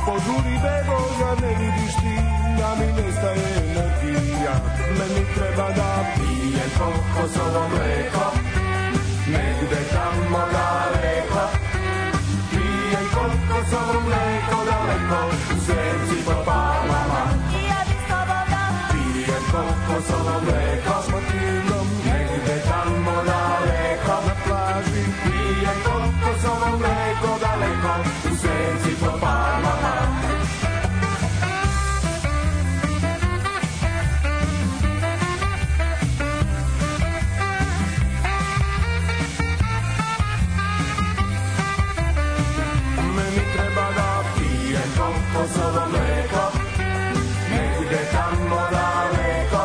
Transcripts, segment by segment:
Požuri bebo, ja ne vidiš ti, da mi nestaje energija. Meni treba da pijem kokosovo mleko, negde tamo daleko. Pijem kokosovo mleko daleko, u senci po palama. I ja bi s tobom da pijem kokosovo mleko s motilom, negde tamo daleko na plaži. Pijem kokosovo mleko daleko, u senci po palama. Kokosovo mleko, negde tamo daleko.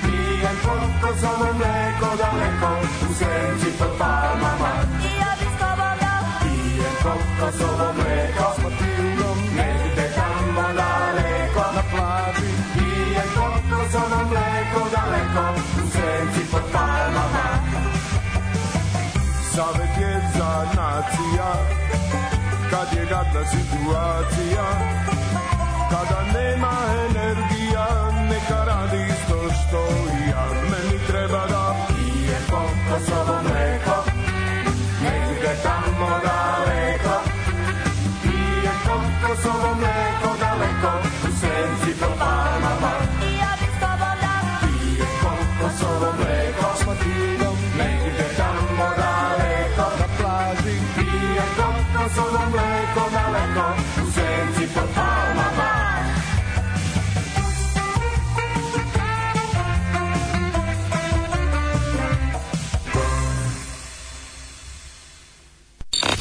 Pijem kokosovo mleko daleko, u senci pod palmama. I ja bi s tobom da pijem kokosovo mleko s motilom, negde tamo daleko na plaži. Pijem kokosovo mleko daleko, u senci pod palmama. Savet je za nacija, kad je gadna situacija, kada nema energija, neka radi isto što i ja. Meni treba da pijem kokosovo mleko, negde tamo daleko. Pijem kokosovo mleko daleko, u senci po palmama. I ja bi s tobom da pijem kokosovo mleko s motilom, negde tamo daleko na plaži. Pijem kokosovo mleko daleko, u senci pod palmama.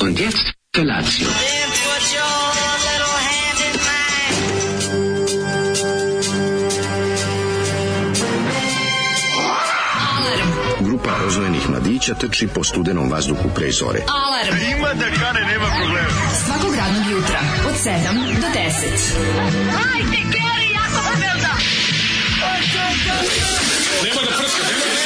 Und jetzt Felatio. Then put your little hand in mine. Grupa rozvojenih mladića trči po studenom vazduhu pre zore. Alarm. Ima da kane, nema problema. Svakog radnog jutra od 7 do 10. Hajde, Geri, jako se velda. Nema da prska, nema da prska.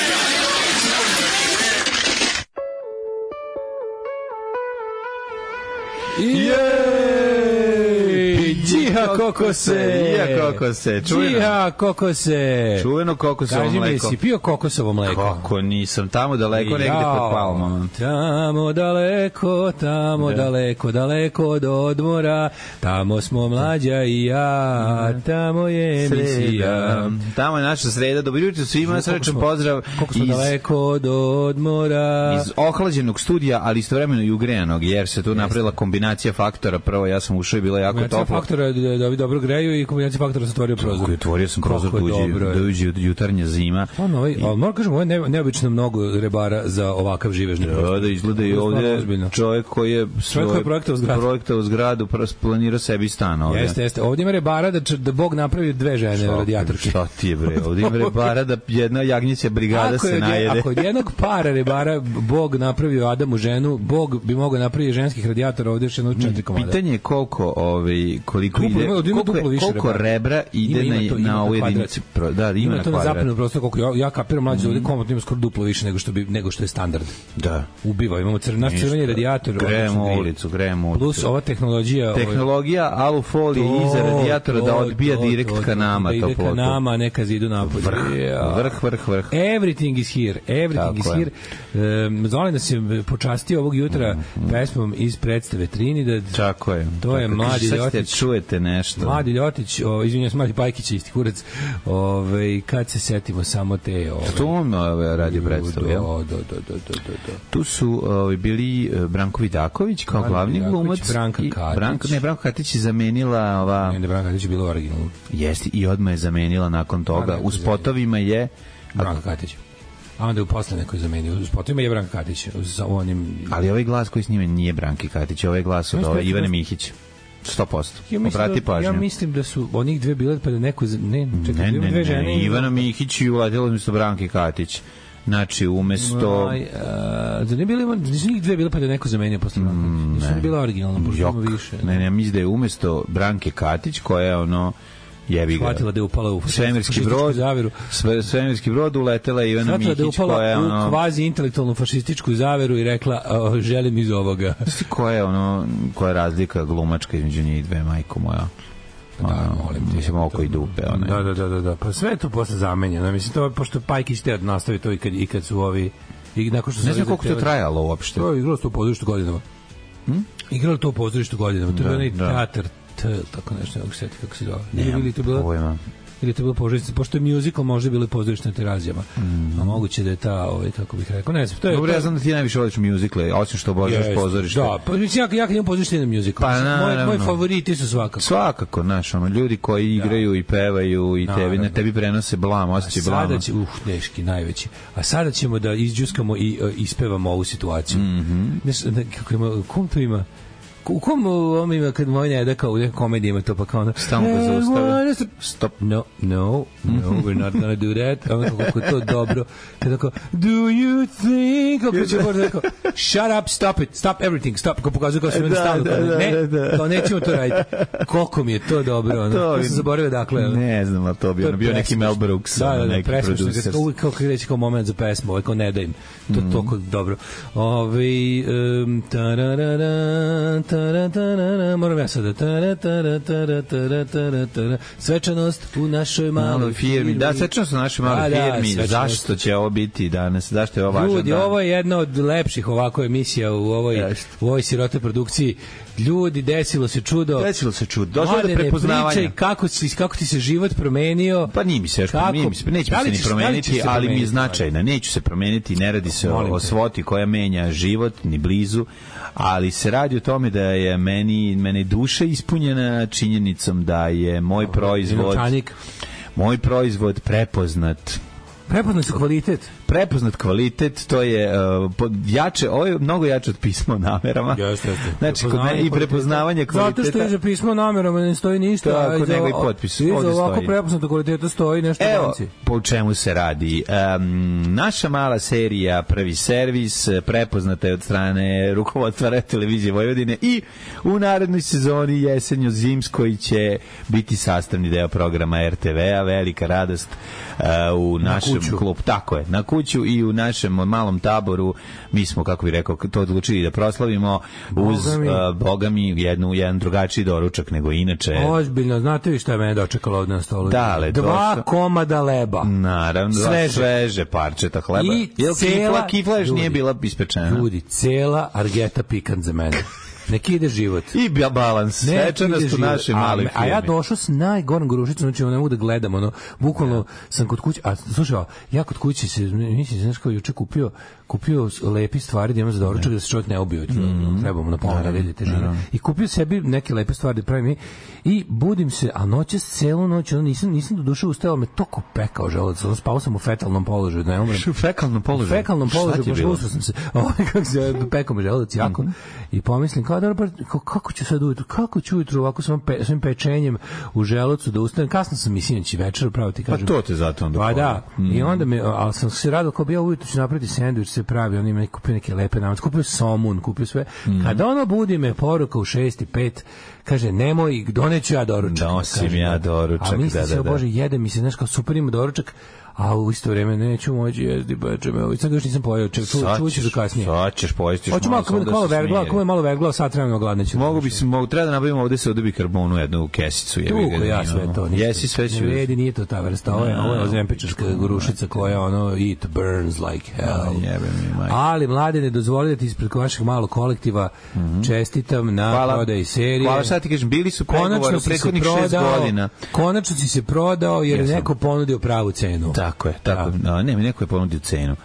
Džiha kokose. Džiha kokose. Čuveno kokosovo mleko. Kaži mi, si pio kokosovo mleko? Kako nisam, tamo daleko negde pod palmama. Tamo daleko, daleko od odmora, tamo smo mlađa i ja, tamo je emisija. Tamo je naša sreda. Dobro jutro svima, srečan pozdrav. Koliko smo daleko od odmora. Iz ohlađenog studija, ali istovremeno i ugrejanog, jer se tu napravila kombinacija faktora. Prvo ja sam ušao i bilo jako toplo. Kombinacija faktora da ovi dobro greju i kombinacija faktora se otvorio prozor. Otvorio sam prozor da uđe jutarnja zima. Ali moram kažem, ovo je neobično mnogo rebara za ovakav živežni prostor. Da izgleda i ovdje čovjek koji je projektao zgradu, planirao sebi stan ovdje. Jeste. Ovdje ima rebara da Bog napravi dve žene radijatorke. Šta ti je bre? Ovdje ima rebara da jedna jagnjeća brigada se najede. Ako od jednog para rebara Bog napravio Adamu ženu, Bog bi mogao napraviti ženskih radijatora ovdje još jedno 4 komada. Pitanje je koliko rebra ide na ovu jedinicu. Da, ima na to na zapadnom prostoru, koliko ja kapiram mlađe ovdje komotno ima skoro duplo više nego što je standard. Da. Ubiva, imamo naš crveni radijator. Grejemo ulicu. Plus ova tehnologija alufolije iza radijatora da odbija direkt ka nama toplotu. Ide ka nama, neka zidu napolje. Vrh. Everything is here. Zolim da se počastio ovog jutra pesmom iz predstave Trinidad. Tako je. To je Mladi Ljotić. Čujete nešto. Mladi Ljotić, izvinjam se, Mladi Pajkić, isti kurac. Kad se setimo samo te... To on radio predstavu, jel? Da. Tu su bili Branko Vidaković kao glavni glumac. Branka Katić. Branka Katić je zamenila ova... Ne, Branka Katić je bila originalna. Jeste, i odmah je zamenila nakon toga. U spotovima je... Branka Katić. A onda je posle neko je zamenio. U spotovima je Branka Katić. Ali ovaj glas koji snime nije Branki Katić, ovaj glas od Ivane Mihić. 100%. Ja mislim da su onih dve bile pa da neko... Ne, Ivana Mihić i uladila umjesto Branke Katić. Znači, umesto... Nisu njih dve bile pa da neko zamenio posle Branke. Nisu bila originalna, pošto ima više. Ne, mislim da je umesto Branke Katić, koja je Jebi ga. Shvatila da je upala u svemirski brod, zaveru. Svemirski brod, uletela je Ivana Mihić, koja je upala u kvazi intelektualnu fašističku zaveru i rekla želim iz ovoga. Koja je razlika glumačka između njih dve, majko moja? Da, molim te. Mislim, oko i dupe. Da. Pa sve je to posle zamenjeno. Mislim, to, pošto Pajkić te nastavi to i kad su ovi... I nakon što ne znam koliko to trajalo uopšte. To je igralo to u pozorištu godinama. Igralo to u pozorištu godinama. To je onaj teatar, tako nešto, kako se zove. Ili to bilo pozorište, pošto je musical možda bilo pozorište na Terazijama. A moguće da je ta, kako bih rekao, ne znam. Dobro, ja znam da ti najviše voliš musicale, osim što obožavaš pozorište. Da, pa mislim, ja kad imam pozorište na musical. Moji favoriti su svakako. Svakako, znaš, ljudi koji igraju i pevaju i tebi prenose blam, osjećaj blama. Sada će, deški, najveći. A sada ćemo da izđuskamo i ispevamo ovu situaciju. Kako ima, kom to ima? U kom ovom ima kad moj ne da kao u nekom komediji ima to pa kao ono stalno ga zaustave. Stop. No, we're not gonna do that. Ono kako to dobro. Kada kao, do you think? Kako će možda rekao, shut up, stop it, stop everything, stop. Kako pokazuje kao sve stalno. Ne, kao nećemo to raditi. Koliko mi je to dobro. Ono. To sam zaboravio dakle. Ne znam, ali to bio neki Mel Brooks. Neki producer. Uvijek kako reći kao moment za pesmu, kao ne da im. To je toliko dobro. Moram ja sada svečanost u našoj maloj firmi. Da, svečanost u našoj maloj firmi. Zašto će ovo biti danas? Zašto je ovo važan dan? Ljudi, ovo je jedna od lepših ovako emisija u ovoj sirote produkciji. Ljudi, desilo se čudo. Došlo do prepoznavanja. Pričaj kako ti se život promenio. Pa nije mi se neće se ni promeniti, ali mi je značajna. Neću se promeniti, ne radi se o svoti koja menja život, ni blizu, ali se radi o tome da je mene duša ispunjena činjenicom da je moj proizvod prepoznat. Prepoznat kvalitet, to je jače, ovo je mnogo jače od pisma o namerama. Jeste. Znači, kod mene i prepoznavanje kvaliteta. Zato što iza pisma o namerama ne stoji ništa. Tako, nego i potpis. Iza ovako prepoznatog kvaliteta stoji nešto vanci. Evo, po čemu se radi. Naša mala serija Prvi servis prepoznata je od strane rukovodstva televizije Vojvodine i u narednoj sezoni jesenjo-zimskoj će biti sastavni deo programa RTV-a. Velika radost u našem klubu. Tako je, na kuću i u našem malom taboru. Mi smo, kako bih rekao, to odlučili da proslavimo uz, bogami, jedan drugačiji doručak nego inače. Ozbiljno, znate vi šta je mene dočekalo ovdje na stolu? Dale, 2 komada leba. Naravno, sveže parčeta hleba. Jel kifla još nije bila ispečena? Ljudi, cela argeta pikant za mene. Neki ide život. I balans. Svečanost u našoj maloj firmi. A ja došao s najgorom grušicom, znači ne mogu da gledam, bukvalno sam kod kuće, a slušaj, ja kod kuće mislim, znaš kao juče kupio lepi stvari da imam za doručak da se čovjek ne ubio, trebamo na pola nedelje težine. I kupio sebi neke lepe stvari da pravim i budim se, a noćas celu noć, nisam do duše ustajao, me toko pekao želudac, spao sam u fetalnom položaju, da ne umrem. U fetalnom položaju? U fetalnom položaju, pošto sam se, kako se pekao me želudac jako, i pomislim, kako ću sad ujutru, ovako s ovim pečenjem u želucu da ustanem, kasno sam i sinoć i večer, pravo ti kažem. Pa to te zato onda pa da, i onda ali sam se radao kao bi ja ujutru ću napraviti sendvič, se pravi, on ima kupio neke lepe namac, kupio somun, kupio sve. Kada ono budi me poruka u 6:05, kaže, nemoj, doneću ja doručak. Nosim ja doručak, a mislim se, Bože, jede mi se, znaš, kao super ima doručak, a u isto vreme neću moći jesti bečeme. Sad još nisam pojeo, čuću za kasnije. Sad ćeš pojesti. Hoću malo vergla, ako je malo vergla, sad trebamo gladneću. Treba da nabavimo ovde se odobi karbonu jednu kesicu. Ja sve to. Jesi sve ću. Ne vredi, nije to ta vrsta. Ovo je ozempičarska grušica koja it burns like hell. Ali, mlade, ne dozvoli da ti ispred vašeg malog kolektiva čestitam na prodaji serije. Hvala, šta ti kažem, bili su pregovori u prethodnih 6 godina. Konačno si se prodao jer je neko ponudio pravu cenu. Tako je. Neko je ponudio cenu.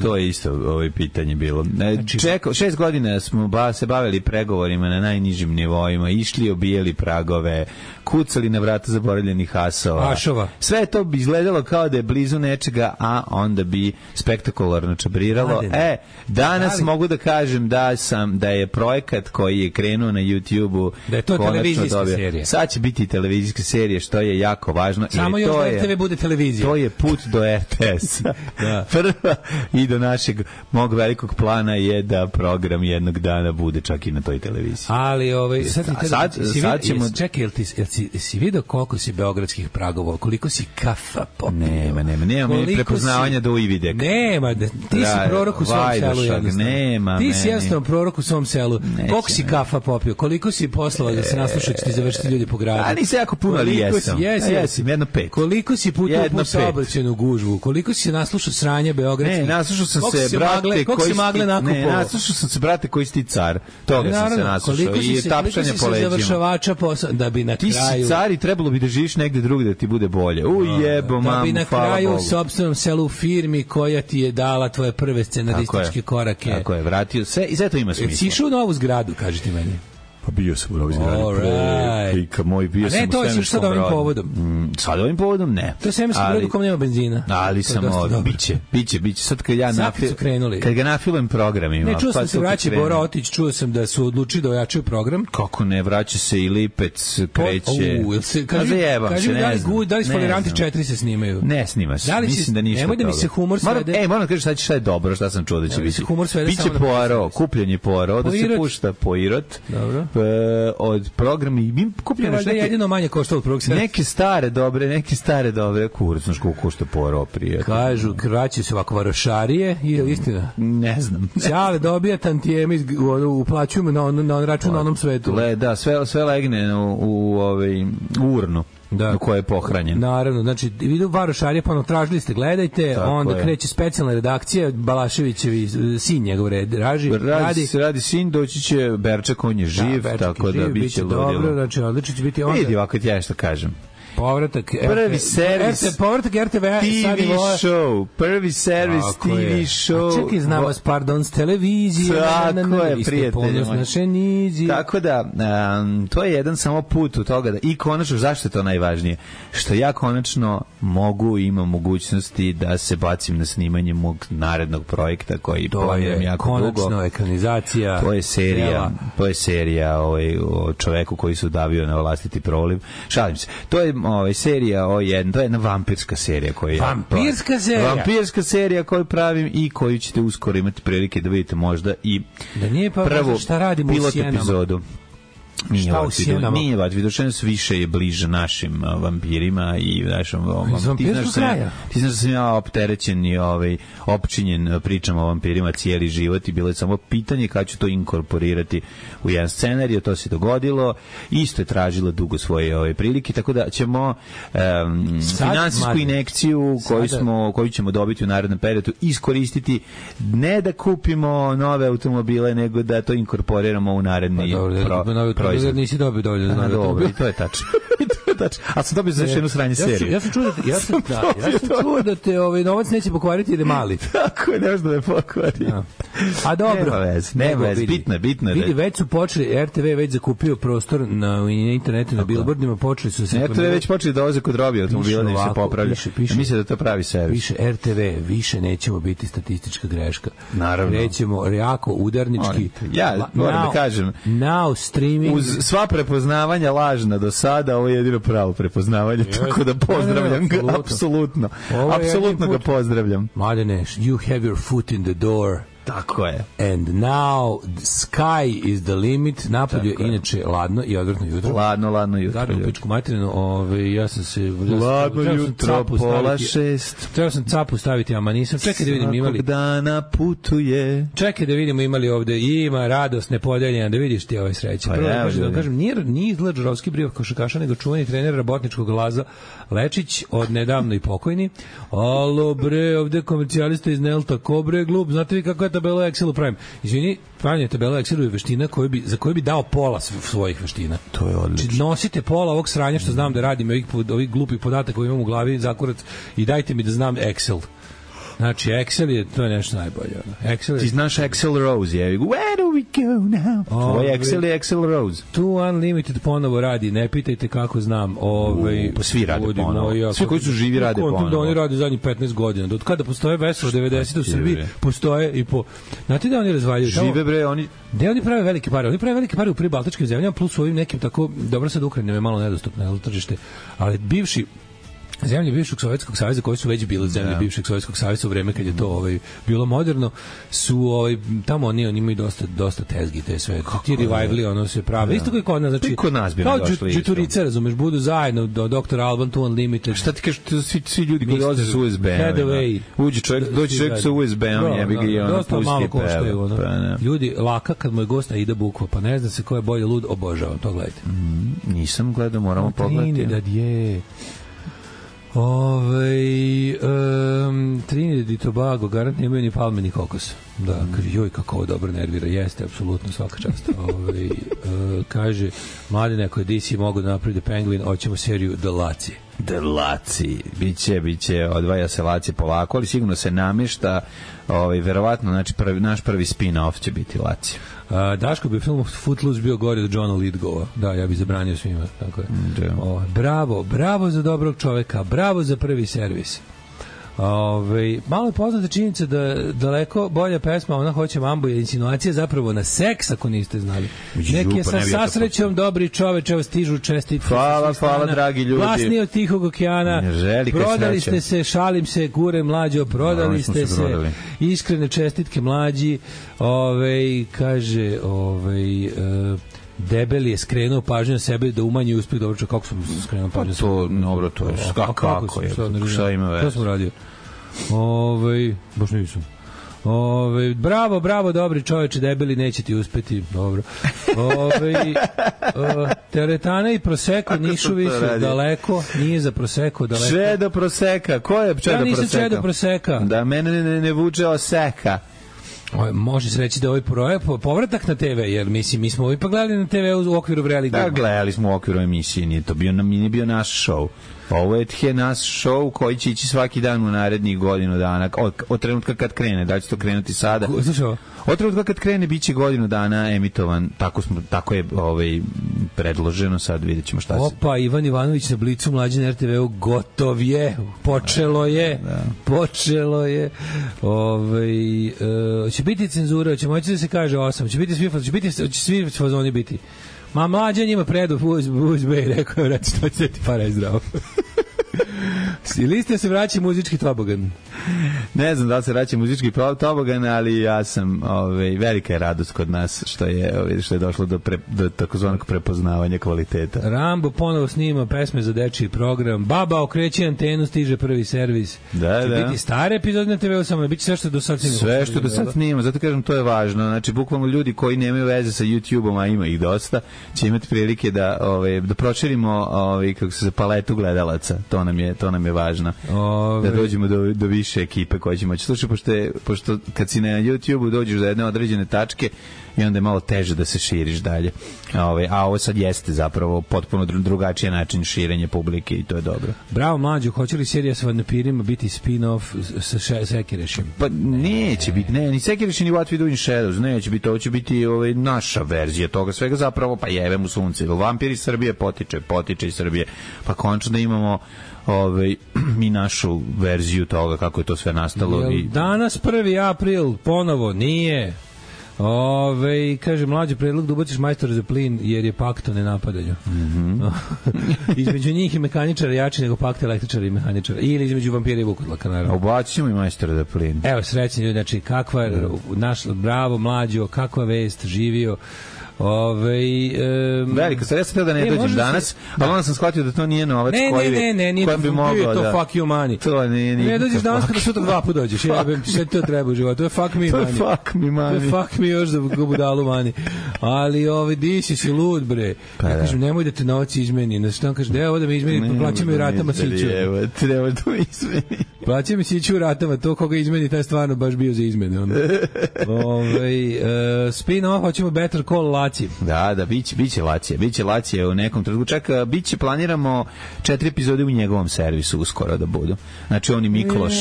To je isto pitanje bilo. 6 godina smo se bavili pregovorima na najnižim nivoima, išli, obijeli pragove, kucali na vrata zaboravljenih asova. Sve to bi izgledalo kao da je blizu nečega, a onda bi spektakularno čabriralo. Danas mogu da kažem da je projekat koji je krenuo na YouTube-u, da je to televizijska serija. Sad će biti televizijska serija, što je jako važno. Samo još da RTV bude televizija. To je put do RTS. Da. Prva i do našeg mog velikog plana je da program jednog dana bude čak i na toj televiziji. Ali sad ćemo... Čekaj, si vidio koliko si beogradskih pragova, koliko si kafa popio? Nema mi prepoznavanja do ivide. Nema, ti si prorok u svom selu jednostavno. Ti si jednostavno prorok u svom selu. Koliko si kafa popio? Koliko si poslova da se naslušao će ti završiti ljudi po gradu? A nisi jako puno, ali jesam. Jesam, 1/5. Koliko si puta u saobraćajnu gužvu? Koliko si naslušao sranje beogradskih? Ne, naslušao sam se, brate, naslušao sam se, brate, koji si ti car. Toga sam se naslušao. I tapšanje po leđima. Završavača posla, da bi na kraju... Ti si car i trebalo bi da živiš negde drugde da ti bude bolje. Ujebo, mamu, da bi na kraju u sopstvenom selu firmi koja ti je dala tvoje prve scenarističke korake. Tako je, vratio se i sve to ima smisla. Si išao u novu zgradu, kažete meni? Pa bio sam u novoj zgradi. Klika moj, bio sam u to si sad ovim povodom. Sad ovim povodom ne. To je svemirski brod u kom nema benzina. Ali sam biće. Sad kad ja kad ga nafilujem programima. Ne, čuo sam se vraća Bora Otić, čuo sam da su odlučili da ojačaju program. Kako ne, vraća se i Lipec, kreće. Da li Foliranti 4 se snimaju? Ne snima se, mislim da ništa. Nemoj da mi se humor svede. Moram kažeš šta je dobro, šta sam čuo da će biti. Biće Poirot, kupljenje Poirot, da se pušta Poirot. Dobro. Od programa i mi kupljeno neke jedino manje košta od prvog sreda. Neke stare dobre kurac, znaš koliko košta Poirot, prijatno. Kažu, vraćaju se ovako varošarije, je li istina? Ne znam. Ćale dobija tantijeme, uplaćujemo na račun na onom svetu. Da, sve legne u urnu. Da. Ko je pohranjen. Naravno, znači vidu varošarije, pa tražili ste, gledajte, tako onda kreće specijalna redakcija, Balaševićevi sin njegov radi sin, doći će Berčak, on je živ, tako da biće ludilo. Dobro, znači odlično će biti onda. Vidi ovako ti ja što kažem. Povratak prvi servis RTV TV show, prvi servis TV show. A čekaj, znam vas, pardon, s televizije. Tako je, prijatelji moji. Tako da, to je jedan samo put u toga da, i konačno, zašto je to najvažnije? Što ja konačno mogu, imam mogućnosti da se bacim na snimanje mog narednog projekta koji planiram jako dugo. Konačno ekranizacija. To je serija o čoveku koji se udavio na vlastiti proliv. Šalim se. To je serija to je jedna vampirska serija koju vampirska serija koju pravim i koju ćete uskoro imati prilike da vidite možda i da nije pa prvu pilot epizodu. Nije Vidošenost više je bliže našim vampirima i našom ti znaš da sam ja opterećen i opčinjen pričama o vampirima cijeli život i bilo je samo pitanje kada ću to inkorporirati u jedan scenarij, to se dogodilo, isto je tražilo dugo svoje prilike, tako da ćemo finansijsku injekciju koju ćemo dobiti u narednom periodu iskoristiti ne da kupimo nove automobile, nego da to inkorporiramo u naredni proizvod. Nisi dobio dovoljno znanja. Dobro, i to je tačno. A sam dobio za još jednu sranje seriju. Ja sam čuo da te novac neće pokvariti jer je mali. Tako je, ne možda da je pokvari. A dobro. Nema vez, bitno je. Vidi, već su počeli, RTV već zakupio prostor na internetu, na billboardima, počeli su se... RTV već počeli da oze kod robi automobila, da im se popravlja. Mislim da to pravi servis. Piše RTV, više nećemo biti statistička greška. Naravno. Krećemo jako udarnički. Ja moram da kažem, now streaming... Uz sva prepoznavanja lažna do sada, ovo je jedino pravo prepoznavanje, tako da pozdravljam ga, apsolutno ga pozdravljam. Mladene, you have your foot in the door. Tako je. And now the sky is the limit. Napolju je inače ladno i odvratno jutro. Ladno jutro. Zadnju pičku materinu, ja sam se... Ladno jutro, 5:30. Trebao sam capu staviti, ama nisam. Čekaj da vidim imali... Svakog dana putuje. Čekaj da vidimo imali ovde. Ima radost nepodeljena, da vidiš ti ovaj sreće. Pa prvo da kažem, nije izgled Žarovski brio košarkaša, nego čuveni trener Rabotničkog Laza Lečić, od nedavno i pokojni. Alo bre, ovde komercijalista iz Nelta, ko bre glup, znate vi kako je tabela Excelu pravim? Izvini, pravljanje tabela Excelu je veština za koju bi dao pola svojih veština. To je odlično. Znači, nosite pola ovog sranja što znam da radim, ovih glupih podataka koji imam u glavi, zakurac, i dajte mi da znam Excel. Znači, Excel to je nešto najbolje. Ti znaš Excel Rose, je. Where do we go now? Tvoj Excel je Excel Rose. Tu Unlimited ponovo radi, ne pitajte kako znam. Pa svi rade ponovo. Svi koji su živi rade ponovo. Da oni rade zadnjih 15 godina. Do kada postoje veselo 90 u Srbiji, postoje i po... Znate da oni razvaljuju? Žive bre, oni... Da oni prave velike pare. Oni prave velike pare u pribaltičkim zemljama, plus u ovim nekim tako... Dobro, sad Ukrajina je malo nedostupno tržište, ali bivši zemlje bivšeg Sovjetskog saveza, koje su već bile zemlje bivšeg Sovjetskog saveza u vreme kad je to bilo moderno, su tamo oni imaju dosta tezgi, te sve. Ti revivali, ono se prave. Isto kao kod nas, znači kod nas bi kao došli. Džuturice, razumeš, budu zajedno do Dr. Alban to Unlimited. Šta ti kažeš, svi ljudi koji dolaze sa USB-om. Dođe čovjek sa USB-om, jebi ga i ono dosta malo pusti koštaju, peva. Ljudi, laka kad mu je gost ide bukva, pa ne zna se ko je bolje lud, obožavam, to gledajte. Nisam gledao, moramo pogledati. Trinidad je... Trinidad i Tobago garant nemaju ni palme ni kokos. Da, joj kako ovo dobro nervira. Jeste, apsolutno, svaka čast. Kaže Mladene, ako je DC mogu da napravi The Penguin, hoćemo seriju The Laci. The Laci, biće odvaja se Laci polako, ali sigurno se namješta, verovatno, znači naš prvi spin-off će biti Laci. Daško bi film Footloose bio gori od Johna Lithgowa. Da, ja bih zabranio svima. Tako je. Bravo za dobrog čoveka, bravo za prvi servis. Malo je poznata činjenica da daleko bolja pesma Ona hoće mambu je insinuacija zapravo na seks, ako niste znali. Neki je sa srećom dobri čoveče, evo stižu čestitke. Hvala dragi ljudi. Glasni od Tihog okeana. Prodali ste se, šalim se, kure mlađo, prodali ste se. Iskrene čestitke mlađi. Kaže Debeli je skrenuo pažnju na sebe da umanji uspeh. Dobro, kako sam skrenuo pažnju na sebe? To je kako je. Šta ima već? To sam radio. Baš nisam. Bravo, dobri čoveče, debeli, neće ti uspeti. Dobro. Teretana i Prosecco nisu više daleko, nije za Prosecco daleko. Čedo Prosecca, ko je Čedo Prosecca? Ja nisam Čedo Prosecca. Da, mene ne vuče oseka. Može se reći da ovaj povratak na TV, jer mi smo ipak gledali na TV u okviru Vreli Dugma. Da, gledali smo u okviru emisije, nije to bio naš show. Ovo je naš show koji će ići svaki dan u narednih godinu dana, od trenutka kad krene, da će to krenuti sada. Od trenutka kad krene, bit će godinu dana emitovan, tako je predloženo, sad vidjet ćemo šta se... Opa, Ivan Ivanović na Blicu, mlađi na RTV-u, gotov je, počelo je. Će biti cenzura, će moći da se kaže 8, će svi fazoni biti. Ma mlađa njima predu USB, rekao je, reći, to će ti para i zdravo. Listija se vraća muzički tobogan. Ne znam da li se vraća muzički tobogan, ali ja sam, velika je radost kod nas što je došlo do takozvanog prepoznavanja kvaliteta. Rambo ponovo snima pesme za dečiji program. Baba okreće antenu, stiže prvi servis. Da. Biti stare epizode na TV-u, samo biti sve što do sad snima. Sve što do sad snima, zato kažem, to je važno. Znači, bukvalno ljudi koji nemaju veze sa YouTube-om, a ima ih dosta, će imati prilike da proširimo kako se paletu gledalaca. To nam je važno. Da dođemo do više ekipe koje će moći. Slušaj, pošto kad si na YouTube-u dođeš do jedne određene tačke i onda je malo teže da se širiš dalje. A ovo sad jeste zapravo potpuno drugačiji način širenja publike i to je dobro. Bravo, mlađo, hoće li serija sa vampirima biti spin-off sa Sekirešim? Pa neće biti, ni Sekirešim ni What We Do in Shadows, neće biti, ovo će biti naša verzija toga svega zapravo, pa jebe mu sunce. Vampir iz Srbije potiče iz Srbije, pa končno da imamo mi našu verziju toga kako je to sve nastalo. Danas 1. april, ponovo, nije. Kaže, mlađi predlog da ubaciš majstora za plin jer je pakt o nenapadanju. Između njih i mehaničara jači nego pakt električara i mehaničara. Ili između vampira i vukodlaka, naravno. Ubacit ćemo i majstora za plin. Evo, srećni ljudi, znači, bravo, mlađo, kakva vest, živio. Velika stvar, ja sam teo da ne dođem danas, ali onda sam shvatio da to nije novac koji bi mogao da... fuck you money. To nije ne dođeš danas kada sutra 2 puta dođeš. Sve to treba u životu. To je fuck me money. To je fuck me još za budalu money. Ali di si lud, bre. Ja kažem, nemoj da te novac izmeni. Šta on kaže, evo da me izmeni, plaća mi u ratama siću. Treba da me izmeni. Plaća mi siću u ratama, to koga izmeni, taj stvarno baš bio za izmene. Spin-off, hoćemo Better Call Laci. Da, biće Lacija u nekom trenutku. Čak, planiramo 4 epizode u njegovom servisu uskoro da budu. Znači, on i Mikloš,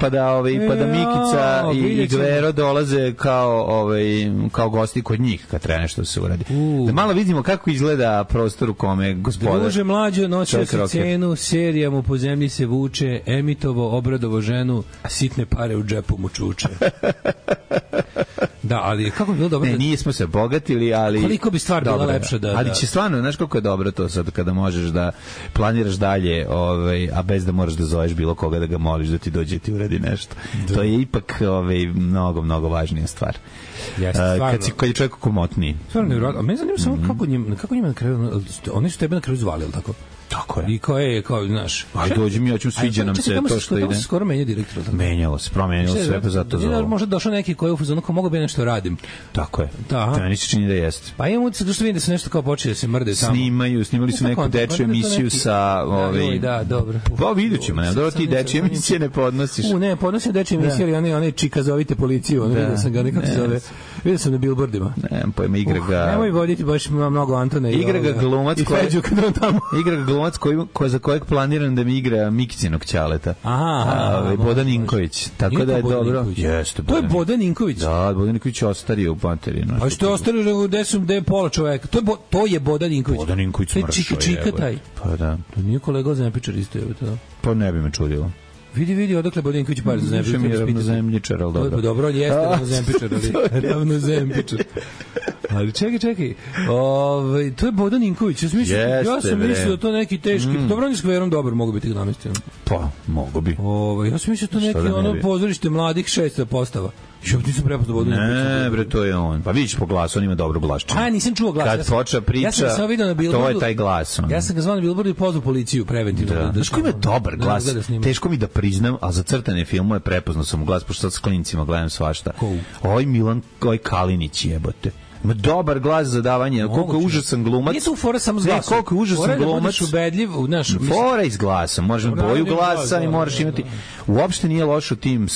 pa da Mikica i Gvero dolaze kao gosti kod njih kad treba nešto se uradi. Da malo vidimo kako izgleda prostor u kome gospodar. Druže mlađo, nosio se cenu, serija mu po zemlji se vuče, emitovo, obradovo ženu, a sitne pare u džepu mu čuče. Da, ali kako bi bilo dobro... Ne, nismo se bogatili, ali... Koliko bi stvar bila dobro, lepša da... Ali će stvarno, znaš koliko je dobro to sad kada možeš da planiraš dalje, a bez da moraš da zoveš bilo koga da ga moliš da ti dođe i ti uradi nešto. To je ipak mnogo, mnogo važnija stvar. Kad je čovjek komotniji. Stvarno nevjerojatno. A mene zanima samo kako njima na kraju... Oni su tebe na kraju zvali, ili tako? Tako je. I kao, znaš... Ajde, dođi mi, sviđa nam se to što ide. Tamo se skoro menja direktor. Menjalo se, promenilo sve, pa zato zove. Možda došao neki koji je u fazonu, mogu bi nešto radim. Tako je. Meni se čini da jeste. Pa imam utisak što vidim da se nešto kao počeo da se mrde tamo. Snimali su neku dečju emisiju sa... Da, dobro. Pa vidjet ćemo, ne, dobro ti dečje emisije ne podnosiš. Ne, podnosim dečje emisije, ali one čika zovite policiju, vidio sam ga, nekako se zove. Vidio sam na billboardima. Nemam pojma, igra ga... Nemoj voditi baš mnogo Antona i igra ga glumac i Feđu kad on tamo. Igra ga glumac za kojeg planiram da mi igra Mikićinog ćaleta. Bodan Ninković. Tako da je dobro. Jeste. To je Bodan Ninković. Da, Bodan Ninković je ostario u Panterinu. A što je ostario gde je pola čoveka? To je Bodan Ninković. Bodan Ninković smršao je. Čika taj. Pa da. To nije kolega Zempičar isto je to. Pa ne bi me čudilo. Vidi, odakle Bodanković par za Zempičar. Više mi je ravnozemljičar, ali dobro. Dobro, on jeste ravnozempičar, ali ravnozempičar. Ali čekaj. To je Bodan Ninković. Ja sam mislio da to neki teški... Dobro, on je s kverom dobar, mogu biti ga namestio. Pa, mogu bi. Ja sam mislio da to neki pozorište mladih 600 postava. Što nisam prepoznao Bodan Ninković. Ne, bre, to je on. Pa vidiš po glasu, on ima dobro glaščinu. Nisam čuo glas. Kad počne priča, to je taj glas. Ja sam ga zvao na billboardu i pozvao policiju preventivno. Znaš ko ima dobar glas? Teško mi da priznam, ali za crtane filmove prepoznao sam u glas, pošto sad s klincima gledam svašta. Milan Kalinić jebote. Ima dobar glas za davanje. Koliko je užasan glumac. Nije tu fora samo s glasom. Koliko je užasan glumac. Fora iz glasa. Možeš boju glasa i moraš imati... Uopšte nije lošo tim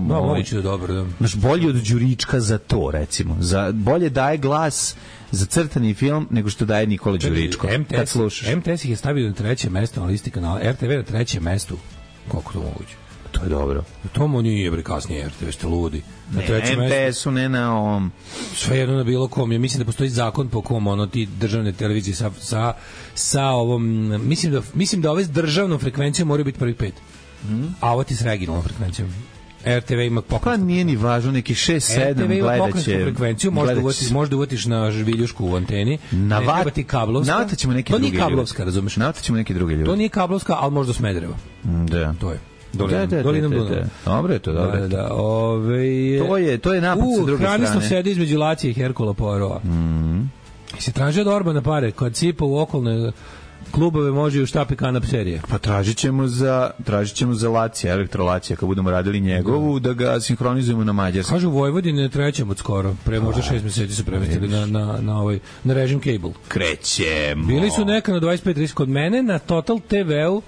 moguće da dobro, da. Znaš, bolje od Đurička za to, recimo. Bolje daje glas za crtani film nego što daje Nikola Đuričko. Kad slušaš. MTS ih je stavio na 3. mesto na listi kanala. RTV na 3. mestu. Koliko to moguće? To je dobro. To mu nije bre kasnije RTV, ste ludi. Na MTS-u ne na ovom... Sve jedno na bilo kom. Ja mislim da postoji zakon po kom ti državne televizije sa ovom... Mislim da ove s državnom frekvencijom moraju biti prvih 5. A ovo ti s regionalnom frekvencijom. RTV ima pokretnu. Pa nije ni važno, neki 6-7 RTV ima pokretnu frekvenciju, možda uvatiš na viljušku u anteni, ne treba ti kablovska. Navataćemo neki drugi ljudi. To nije kablovska, razumeš? Navataćemo neki drugi ljudi. To nije kablovska, ali možda Smedereva. Da. To je. Dolinom Dunava. Dobro je to, dobro je to. To je napad sa druge strane. Hranisno sedi između Lacije i Herkula Poirova. Se traži od Orbana pare, kad sipa u okolne klubove može i u štapi kanap serije. Pa tražit ćemo za Lacija, Elektrolacija, kad budemo radili njegovu, da ga sinhronizujemo na mađarsku. Kažu u Vojvodini ne trećemo od skoro. Pre možda 6 meseci su premestili na režim cable. Krećemo. Bili su neka na 25-30 kod mene, na Total TV-u,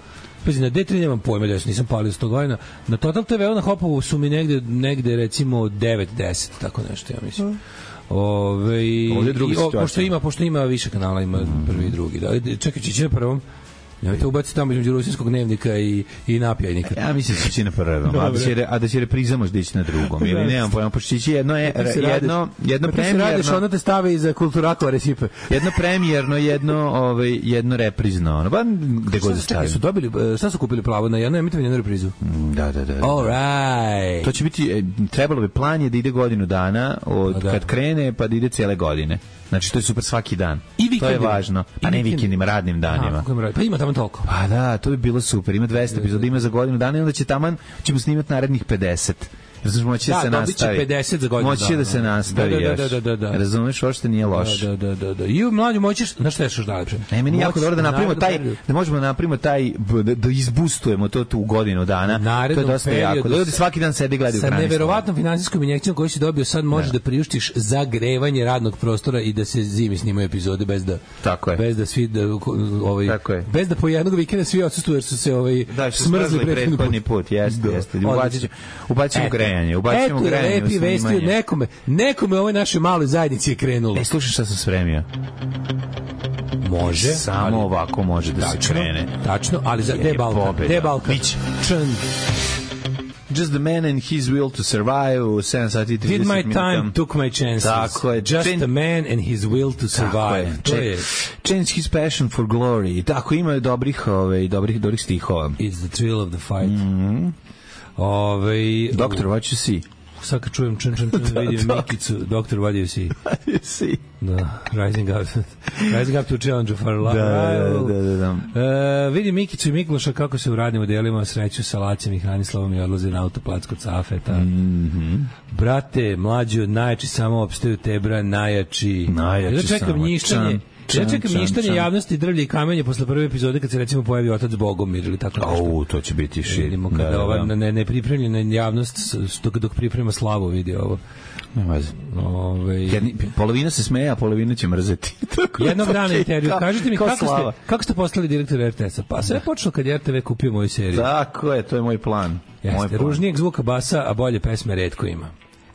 pazi, na D3 nemam pojma, da nisam palio 100 godina. Na Total TV-u na Hopovu su mi negde recimo 9-10, tako nešto, ja mislim. Pošto ima više kanala, ima prvi i drugi. Čekaj, će na prvom. Nemojte ubaciti tamo između rusinskog dnevnika i napjajnika. Ja mislim da će na prvom, a da će repriza možda ići na drugom. Ili nemam pojma, pošto će jedno premijerno... Radiš, onda te stave iza kulturakova recipe. Jedno premijerno, jedno reprizno. Pa gde god stavim. Šta su kupili pravo na jedno emitovanje, jednu reprizu? Da. All right. To će biti, trebalo bi plan je da ide godinu dana, kad krene, pa da ide cijele godine. Znači, to je super svaki dan. To je važno. A ne vikendima, radnim danima. Pa ima tamo toliko. Pa da, to bi bilo super. Ima 200 epizoda, ima za godinu dana i onda ćemo snimati narednih 50. Razumeš, moći da se nastavi. 50 za godinu. Moći da se nastavi još. Da. Razumeš, uopšte nije loš. Da. I u mlađu moćiš, znaš šta je što najlepše? Ne, meni jako dobro da napravimo da možemo da napravimo da izbustujemo to tu u godinu dana. To je dosta jako. Da ljudi svaki dan sede i gledaju Sa neverovatnom finansijskom injekcijom koju si dobio sad možeš da priuštiš zagrevanje radnog prostora i da se zimi snimaju epizode bez da svi bez da po jednog vikenda svi odsustuju jer su se smrzli prethodni put. Jeste. Ubacimo grejanje. Ubacimo grejanje. Lepi vesti nekome ovoj našoj maloj zajednici je krenulo. Slušaj šta sam spremio. Može. Samo ovako može da se krene. Tačno, ali za Balkan. Just the man and his will to survive, 7 sati 30 minuta. Did my time, took my chances. Tako je. Just the man and his will to survive. Change his passion for glory. Tako, ima dobrih stihova. It's the thrill of the fight. Doctor, what you see? Sad kad čujem čun, vidim Mikicu, Doktor, what do you see? What do you see? Da, rising up to challenge for life. Da. Vidim Mikicu i Mikloša kako se u radnim odelima sreću sa Lacem i Hranislavom i odlaze na autoplac kod Cafeta. Brate, mlađi od najjači samo opstaju Tebra, najjači samo. Ja čekam njištanje javnosti, drvlje i kamenje posle prve epizode kad se recimo pojavi otac Bogomir ili tako nešto. To će biti shit. Vidimo kada ova nepripremljena javnost dok priprema slavu vidi ovo. Polovina se smeje, a polovina će mrzeti. Jednog dana intervju. Kažite mi kako ste postali direktor RTS-a? Pa sve je počelo kad je RTV kupio moju seriju. Tako je, to je moj plan. Jeste, ružnijeg zvuka basa, a bolje pesme retko ima.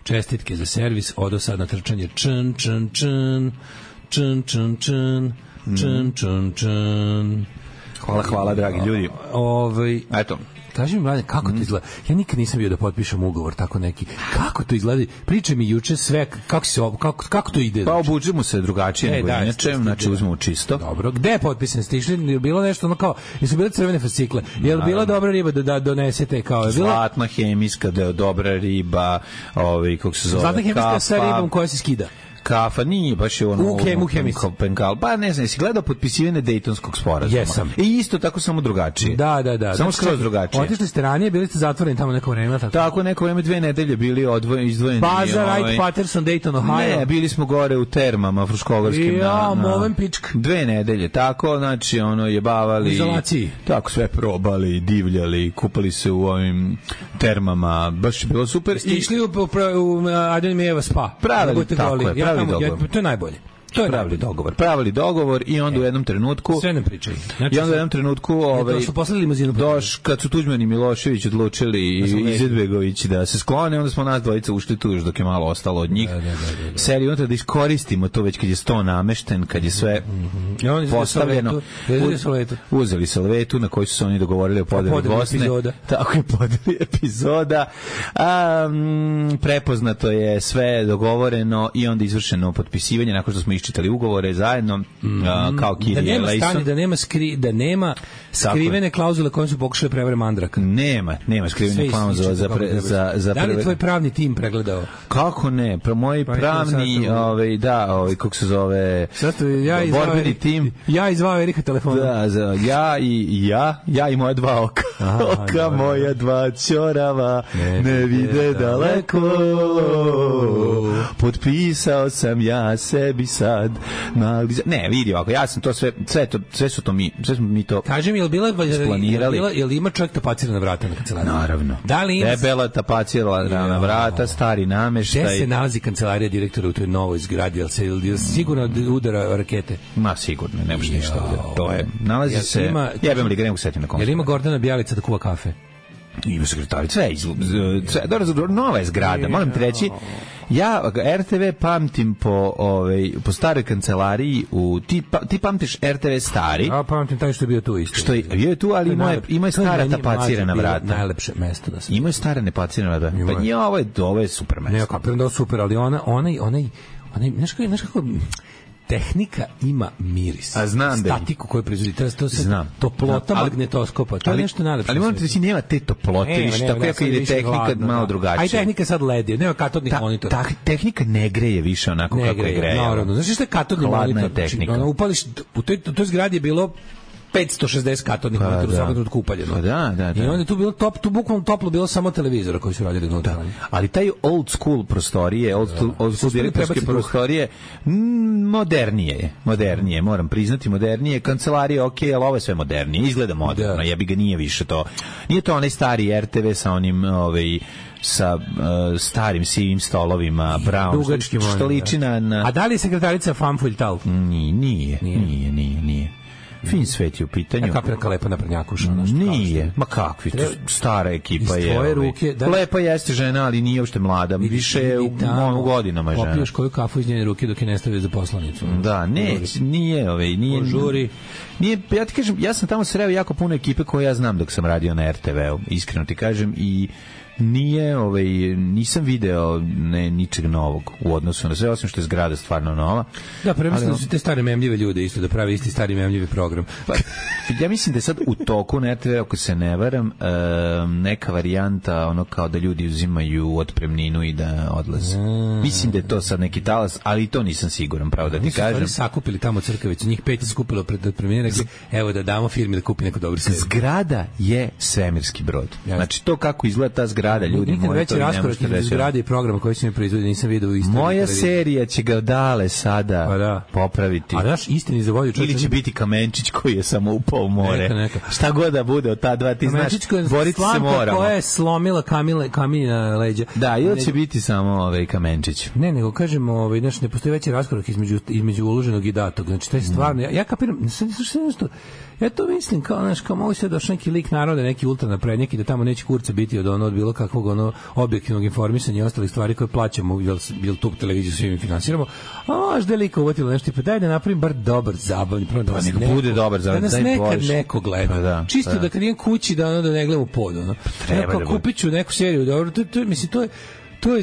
Čestitke za servis, odo sad na trčanje čn, čn, čn, čn, čn, čn, čn, čn, čn. Hvala, dragi ljudi. Eto. Kaži mi, Mladen, kako to izgleda? Ja nikad nisam bio da potpišem ugovor tako neki. Kako to izgleda? Pričaj mi juče sve, kako to ide? Pa obuđemo se drugačije nego inače, znači uzmemo čisto. Dobro, gde je potpisan? Ste išli, je bilo nešto ono kao, jesu bile crvene fascikle? Je li bila dobra riba da donesete kao? Zlatna hemijska, dobra riba, kako se zove, zlatna hemijska sa ribom koja se skida. Kafa, nije baš je ono... Penkal. Pa ne znam, jesi gledao potpisivanje Dejtonskog sporazuma? Jesam. I isto tako, samo drugačije. Da. Samo skroz drugačije. Otišli ste ranije, bili ste zatvoreni tamo neko vreme. Tako, neko vreme, 2 nedelje bili izdvojeni. Baza, Wright, Patterson, Dayton, Ohio. Ne, bili smo gore u termama, Fruškogorskim. Moven pičk. 2 nedelje, tako, znači, jebavali. U izolaciji. Tako, sve probali, divljali, kupali se u ovim termama, baš je bilo super. Ste išli u Adrian Mijeva spa. Pravi dogovor. To je najbolje. To je pravili dogovor i onda u jednom trenutku sve nam pričaju. Znači, i onda u jednom trenutku su poslali limuzinu kad su Tuđman i Milošević odlučili i Izetbegović da se sklone, onda smo nas dvojica ušli tu još dok je malo ostalo od njih. Seriju unutra da iskoristimo to već kad je sto namešten, kad je sve postavljeno. Uzeli salvetu na kojoj su se oni dogovorili o podeli Bosne. Tako je, podeli epizoda. Prepoznato je sve dogovoreno i onda izvršeno potpisivanje nakon što smo iščitali ugovore zajedno kao Kirije Lejson. Da nema skrivene klauzule kojom su pokušali prevare Mandraka. Nema skrivene klauzule za da li je tvoj pravni tim pregledao? Kako ne? Moj pravni, kako se zove, borbeni tim. Ja izvao Erika telefona. Ja i moja 2 oka. Oka moja 2 ćorava ne vide daleko. Potpisao sam ja sebi sad. Ne, vidi ovako, ja sam to sve smo mi to. Kažem, je li bila planirali? Je li ima čovjek tapacirana vrata na kancelariji? Naravno. Da li debela tapacirana vrata, stari nameštaj. Gde se nalazi kancelarija direktora u toj novoj zgradi? Je li sigurno udara rakete? Ma sigurno, ne može ništa udara. To je, nalazi se, jebem li ga, ne mogu setiti na koncu. Jer ima Gordana Bjelica da kuva kafe? Ima sekretarica, nova je zgrada, moram ti reći. Ja RTV pamtim po staroj kancelariji, ti pamtiš RTV stari. Ja pamtim taj što je bio tu isto. Što je bio tu, ali ima je stara tapacirana vrata. Najlepše mesto da se. Ima je stara tapacirana vrata. Pa nije, ovo je super mesto. Ne, kapiram da je super, ali onaj, znaš kako tehnika ima miris. A znam da statiku koju proizvodi. Toplota magnetoskopa. To je nešto najlepše. Ali moram ti reći, nema te toplote, više tako kako ide tehnika malo drugačije. Aj tehnika sad LED, nema katodnih monitora. Tehnika ne greje više onako kako je greje. Naravno. Znaš što je katodni monitor? Tehnika. Upališ, u toj zgradi je bilo 560 katodnih monitora u svakom trenutku upaljeno. Da. I onda je tu bilo tu bukvalno toplo bilo samo televizora koji su radili unutra. Ali taj old school prostorije, old school direktorske prostorije, modernije, moram priznati, modernije. Kancelarije, okej, ali ovo je sve modernije. Izgleda moderno, jebi ga, nije više to. Nije to onaj stari RTV sa onim sa starim sivim stolovima, brown, što liči na... A da li je sekretarica Fanfulj Tal? Nije. Fin svet je u pitanju. Ja kapira lepa na prnjakuša. Nije, ma kakvi, stara ekipa je. Tvoje ruke, lepa jeste žena, ali nije uopšte mlada, više je u godinama žena. Popiješ koju kafu iz njene ruke dok je ne stavio za poslanicu. Da, nije. Žuri. Ja ti kažem, ja sam tamo sreo jako puno ekipe koje ja znam dok sam radio na RTV-u, iskreno ti kažem, i nisam video ničeg novog u odnosu na sve, osim što je zgrada stvarno nova. Da, prvenstveno su te stare memljive ljude isto da pravi isti stari memljivi program. ja mislim da je sad u toku na RTV, ako se ne varam, neka varijanta ono kao da ljudi uzimaju otpremninu i da odlaze. Mislim da je to sad neki talas, ali i to nisam siguran, pravo da ti kažem. Oni su sakupili tamo Crkavicu, njih 5 je skupilo pred otpremninu, rekli, evo da damo firmi da kupi neko dobro seriju. Zgrada je svemirski brod. Znači to kako izgleda ta zgrada, ljudi moji to ne možete reći. Zgrade i programa koji se mi proizvodi, nisam vidio u istoriji. Moja serija će ga dale sada popraviti. A daš istini za volju ili će biti Kamenčić koji je samo upao u more. Neka. Šta god da bude od ta dva, ti znaš, boriti se moramo. Koja je slomila Kamina leđa. Da, ili će biti samo Kamenčić. Ne, nego kažemo, znaš, ne postoji veći raskorak između uloženog i datog. Znači, to je stvarno, ja kapiram, ja to mislim, kao, znaš, kao mogu se doći neki lik naroda, neki ultranaprednjak i da tamo neće kurca biti od bilo kakvog objektivnog informisanja i ostalih stvari koje plaćamo, jel tu televiziju svi mi finansiramo, a možda je lik uvatilo nešto i pa daj da napravim bar dobar, zabavni program, da nas bude dobar, da nas nekad neko gleda. Čisto da kad idem kući da ne gledam u pod. Kupit ću neku seriju, dobro, mislim, to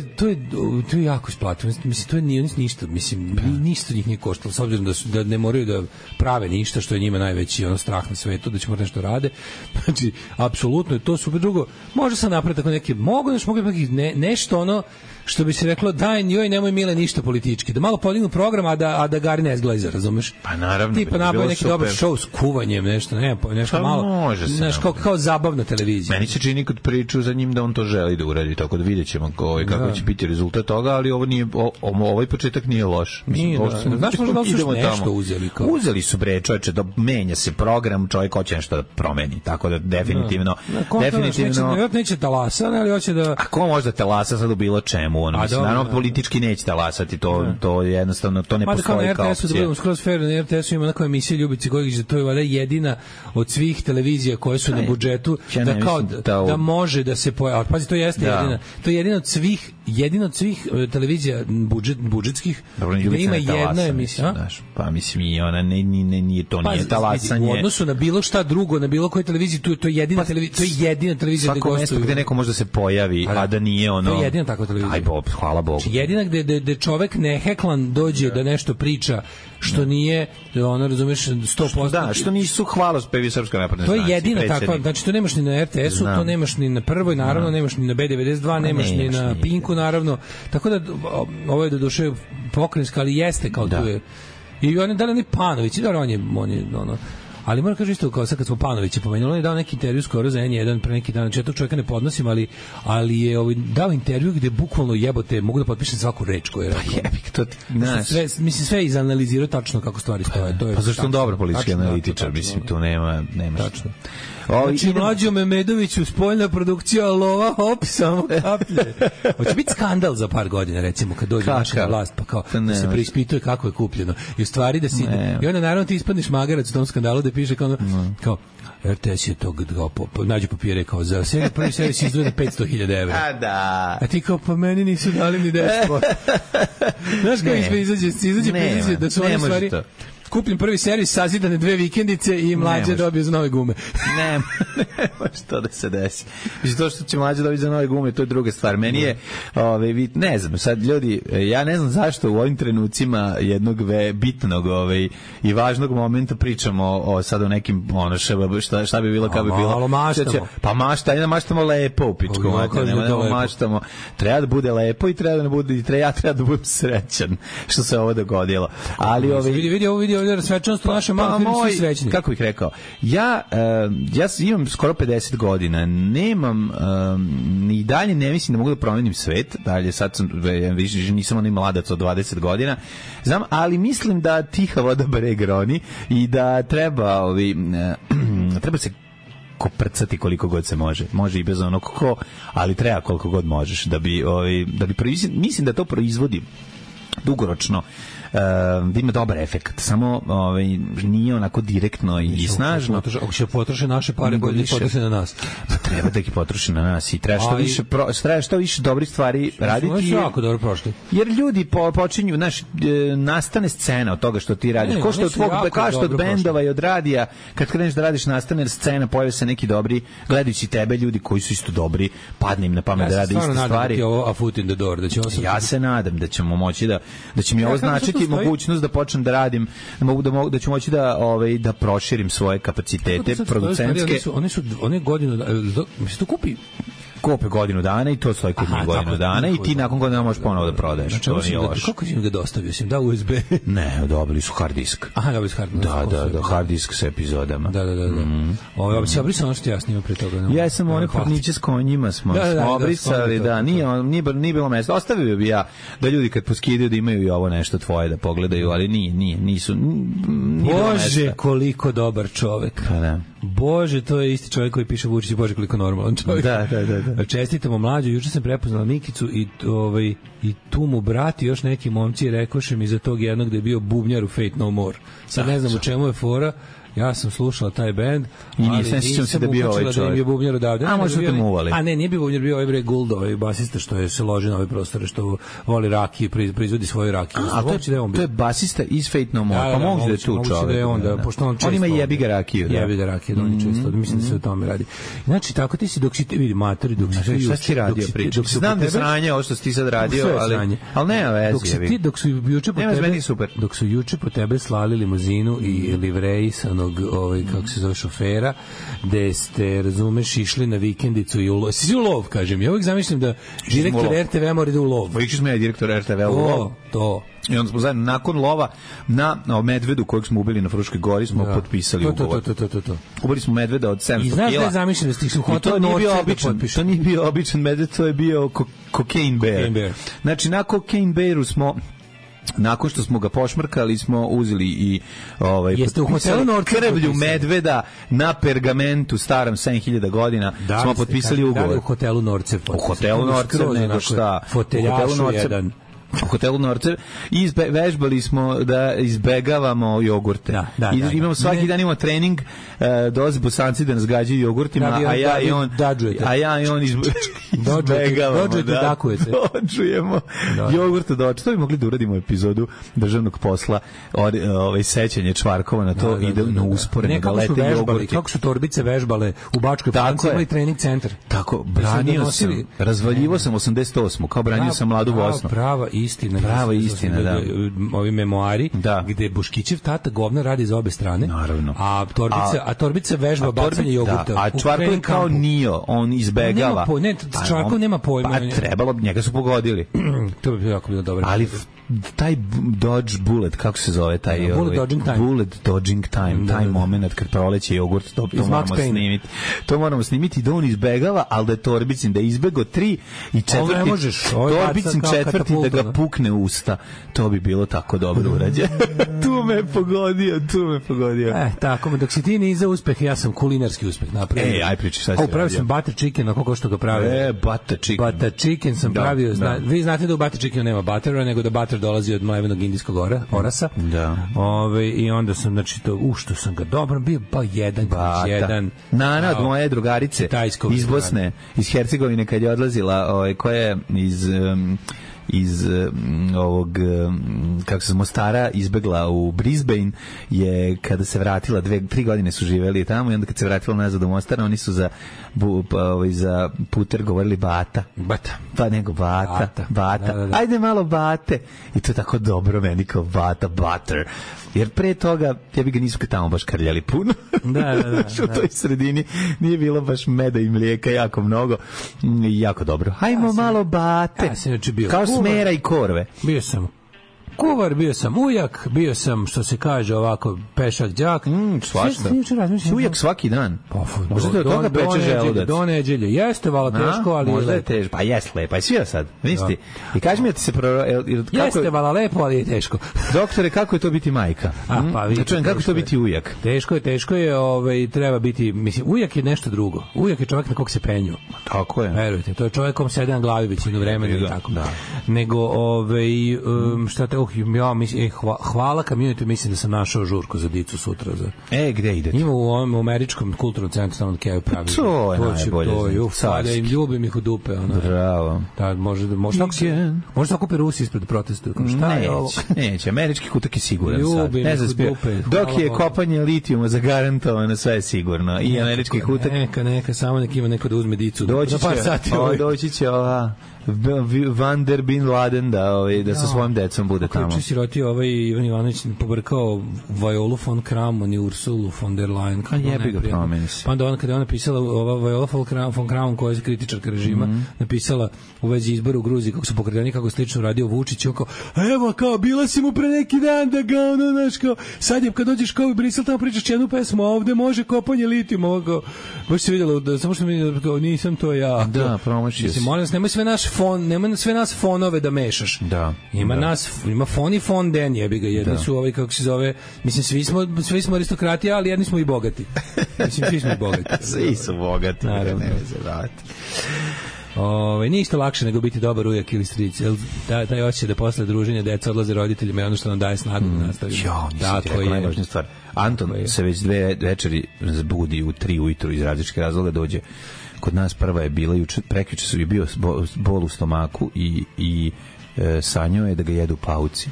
je jako isplativo. Mislim, to nije ništa. Mislim, ništa njih nije koštalo, s obzirom da ne moraju da prave ništa, što je njima najveći strah na svetu, da će morati nešto rade. Znači, apsolutno je to super. Drugo, može sam napraviti tako neke, nešto ono, što bi se reklo, daj njoj nemoj mile ništa politički. Da malo podignu program, a da Gari ne zglajza, razumeš? Pa naravno. Tipa nabavi neki dobar show s kuvanjem, nešto malo. Kao zabavna televizija. Meni se čini kod priču za njim da on to želi da uradi, tako da vidjet ćemo kako će biti rezultat toga, ali ovaj početak nije loš. Znaš možda da su nešto uzeli? Uzeli su čoveče, da menja se program, čovjek hoće nešto da promeni, tako da definitivno... Neće talasa, ali hoće da... A ko može da talasa sad u bilo čemu? Naravno, politički neće talasati, to je jednostavno, to ne postoji kao opcija. Da budemo skroz fair, na RTS-u ima neka emisija Ljubice Gojgić, to je valjda jedina od svih televizija koje su na budžetu, da može da se pojavi. Pazi, to jeste jedina. To je jedina od svih televizija budžetskih, gde ima jedna emisija. Pa mislim i ona nije talasanje. U odnosu na bilo šta drugo, na bilo kojoj televiziji, to je jedina televizija gde gostuju. Svako mesto gde neko može da se pojavi, a da nije ono... To je jedina takva televizija. Aj Bob, hvala Bogu. Jedina gde čovek neheklan dođe da nešto priča, što nije, ono, razumeš, 100%. Da, što nisu hvalospevi Srpska napredna stranka. To je jedina takva, znači to nemaš ni na RTS-u, to nemaš ni na Prvoj, naravno, nemaš ni na B92, nemaš ni na Pinku, naravno. Tako da, ovo je do duše pokrenjska, ali jeste kao tu je. I on je dali ni Panović, i da on je ono... Ali moram kažem isto, kao sad kad smo Panovića pomenuli, on je dao neki intervju skoro za N1 pre neki dan, znači ja tog čovjeka ne podnosim, ali je dao intervju gde bukvalno jebote, mogu da potpišem svaku reč koju je rekao. Pa jebik, to mislim, sve izanalizirao tačno kako stvari stoje. Pa zašto on dobar politički analitičar, mislim, tu nema tačno. Znači, Mlađo Memedoviću, spoljna produkcija lova, hop, samo kaplje. Hoće biti skandal za par godina, recimo, kad dođe naša vlast, pa kao da se preispituje kako je kupljeno. I u stvari da si... I onda naravno ti ispadneš magarac u tom skandalu da piše kao RTS je to nađu papire kao za seriju, prvi seriju si izdvoje 500.000 evra. A da. A ti kao, pa meni nisu dali ni 10%. Znaš kako izađe da su one stvari... Kupim prvi servis, sazidane 2 vikendice i Mlađe dobio za nove gume. Ne može to da se desi. Mislim, to što će Mlađe dobiti za nove gume, to je druga stvar. Meni je, ne znam, sad ljudi, ja ne znam zašto u ovim trenucima jednog bitnog i važnog momenta pričamo sad o nekim, šta bi bilo, kako bi bilo. Malo maštamo. Pa maštamo lepo u pičku. Maštamo. Treba da bude lepo i treba da bude, ja treba da budem srećan što se ovo dogodilo. Ali vidi svečanost u našem malom filmu, svi srećni. Kako bih rekao, ja imam skoro 50 godina, nemam, ni dalje ne mislim da mogu da promenim svet, dalje sad sam, nisam onaj mladac od 20 godina, znam, ali mislim da tiha voda breg roni i da treba se koprcati koliko god se može i bez onog ali treba koliko god možeš da bi mislim da to proizvodi dugoročno da ima dobar efekt, samo nije onako direktno i snažno. Ako će potroše naše pare, bolje potroše na nas. Treba da ih potroši na nas i treba što više dobrih stvari raditi. Jako dobro prošli. Jer ljudi počinju, nastane scena od toga što ti radiš. Ko što od bendova i od radija, kad kreneš da radiš, nastane scena, pojave se neki dobri, gledajući tebe ljudi koji su isto dobri, padne im na pamet da rade iste stvari. Ja se nadam da će ovo a foot in the door, ja se nadam da ćemo moći da će mi ovo značiti imati mogućnost da počnem da radim, da ću moći da proširim svoje kapacitete producentske. One godinu, mislim, to kupe godinu dana i to stoji kod njih godinu dana i ti nakon godina možeš ponovo da prodaješ. Znači, to nije loše. Kako si im ga dostavio? Si im dao USB? Ne, dobili su hard disk. Aha, dobili su hard disk. Da, hard disk sa epizodama. Da. Ovo se obrisao ono što ja snimam pre toga. Ja sam one porniče s konjima smo obrisali, nije bilo mesta. Ostavio bi ja da ljudi kad poskidaju da imaju i ovo nešto tvoje da pogledaju, ali nisu. Bože, koliko dobar čovek. Pa da. Bože, to je isti čovjek koji piše Vučić, Bože, koliko normalan čovjek. Da. Čestitamo mlađu, juče sam prepoznala Mikicu i tu mu brat i još neki momci rekoše mi za tog jednog da je bio bubnjar u Fate No More. Sad ne znam u čemu je fora. Ja sam slušala taj bend, ali nisam se da bio ovaj čovjek. Da im je bubnjar odavde. A možda te muvali. A ne, nije bio bubnjar, bio ovaj bre Gould, ovaj basista što je se loži na ove prostore, što voli rakiju, proizvodi svoju rakiju. A to je basista iz Fate No More. Pa moguće da je tu čovjek. On ima jebi ga rakiju. Jebi ga rakiju, da on često. Mislim da se o tome radi. Znači, tako ti si dok si vidi matori, dok si šta si radio priča. Znam da sranje ovo što si ti sad radio, ali nema veze. Dok su juče po tebe slali limuzinu i livreji sa kako se zove šofera, gde ste, razumeš, išli na vikendicu i u lov. Si u lov, kažem. Ja uvijek zamišljam da direktor RTV mora da u lov. Išli smo ja direktor RTV u lov. To. I onda smo zajedno, nakon lova, na medvedu kojeg smo ubili na Fruškoj gori, smo potpisali ugovor. To. Ubili smo medveda od 700 kila. I znaš da je zamišljam da stišli u hotel Norce da potpišu. To nije bio običan medved, to je bio Cocaine Bear. Znači, na Cocaine Bearu smo... Nakon što smo ga pošmrkali smo uzeli i jeste u hotelu Norce krvlju medveda na pergamentu starom 7000 godina smo potpisali ugovor. U hotelu Norce. U hotelu Norce, nego šta? U hotelu Norce. U hotelu Norce i vežbali smo da izbegavamo jogurte. Imamo svaki dan imamo trening, dolaze Bosanci da nas gađaju jogurtima, a ja i on izbegavamo. Dođujemo jogurta dođu. To bi mogli da uradimo epizodu državnog posla sećanje Čvarkova na to i da usporeno da lete jogurti. Kako su torbice vežbale u Bačkoj Palanci, imali trening centar. Tako, branio sam, razvaljivo sam 88. kao branio sam Mladu Bosnu. Prava istina, da. Ovi memoari, gde Boškićev tata govna radi za obe strane. Naravno. A torbica vežba bacanje jogurta. A Čvarkov je kao Nio, on izbegava. Čvarkov nema pojma. Pa trebalo, njega su pogodili. To bi bilo jako bilo dobro. Ali taj Dodge Bullet, kako se zove taj Bullet Dodging Time, taj moment kad proleće jogurt, to moramo snimiti. To moramo snimiti da on izbegava, ali da je Torbicin da je izbego 3 i 4. Torbicin 4 da ga pukne usta. To bi bilo tako dobro urađeno. Tu me pogodio. Tako, dok si ti niza uspeh, ja sam kulinarski uspeh napravio. Aj priči, šta si radio? Pravio sam butter chicken, kako što ga pravio. Butter chicken sam pravio. Vi znate da u butter chickenu nema buttera, nego da butter dolazi od mlevenog indijskog orasa. Da. I onda sam, znači, što sam ga dobro bio, pa jedan. Nana od moje drugarice iz Bosne, iz Hercegovine, kad je odlazila, koja je iz ovog kako se Mostara izbegla u Brisbane, je kada se vratila 3 godine su živeli tamo i onda kad se vratila nazad u Mostar, oni su za puter govorili bata. Pa nego bata. Da. Ajde malo bate. I to je tako dobro meni kao bata, butter. Jer pre toga ja bi ga nisu tamo baš krljali puno. Da. U toj sredini nije bilo baš meda i mlijeka jako mnogo. Jako dobro. Hajmo malo bate. Ja sam bio kao smera i korve. Bio sam kuvar, bio sam ujak, bio sam, što se kaže ovako, pešak đak. Svašta. Ujak svaki dan. Možda te od toga peče želudac. Do neđelje. Jeste vala teško, ali možda je teško. Pa jes lepo, aj svira sad. Nisi. I kaži mi da ti se jeste vala lepo, ali je teško. Doktore, kako je to biti majka? Pa vidite. Čujem, kako je to biti ujak? Teško je, treba biti, mislim, ujak je nešto drugo. Ujak je čovjek na kog se penju. Tako je. Verujte, to je čovjek kom sede na glavi većinu vremena i tako. Nego, šta te, hvala community, mislim da sam našao žurku za dicu sutra. Gde idete? Ima u ovom američkom kulturnom centru tamo Keju pravi. To je najbolje. Da im ljubim ih u dupe. Bravo. Možda kupi Rusi ispred protestu. Šta je ovo? Neće, američki kutak je siguran sad. Ljubim ih u dupe. Dok je kopanje litijuma zagarantovano, sve je sigurno. I američki kutak. Neka, samo nek ima neko da uzme dicu. Doći će ova Van der Bin Laden da sa svojim decom bude tamo. Kako je siroti Ivan Ivanović pobrkao Violu von Kramon i Ursulu von der Leyen. Kako jebi ga promeni se. Pa onda kada je ona napisala, Viola von Kramon, koja je kritičarka režima, napisala u vezi izbora u Gruziji, kako su pokretani, kako slično radio Vučić, on kao, evo, kao, bila si mu pre neki dan da ga, ono, znaš, kao, sad je, kad dođeš kao u Brisel, tamo pričaš jednu pesmu, a ovde može kopanje litijuma, ovo, kao, baš se vidjelo, samo što mi, kao, nisam to ja. Da, promašio si. Molim vas, nemoj sve nas fonove da mešaš. Da. Ima fon i fon den, jebi ga, jedni su kako se zove, mislim, svi smo aristokrati, ali jedni smo i bogati. Mislim, svi smo i bogati. Svi su bogati, naravno. Ne veze, vrati. Nije isto lakše nego biti dobar ujak ili stric. Taj osjećaj da posle druženja deca odlaze roditeljima i ono što nam daje snagu da nastavimo. Nisam ti rekao najvažnija stvar. Anton se već 2 večeri budi u 3 ujutru iz različitih razloga, dođe kod nas. Prva je bila prekjuče su bio bol u stomaku i sanjao je da ga jedu pauci.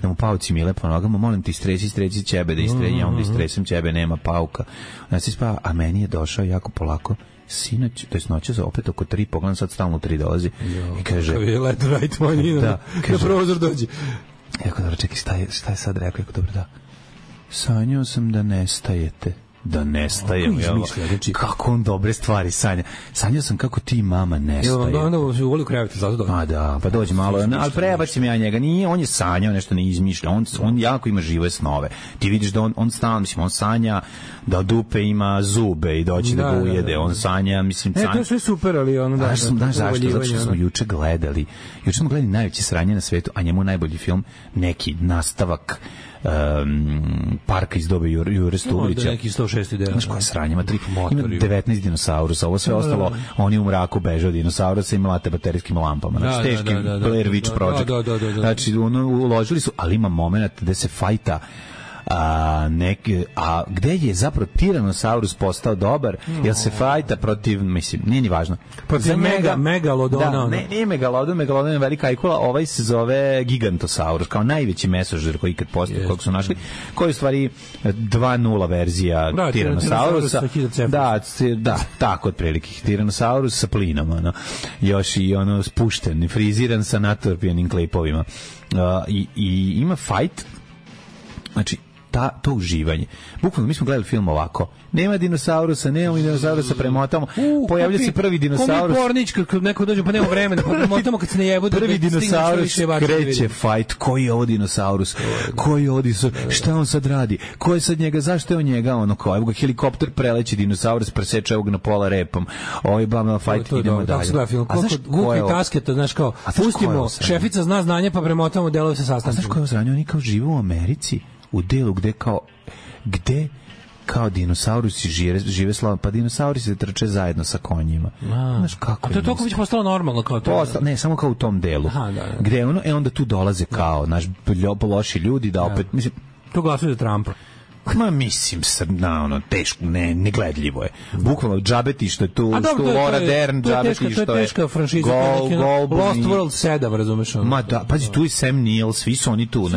Da mu pauci mile po nogama. Molim ti, stresi ćebe da istrenja, onda istresem ćebe, nema pauka. Znači spava, a meni je došao jako polako sinoć, to je noće opet oko 3, pogledam sad stalno 3 dolazi i kaže let right money da prozor dođe. Jako dobro, čekaj, šta je sad rekao? Jako dobro, da. Sanjao sam da nestajete. Da nestajem, kako on dobre stvari sanja. Sanjao sam kako ti mama nestaje. Onda se uvoli u krevete, zato dođe. A da, pa dođe malo, ali prebacim ja njega. Nije, on je sanjao, nešto ne izmišlja. On jako ima žive snove. Ti vidiš da on stalno, mislim, on sanja da dupe ima zube i doći da ga ujede. On sanja, mislim, sanja. To je sve super, ali ono da. Znaš zašto? Zato što smo juče gledali najveće sranje na svetu, a njemu najbolji film, neki nastavak Parka iz dobe Jure Stublića. Neki 106 ideja. Znaš koja sranja, ima 19 dinosaurusa, ovo sve ostalo, oni u mraku beže od dinosaurusa i mlate baterijskim lampama. Znači, teški Blair Witch Project. Znači, uložili su, ali ima moment gde se fajta a gde je zapravo Tiranosaurus postao dobar, jer se fajta protiv, mislim, nije ni važno, protiv Megalodona. Da, nije Megalodon je velika ajkula, ovaj se zove Gigantosaurus, kao najveći mesožder koji ikad postoji, kojeg su našli, koji je u stvari 2.0 verzija Tiranosaurusa. Da, tako otprilike. Tiranosaurus sa plinom, još i spušten, friziran sa natorpijanim klipovima. I ima fajt, znači, to uživanje. Bukvalno, mi smo gledali film ovako. Nema dinosaurusa premotamo. Pojavlja se prvi dinosaurus. Ko mi pornić, kad neko dođe, pa nema vremena, pa premotamo kad se ne jebu. Prvi dinosaurus kreće fajt. Koji je ovo dinosaurus? Koji je ovo dinosaurus? Šta on sad radi? Ko je sad njega? Zašto je on njega? Evo ga helikopter preleći dinosaurus, preseče ovog na pola repom. Ovo je blamna fajt, idemo dalje. A znaš ko je Tasket, znaš kao, pustimo, šefica zna znanje, pa premotamo delove sa sastankom. A znaš ko je osranio? Oni kao žive u Americi, u delu gde kao dinosaurusi žive slobodno, pa dinosaurusi trče zajedno sa konjima. Znaš kako je. A to je toliko već postalo normalno kao to. Ne, samo kao u tom delu. Aha, da. Gde onda tu dolaze kao naš loši ljudi da opet, mislim, to glasuju za Trumpa. Ma mislim, teško, negledljivo je. Bukvalno, džabeti što je tu, Laura Dern, džabeti što je... To je teška franšiza, Lost World 7, razumeš ono? Ma da, pazi, tu je Sam Neill, svi su oni tu.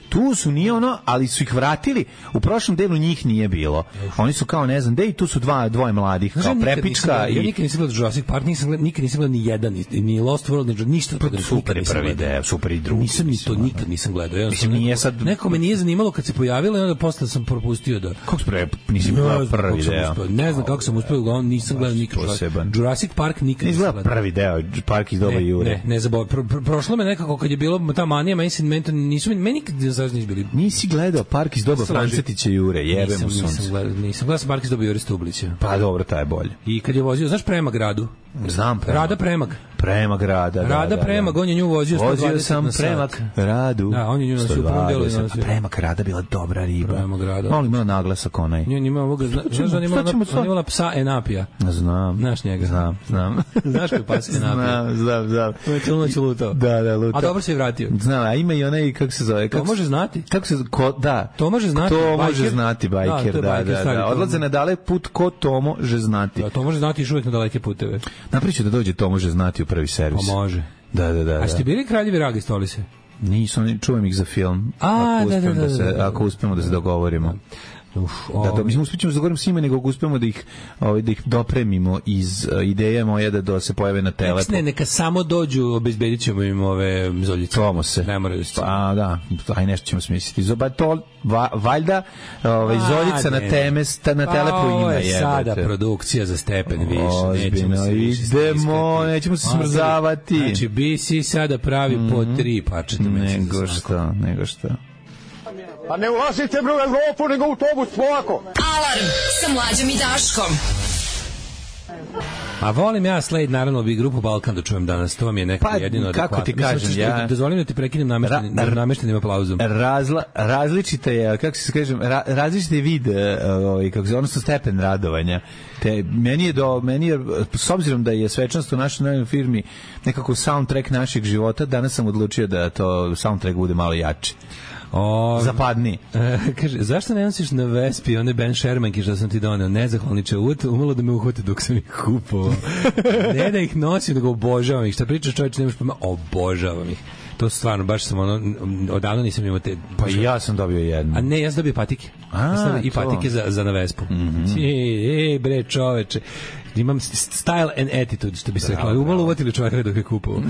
Tu su, nije ali su ih vratili. U prošlom delu njih nije bilo. Oni su kao, ne znam, i tu su dvoje mladih, kao Prepička. Ja nikad nisam gledao Jurassic Park, nikad nisam gledao ni jedan, ni Lost World, ništa. Super je prvi deo, super i drugi. Nikad nisam gledao. Mislim, nije sad... Neko me nije zanimalo kad se pojavilo i onda posle sam propustio da... Kako nisi gledao prvi deo? Ne znam kako sam uspeo, nisam gledao nikad. Jurassic Park nikad nisam gledao. Prvi deo, Park iz doba Jure. Ne zaboravim. Prošlo me nekako kad je bilo ta manija, meni nikad nisu bili. Nisi gledao Park iz doba Francetića Jure, jebemo sunce. Nisam gledao Park iz doba Jure Stublića. Pa dobro, taj je bolje. I kad je vozio, znaš Premag Radu? Znam Premag. Rada Premag. Premag Rada. Rada Premag, on je nju vozio 120 Vozio sam Premag Radu. Da, on je nju nosio u prvom delu. Premag Rada bila dobra riba. Premag Rada. Malo imala naglasak onaj. Nije imala ovoga, znaš da on imala psa Enapija. Znam. Znaš njega? Znam. Znaš koji pas Enapija? Znam. To je cijelo noć lutao. Da, lutao. A dobro se je vratio. Znam, a ima i onaj, kako se zove? To može znati. Kako se da. To može znati. To može znati bajker, da. Odlaze na dalek put, ko to može znati. Da, to može znati još uvijek na daleke puteve. Napriču da dođe, to može znati u prvi servis. Pa može. Da. A ste bili Kraljevi Ragi Stolice? Nisam, čuvam ih za film. Ako uspemo da se dogovorimo. Da mislim uspjećemo da govorimo s njima, nego uspemo da ih dopremimo iz ideje moje da se pojave na telepu. Ne, neka samo dođu, obezbedit ćemo im ove zoljice. Tomo se. Ne moraju se. Pa da, aj nešto ćemo smisliti. Valjda zoljica na telepu ima. Ovo je sada produkcija za stepen više. Idemo, nećemo se smrzavati. Znači, BC sada pravi po 3 parčeta. Nego što. Pa ne ulazite bre u Evropu, nego u autobus polako. Alarm sa Mlađom i Daškom. A volim ja Slade, naravno, bi grupu Balkan da čujem danas. To vam je nekako jedino adekvatno. Kako ti kažem, ja... Dozvolim da ti prekinem nameštenim aplauzom. Različite je, kako se kažem, različite je vid, odnosno stepen radovanja. Meni je, s obzirom da je svečanost u našoj novoj firmi nekako soundtrack našeg života, danas sam odlučio da to soundtrack bude malo jači. Zapadni. Kaže, zašto ne nosiš na Vespi one Ben Shermanke što sam ti doneo? Nezahvalniče, umalo da me uhvate dok sam ih kupovao. Ne da ih nosim, nego obožavam ih. Šta pričaš, čovječe, nemaš pojma, obožavam ih. To stvarno, baš sam odavno nisam imao te... Pa i ja sam dobio jednu. A ne, ja sam dobio patike. I patike za na Vespu. Bre, čoveče. Imam style and attitude, što bi se rekla. Umalo uvatili čovjeka dok je kupovao.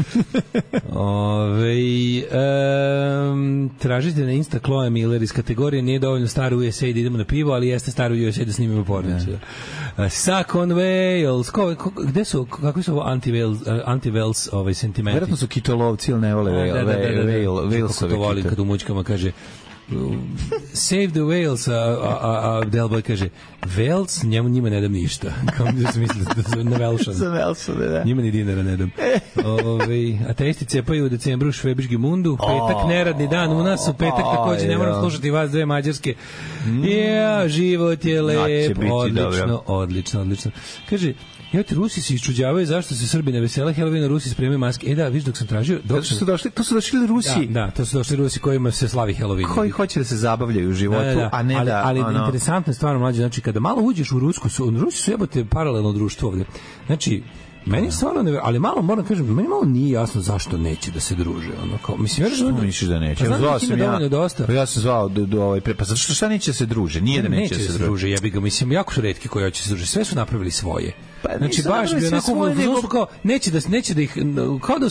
Tražite na Insta Chloe Miller iz kategorije nije dovoljno staro USA da idemo na pivo, ali jeste staro USA da snimimo pornicu. Suck on Wales. Gde su, kakvi su ovo anti-Wales sentimenti? Vjerojatno su kitolovci ili ne vole Walesovi. Kako to volim kad u mućkama kaže Save the Wales, a Delboy kaže Wales, njima ne dam ništa. Kao da se misli na Velšan. Za Velšan, da. Njima ni dinara ne dam. Ateisti cepaju u decembru u Švebiški mundu, petak neradni dan u nas, u petak takođe ne moram slušati vas dve mađarske. Život je lep, odlično. Kaže, evo ti, Rusi se iščuđavaju zašto se Srbi ne vesele Helovina, Rusi spremaju maske. Da, viš, dok sam tražio... To su došli Rusi. Da, to su došli Rusi kojima se slavi Helovin. Koji hoće da se zabavljaju u životu, a ne da... Ali interesantno je stvarno, mlađe, znači, kada malo uđeš u Rusku, Rusi su jebote paralelno društvo ovde. Znači, meni stvarno ali malo moram kažem, meni malo nije jasno zašto neće da se druže, ono kao mislim što misliš da neće. Ja sam zvao do ovaj pa zašto šta neće se druže? Nije da neće se druže. Jebi ga, mislim jako su retki koji hoće se družiti. Sve su napravili svoje. Znači baš bi onako kao neće da ih kao da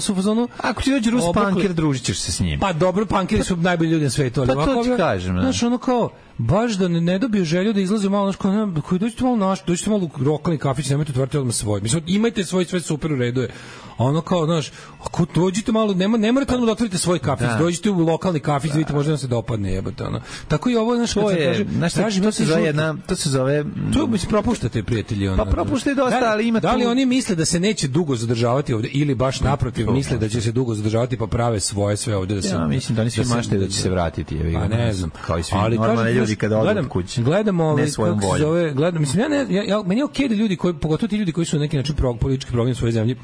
su u fazonu ako ti dođe Rus punker družićeš se s njim. Pa dobro, punkeri su najbolji ljudi na svetu, ali ovako ti kažem. Znači ono kao baš da ne dobiju želju da izlazi malo koji dođete malo u lokalni kafić, nemojte otvoriti odmah svoj. Mislim, imajte svoj, sve super u redu je. Ono kao, znaš, ako dođete malo, ne morate odmah da otvorite svoj kafić, dođite u lokalni kafić, vidite, možda vam se dopadne, jebote, ono. Tako i ovo, znaš, kad se kaže, to se zove... To mi se propuštate, prijatelji, ono. Pa propuštate dosta, ali ima tu... Da li oni misle da se neće dugo zadržavati ovde, ili baš naprotiv, misle da će se dugo zadržavati, pa prave svoje sve ovde da se... Ja mislim da oni svi maštaju da će se vratiti, pa ne znam. Kao i svi normalni ljudi kada odu od kuće. Gledamo, kako se zove, mislim, meni je okej da ljudi, pogotovo ti ljudi koji su na neki način politički program svoje zemlje,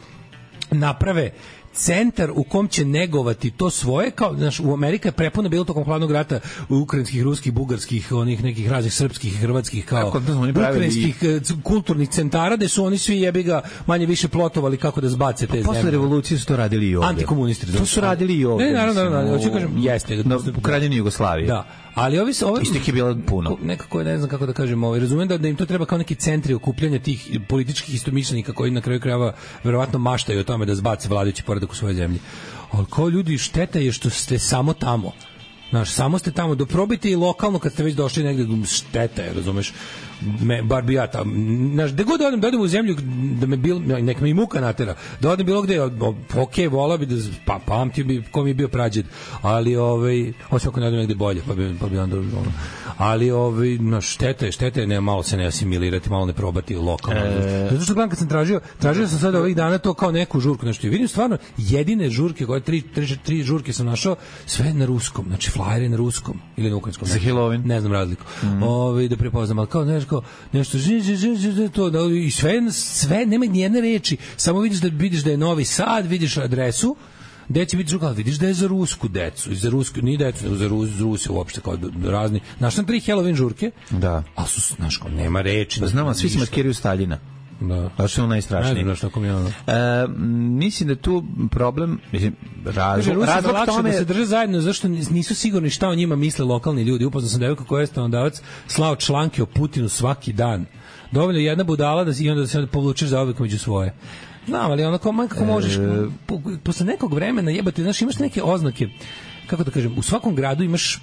naprave centar u kom će negovati to svoje, kao, znaš, u Amerika je prepuna bilo tokom hladnog rata ukrajinskih, ruskih, bugarskih, onih nekih raznih srpskih, hrvatskih, kao ukrajinskih kulturnih centara, gde su oni svi jebi ga manje više plotovali kako da zbace te zemlje. Posle revolucije su to radili i ovde. Antikomunisti. To su radili i ovde. Ne, naravno, hoću kažem, jeste. U Kraljevini Jugoslavije. Da. Ali ovi istih je bilo puno. Nekako ne znam kako da kažem, razumem da im to treba kao neki centri okupljanja tih političkih istomišljenika koji na kraju krajeva verovatno maštaju o tome da zbace vladajući poredak u svojoj zemlji. Ali kao ljudi, šteta je što ste samo tamo. Znaš, samo ste tamo, doprobite i lokalno kad ste već došli negde, šteta je, razumeš, bar bi ja tamo, znaš, gde god da odem u zemlju, da me nek me i muka natera, da odem bilo gde, okej, vola bi da, pamtio bi ko mi je bio prađed, ali, osim ako ne odem negde bolje, pa bi onda, ali, znaš, šteta je, ne, malo se ne asimilirati, malo ne probati lokalno. Zato što gledam kad sam tražio sam sada ovih dana to kao neku žurku, nešto, i vidim stvarno, jedine žurke, koje tri žurke sam našao, sve na ruskom, znači, flajere na ruskom ili na ukrajinskom. Za Halloween. Ne znam razliku. Da prepoznam, ali kao nešto to, i sve nema nijedne reči, samo vidiš da je Novi Sad, vidiš adresu, deci vidiš, ali vidiš da je za rusku decu, za rusku, nije decu, za Rusi uopšte, kao razni. Znaš, tam 3 Halloween žurke, da. ali su, znaš, kao, nema reči. Znam, svi se maskiraju Staljina. Da. A što je najstrašnije? Ne znam što mi ono. Mislim da tu problem, mislim, Rusima razlog lakše tome da se drže zajedno, zašto nisu sigurni šta o njima misle lokalni ljudi. Upoznao sam devojku koja je stanovdavac slao članke o Putinu svaki dan. Dovoljno jedna budala da i onda se povučeš za uvek među svoje. Znam, ali onako kako možeš posle nekog vremena jebati, znaš, imaš neke oznake, kako da kažem, u svakom gradu imaš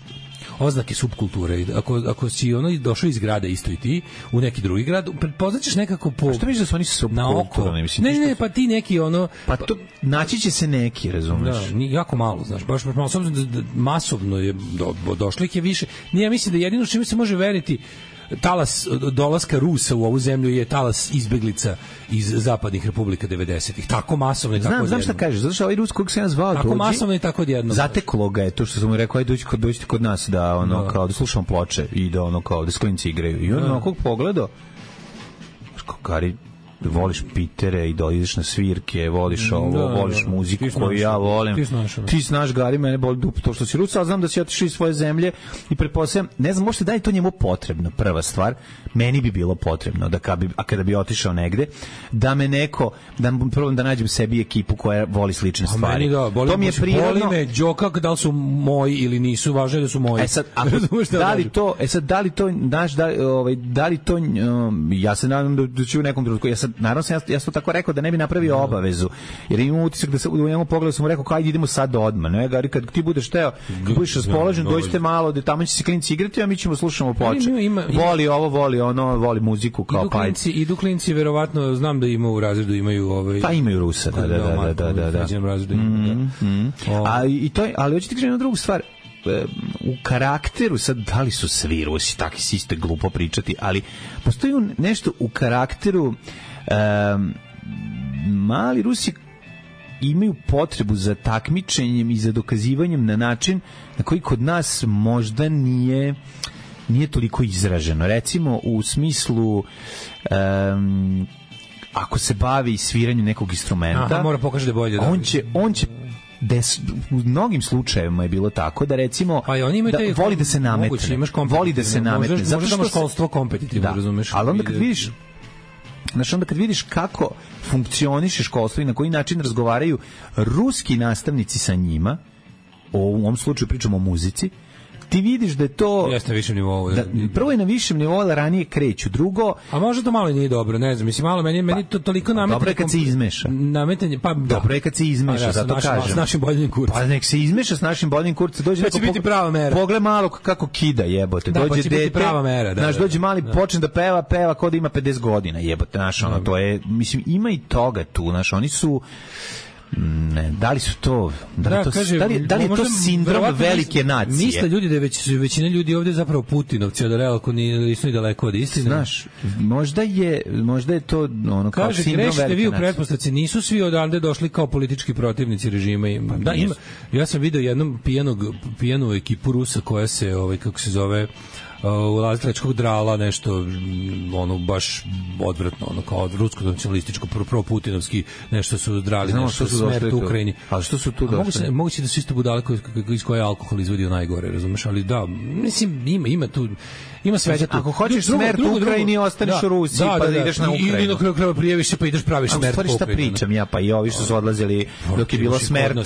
oznake subkulture. Ako si došao iz grada isto i ti u neki drugi grad, pretpoznaćeš nekako po... A što misliš da su oni subkulturni? Ne, pa ti neki ono... Pa to, naći će se neki, razumeš? Da, jako malo, znaš, baš malo, s obzirom da masovno je došlih je više. Ja mislim da jedino čime se može veriti talas dolaska Rusa u ovu zemlju je talas izbeglica iz zapadnih republika 90-ih. Tako masovno i tako odjedno. Znam šta kažeš, zato što ovaj Rus kojeg sam ja zvao tako masovno i tako odjedno. Zateklo ga je to što sam mu rekao, ajde dođite kod nas da kao da slušamo ploče i da kao da sklinci igraju. I on onako pogledao, Kari, voliš pitere i ideš na svirke, voliš ovo, voliš muziku koju ja volim. Ti znaš, Gari, mene boli dupe to što si Rus, ali znam da si otišao iz svoje zemlje i pretpostavljam, ne znam, možete da je to njemu potrebno, prva stvar, meni bi bilo potrebno da kada bi otišao negde, da me neko, prvo da nađem sebi ekipu koja voli slične stvari. To mi je prirodno. Boli me Đoka, da li su moji ili nisu, važno je da su moji. Da li to, ja se nadam da ću u nekom trenutku, naravno ja sam to tako rekao da ne bi napravio obavezu, jer imam utisak da se u njemu pogledu sam mu rekao ajde idemo sad odmah, ne, Gari, kad ti budeš teo, kad budeš raspoložen, dođite malo, da tamo će se klinci igrati, a mi ćemo slušamo ploče. Voli ovo, voli ono, voli muziku kao pa. Idu klinci, verovatno, znam da ima u razredu imaju pa imaju Rusa, da. Ali hoćete kažem jednu drugu stvar, u karakteru, sad da li su svi Rusi takvi, si isto glupo pričati, ali postoji nešto u karakteru, mali Rusi imaju potrebu za takmičenjem i za dokazivanjem na način na koji kod nas možda nije toliko izraženo. Recimo u smislu ako se bavi sviranjem nekog instrumenta, mora pokaže da bolje. On će u mnogim slučajevima je bilo tako da recimo da voli da se nametne. Voli da se nametne. Zato što školstvo kompetitivno, razumeš? Ali onda kad vidiš kako funkcioniše školstvo i na koji način razgovaraju ruski nastavnici sa njima, u ovom slučaju pričamo o muzici, ti vidiš da je to jeste na višem nivou. Prvo je na višem nivou, da ranije kreću. Drugo, a možda to malo nije dobro, ne znam, mislim malo meni to toliko nametanje. Dobro je kad se izmeša. Nametanje, pa dobro je kad se izmeša, zato kažem. S našim boljim kurcem. Pa nek se izmeša s našim boljim kurcem, dođe da će biti prava mera. Pogled malo kako kida, jebote. Dođe dete, prava mera, da. Znaš, dođe mali, počne da peva kao da ima 50 godina, jebote, znaš, ono to je, mislim, ima i toga tu, znaš, oni su ne, da li su to da li je to sindrom velike nacije? Misle ljudi da je većina ljudi ovdje zapravo Putinovci, a da realno nisu ni daleko od istine. Znaš, možda je to ono kao kaže, sindrom velike nacije. Kaže, vi u pretpostavci nisu svi odande došli kao politički protivnici režima. Da, ja sam video jednom pijanu ekipu Rusa koja se, kako se zove, u Lazitračkog drala nešto ono baš odvratno, ono kao rusko-nacionalističko pro-putinovski nešto su drali, nešto su smrt u Ukrajini. Ali što su tu došli? Moguće da su isto budale iz koje alkohol izvodio najgore, razumeš, ali da, mislim, ima tu ima svega tu. Ako hoćeš smrt u Ukrajini, ostaneš u Rusiji, pa da ideš na Ukrajinu. Ili na kraju krajeva prijaviš se pa ideš praviš smrt u Ukrajini. Šta pričam ja, pa i ovi što su odlazili dok je bilo smrt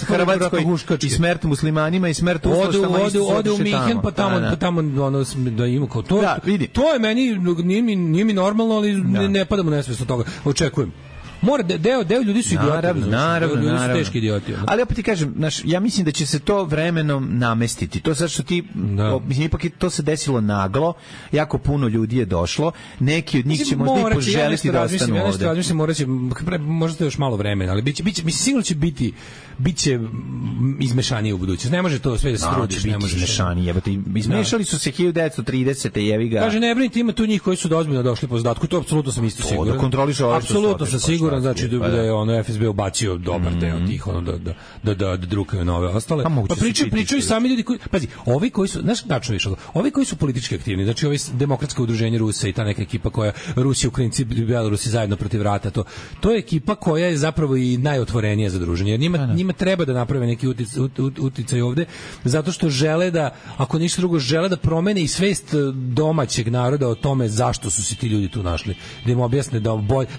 Hrvatskoj i smrt muslimanima i smrt ustašama. Ode u Minhen, pa tamo ono da ima kao to. To je meni, nije mi normalno, ali ne padamo nesvesno toga. Očekujem. Mora deo ljudi su idioti. Naravno. Ljudi su teški idioti. Ali opet ti kažem, ja mislim da će se to vremenom namestiti. To sad što ti, mislim, ipak to se desilo naglo, jako puno ljudi je došlo, neki od njih će možda i poželiti da ostanu ovde. Ja mislim, možda još malo vremena, ali mislim, sigurno će biće izmešanije u budućnosti. Ne može to sve da se trudiš. Ne može izmešanije. Izmešali su se 1930. jevi ga. Kaže, ne brinite, ima tu njih koji su ozbiljno došli po zadatku, to apsolutno sam isto siguran. Da kontroliše ove što su apsolutno sam siguran. siguran, znači da je ono FSB ubacio dobar deo tih ono da drukaju nove ostale. Pa pričaju sami ljudi koji, pazi, ovi koji su, znaš, tačno više, ovi koji su politički aktivni, znači ovi demokratsko udruženje Rusa i ta neka ekipa koja Rusi, Ukrajinci, Belorusi zajedno protiv rata, to je ekipa koja je zapravo i najotvorenija za druženje. Jer njima treba da naprave neki uticaj ovde, zato što žele da, ako ništa drugo, žele da promene i svest domaćeg naroda o tome zašto su se ti ljudi tu našli. Da im objasne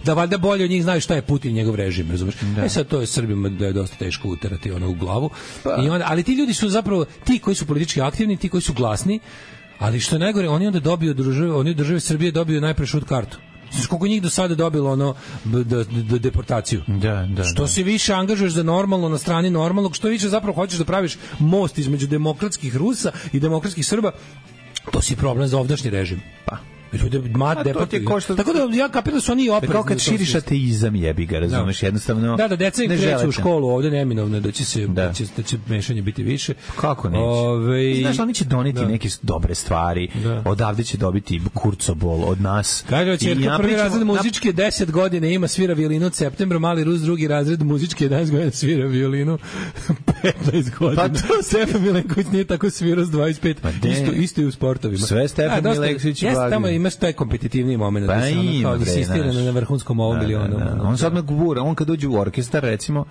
da valjda bolje od njih znaju šta je Putin i njegov režim, razumeš? Sad to je Srbima da je dosta teško uterati ono u glavu. I onda, ali ti ljudi su zapravo ti koji su politički aktivni, ti koji su glasni, ali što je najgore, oni onda dobiju od države Srbije dobiju najpre šut kartu. Znaš koliko njih do sada dobilo ono deportaciju. Što se više angažuješ za normalno na strani normalnog, što više zapravo hoćeš da praviš most između demokratskih Rusa i demokratskih Srba, to si problem za ovdašnji režim. Pa ljude tako da ja kapiram da su oni oprezni. Kao kad širiš ateizam, jebi ga, razumeš, jednostavno. Da, deca im kreću u školu ovde neminovno da će mešanje biti više. Kako neće? Znaš, oni će doneti neke dobre stvari, odavde će dobiti kurcobol od nas. Kaže, ćerka prvi razred muzičke 10 godina ima, svira violinu od septembra, mali Rus drugi razred muzičke 11 godina svira violinu 15 godina. Pa Stefan Milenković nije tako svirao s 25, isto i u sportovima. Sve Stefan Milenković imaš taj kompetitivni moment da se ono kao da se istira na vrhunskom ovom milionu. On se odmah gura, on kad dođe u orkestar, recimo,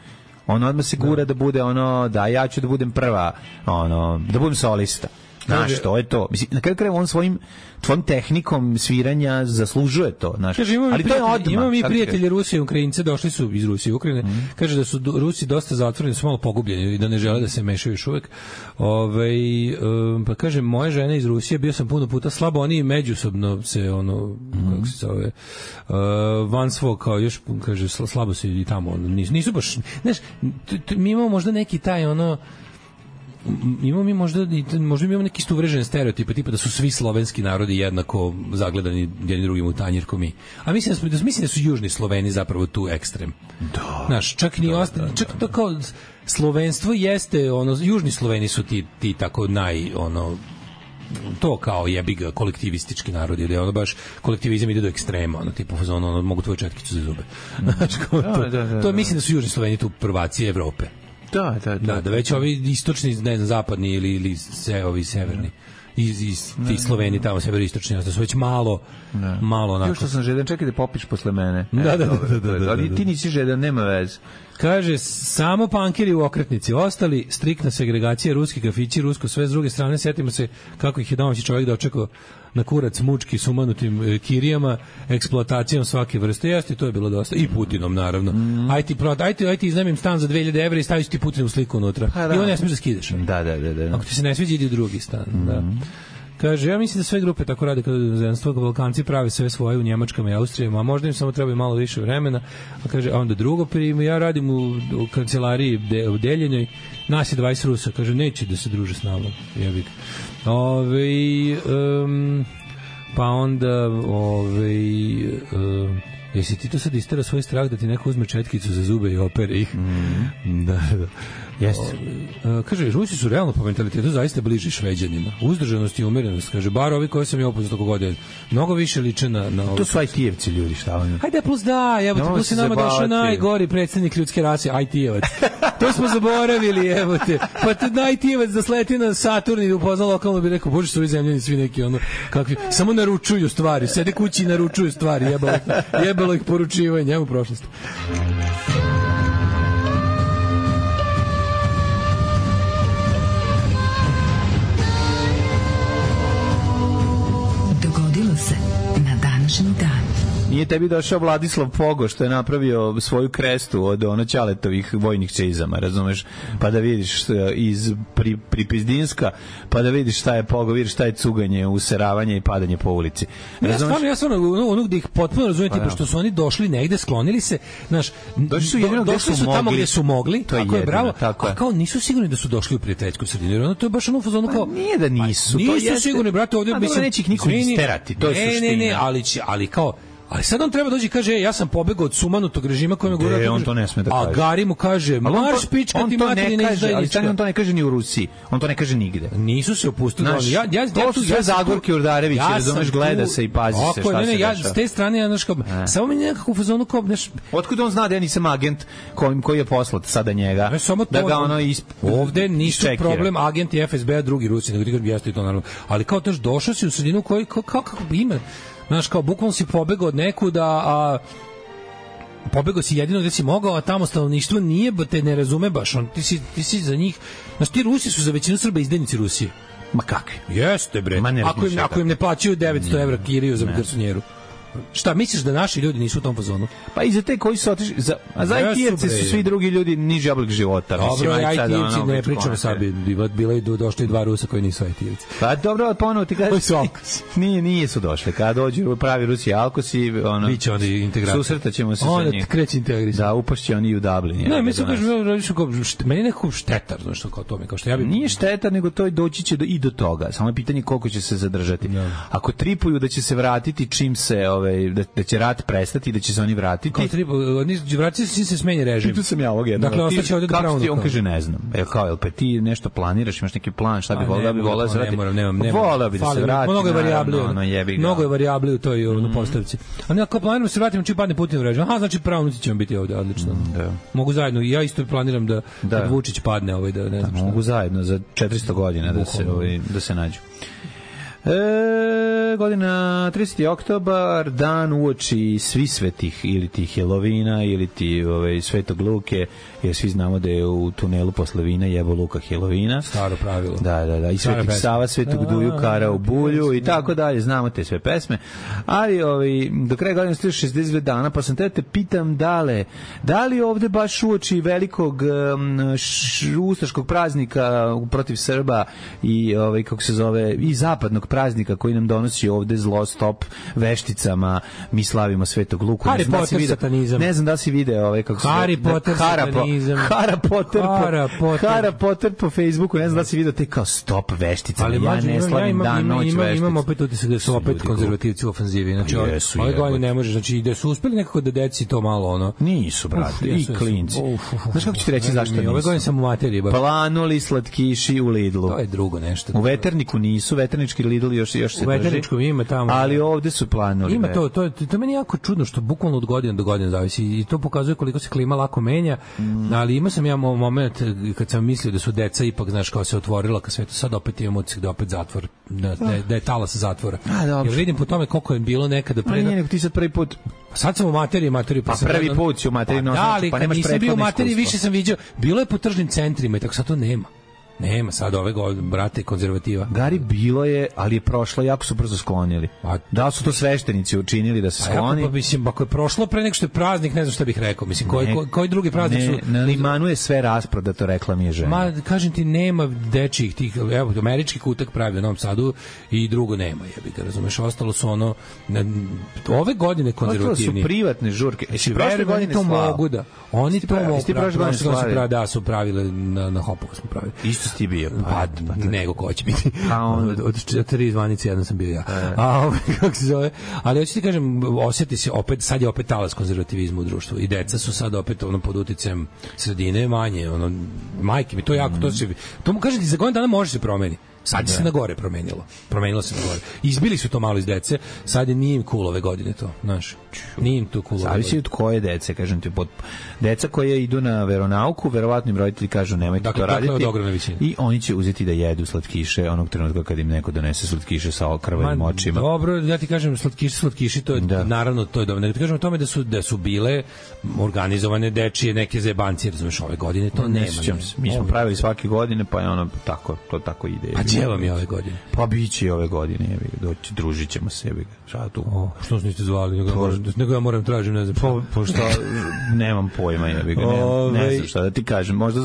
on odmah se gura da bude ono, da ja ću da budem prva, ono, da budem solista. Znaš, to je to. Mislim, na kraju krajeva on svojim tehnikom sviranja zaslužuje to. Znaš. Kaže, ali to je odmah. Imamo mi prijatelje Rusije i Ukrajince, došli su iz Rusije i Ukrajine. Kaže da su Rusi dosta zatvoreni, su malo pogubljeni i da ne žele da se mešaju još uvek. Pa kaže, moje žene iz Rusije, bio sam puno puta slabo, oni međusobno se, ono, kako se zove, van svog, kao još, kaže, slabo se i tamo, nisu baš, znaš, mi imamo možda neki taj, ono, imamo mi možda imamo neki uvrežene stereotipe, tipa da su svi slovenski narodi jednako zagledani jedni drugim u tanjir ko mi. A mislim da su južni Sloveni zapravo tu ekstrem. Da. Znaš, čak to kao slovenstvo jeste, ono, južni Sloveni su ti tako to kao jebi ga kolektivistički narodi, da je ono baš kolektivizam ide do ekstrema, ono tipa ono mogu tvoju četkicu za zube. Znači, to mislim da su južni Sloveni tu prvaci Evrope. Da, već ovi istočni, ne znam, zapadni ili ovi severni iz ti Sloveni tamo severistočni, da su već malo onako. Još što sam žedan, čekaj da popiš posle mene. Da. Ali ti nisi žedan, nema veze. Kaže, samo pankeri u okretnici, ostali striktna segregacija, ruski kafići, rusko sve, s druge strane, setimo se kako ih je domaći čovjek dočekao na kurac mučki s umanutim kirijama, eksploatacijom svake vrste. Jeste, to je bilo dosta. I Putinom, naravno. Ajde iznajmim stan za 2000 evra i staviš ti Putinu sliku unutra. I on ne smiješ da skidaš. Da. Ako ti se ne sviđa, idi u drugi stan. Da. Kaže, ja mislim da sve grupe tako rade kada inozemstvo, Balkanci prave sve svoje u Njemačkama i Austrijama, a možda im samo treba malo više vremena. A kaže, a onda drugo primu, ja radim u kancelariji u Deljenoj, nas je 20 Rusa, kaže, neće da se druže s nama. Jebik. Pa onda jesi ti to sad istera svoj strah da ti neko uzme četkicu za zube i opere ih? Da. Jeste. Kaže, Rusi su realno po mentalitetu zaista bliži Šveđanima. Uzdržanost i umerenost, kaže, bar ovi koji sam ja upoznao tako godine, mnogo više liče na ovo. To su IT-evci ljudi, šta oni? Hajde, plus plus je nama došao najgori predsjednik ljudske rase, IT-evac. To smo zaboravili, evo te. Pa te IT-evac da sleti na Saturn i upozna lokalno bi rekao, bože, su ovi zemljani svi neki ono, kakvi, samo naručuju stvari, sede kući i naručuju stvari, jebalo ih poručivanje, evo prošlost. Na današnji dan. Nije tebi došao Vladislav Pogo što je napravio svoju krestu od Ćaletovih vojnih čizama, razumeš? Pa da vidiš iz Pripizdinska, pa da vidiš šta je Pogo, vidiš šta je cuganje, useravanje i padanje po ulici. Razumeš? Ja stvarno ono gde ih potpuno razumijem, tipa što su oni došli negde, sklonili se, znaš, došli su tamo gde su mogli, tako je, bravo, a kao nisu sigurni da su došli u prijateljsku sredinu, jer ono to je baš ono fazonu kao... Nije da nisu, nisu sigurni, brate, ovdje... A dobro, neće ih niko isterati, to je suština. Ne, ali kao Ali sad on treba dođi i kaže, ja sam pobegao od sumanutog režima koji me gura. On to ne sme da kaže. A Gari mu kaže, marš pička ti materina izdajnička. Ali on to ne kaže ni u Rusiji. On to ne kaže nigde. Nisu se opustili. To su sve Zagorke Urdarević, razumeš, gleda se i pazi se šta se dešava. Ja s te strane, samo mi nekako u fazonu kao, otkud on zna da ja nisam agent koji je poslat sada njega, da ga ono ovde nisu problem agenti FSB-a, drugi Rusi, nego ti kažem, jeste i to naravno. Ali kao to došao si u sredinu koji, kako ima, znaš, kao bukvalno si pobegao od nekuda, a pobegao si jedino gde si mogao, a tamo stanovništvo nije, te ne razume baš, ti si za njih, znaš, ti Rusi su za većinu Srba izdajnici Rusije. Ma kakvi? Jeste, bre. Ako im ne plaćaju 900 evra kiriju za garsonjeru. Šta, misliš da naši ljudi nisu u tom fazonu? Pa i za te koji su otišli, a za IT-evce su svi drugi ljudi niži oblik života. Dobro, IT-evci ne pričamo sad, bilo je došli 2 Rusa koji nisu IT-evci. Pa dobro, ponovo ti kažeš, nije su došli. Kada dođu pravi Rusi Alkosi, biće onda integracija. Susretaćemo se sa njim. Onda kreće integracija. Da, upašće oni u Dublin. Ne, mislim meni je nekako štetar, znaš što kao tome, kao što ja bih. Nije štetar, nego to doći će i do toga. Samo je pitanje koliko će se zadržati. Ako tripuju da će se vratiti čim se da će rat prestati, da će se oni vratiti. Oni vratiti se smenje režim. Pitao sam ja ovog jednog. Dakle, ostaće ovdje do pravnog. On kaže, ne znam. Jel pa ti nešto planiraš, imaš neki plan, šta bi volao da se vrati? Nemam. Volao bi da se vrati. Mnogo je varijabli u toj postavci. A ne, ako planiramo se vratimo čim padne Putin u režim. Aha, znači pravnuci ćemo biti ovdje, odlično. Mogu zajedno, ja isto planiram da kad Vučić padne, da ne znam šta. Mogu zajedno za 400 godina da se nađu. Godina 30. oktobar, dan uoči svi svetih, ili ti Helovina, ili ti Svetog Luke, jer svi znamo da je u tunelu posle vina jebo Luka Helovina. Staro pravilo. Da. I Svetog Sava, Svetog Duju, Kara u bulju i tako dalje. Znamo te sve pesme. Ali do kraja godine stiže 62 dana, pa sam te pitam da li ovde baš uoči velikog ustaškog praznika protiv Srba i kako se zove, i zapadnog praznika koji nam donosi ovde zlo, stop vešticama, mi slavimo Svetog Luku. Harry Potter satanizam. Ne znam da si video kako se Harry Potter satanizam. Harry Potter po Facebooku, ne znam da si video te kao stop vešticama. Ali ja ne slavim dan, noć veštica. Imam opet utisak da su opet konzervativci u ofanzivi. Znači, ove godine ne može, znači da su uspeli nekako da deci to malo Nisu, brate, i klinci. Znaš kako ću ti reći zašto nisu? Ove godine sam u materiji. Planuli slatkiši u Lidlu. To je drugo nešto. U Veterniku nisu, Veternički Lidl još se drži. U Veterničkom ima tamo. Ali ovde su planuli. Ima to meni jako čudno što bukvalno od godine do godine zavisi i to pokazuje koliko se klima lako menja, ali imao sam ja moment kad sam mislio da su deca ipak, znaš, kao se otvorila ka svetu, sad opet imamo utisak da opet zatvor, da je talas zatvora. Jer vidim po tome koliko je bilo nekada pre. Pa nije, ti sad prvi put. Sad sam u materiji pa prvi put si u materiji, pa nemaš nisam bio u materiji, više sam vidio, bilo je po tržnim centrima i tako sad to nema. Nema sad ove brate konzervativa. Gari bilo je, ali je prošlo, jako su brzo sklonili. Da li su to sveštenici učinili da se skloni? Pa mislim, ako je prošlo pre nego što je praznik, ne znam šta bih rekao. Mislim, koji drugi praznik su? Na Limanu je sve rasprodato, rekla mi je žena. Ma, kažem ti, nema dečijih tih, evo, američki kutak pravi u Novom Sadu i drugo nema, jebi ga, razumeš, ostalo su ove godine konzervativni. Ostalo su privatne žurke. Prošle godine to mogu da. Oni to mogu. Da, su pravile na Hopovu smo pravili. Isto ti bio? Nego ko će biti. Od 4 zvanice jedan sam bio ja. Kako se zove? Ali hoću ti kažem, osjeti se opet, sad je opet talas konzervativizma u društvu i deca su sad opet pod uticajem sredine manje, majke mi, to jako, to mu kažem ti, za godinu dana može se promeni. Sad se na gore promenilo se na gore. Izbili su to malo iz dece, sad nije im cool ove godine to, znaš. Nije im to cool. Zavisi od koje dece, kažem ti, deca koje idu na veronauku, verovatno im roditelji kažu nemojte to raditi. I oni će uzeti da jedu slatkiše onog trenutka kad im neko donese slatkiše sa krvavim očima. Dobro, ja ti kažem slatkiši, to je naravno to je dobro. Ne ti kažem o tome da su bile organizovane dečije neke zebancije, razumeš, ove godine to nema. Mi smo pravili svake godine, pa je to tako ide. Gdje vam je ove godine? Pa biće i ove godine, doći, družit ćemo sebi. Šta tu? Što se niste zvali? Nego ja moram tražim, ne znam. Pošto nemam pojma, ne znam šta da ti kažem. Možda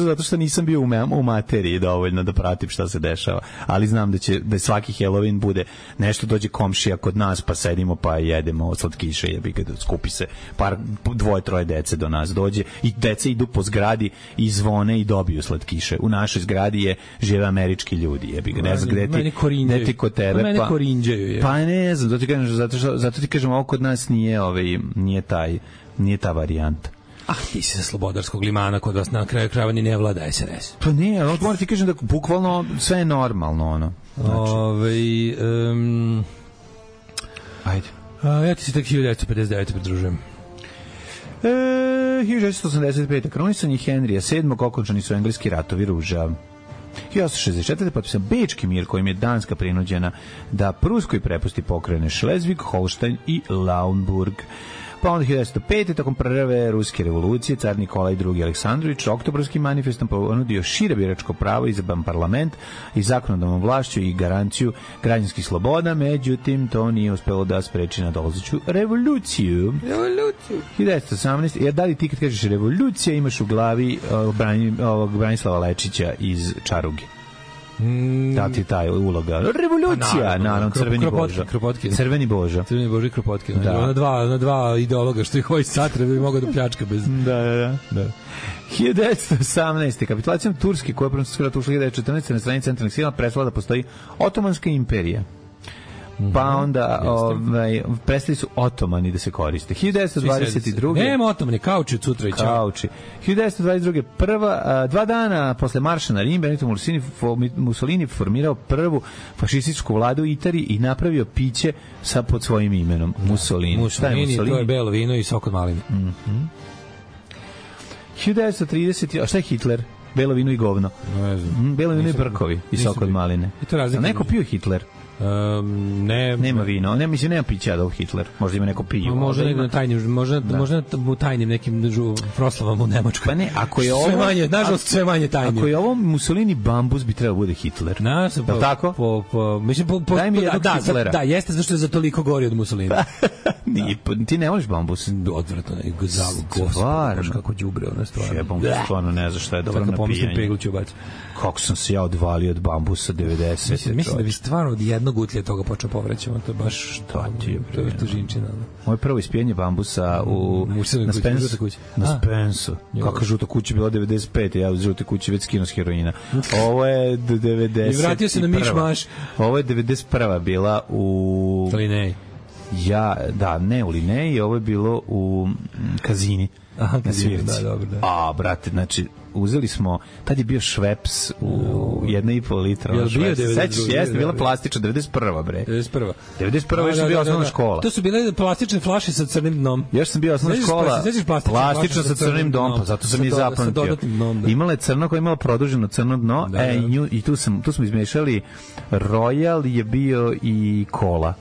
zato što nisam bio u materiji dovoljno da pratim šta se dešava. Ali znam da svaki Halloween bude nešto, dođe komšija kod nas, pa sedimo, pa jedemo slatkiše, skupi se dvoje, troje dece do nas dođe i dece idu po zgradi i zvone i dobiju slatkiše. U našoj zgradi žive američki ljudi, jebi ga, ne znam gde ti kod tebe, mene korinđaju je. Pa ne znam, zato ti kažem, ovo kod nas nije nije ta varijanta. Ti si sa Slobodarskog limana, kod vas na kraju krajeva ni ne vlada SRS. Pa ne, ali moram ti kažem da bukvalno sve je normalno, ono. Znači. Ajde. Ja ti se tek 1959. pridružujem. 1985. Kronisanje Henrija VII. Okončani su engleski ratovi ruža. 1864. potpisan Bečki mir kojim je Danska prinuđena da Pruskoj prepusti pokrajine Šlezvig, Holštajn i Lauenburg. Pa onda 1905. tokom prve ruske revolucije car Nikolaj II. Aleksandrović oktobrskim manifestom ponudio šire biračko pravo, izabran parlament i zakonodavnom vlašću i garanciju građanskih sloboda, međutim to nije uspelo da spreči nadolazeću revoluciju. 1918. Da li ti kad kažeš revolucija imaš u glavi Branislava Lečića iz Čaruge? Da ti taj uloga. Revolucija, naravno, Crveni Božo. Crveni Božo. Crveni Božo i Kropotkin. Na dva ideologa što ih hoće satra bi mogao da pljačka bez... Da. 1918. Kapitulacijom Turske, koja je Francuska rata ušla 1914. na strani centralnih sila, prestala da postoji Otomanska imperija. Pa onda prestali su Otomani da se koriste. 1922. Nema Otomani, kauči od sutra i čao. Kauči. 1922. Dva dana posle marša na Rim, Benito Mussolini formirao prvu fašističku vladu u Italiji i napravio piće pod svojim imenom. Mussolini. Mussolini, to je belo vino i sok od maline. 1930. A šta je Hitler? Belo vino i govno. Belo vino i brkovi i sok od maline. Neko pio Hitler? Nema vino, nema pića Adolf Hitler. Možda ima neko pivo. Možda u tajnim nekim proslavama u Nemačkoj. Pa ne, ako je ovo nažalost sve manje tajnim. Ako je ovo Mussolini bambus, bi trebao bude Hitler. Tako? Daj mi jednog Hitlera. Da, jeste zašto je za toliko gori od Mussolina. Ti ne voliš bambus? Odvratno, gospod, kako đubre ona stvar. Jebom, stvarno ne znam šta je dobro na pijanje. Kako sam se ja odvalio od bambusa 90. Mislim da bi stvarno od jednog utlja toga počeo povraćamo, to je baš to je tužinčina. Moje prvo ispijenje bambusa na Spensu. Kakva žuta kuća bila 95. Ja u žute kući već skino s heroina. Ovo je 90. I vratio se na Mišmaš. Ovo je 91. bila u Lineji. Ne u Lineji, ovo je bilo u Kazini. Na svirci. Da. Brate, znači uzeli smo, tad je bio Šveps u 1,5 litra. Sećaš, jeste, bila plastična, 91. bre. 91. još sam bio osnovna škola. To su bile plastične flaše sa crnim dnom. Još sam bio osnovna škola, plastična sa crnim dnom, pa zato sam je zapamtio. Imala je crno koja je imala produženo crno dno, i tu smo izmešali Royal, je bio i kola.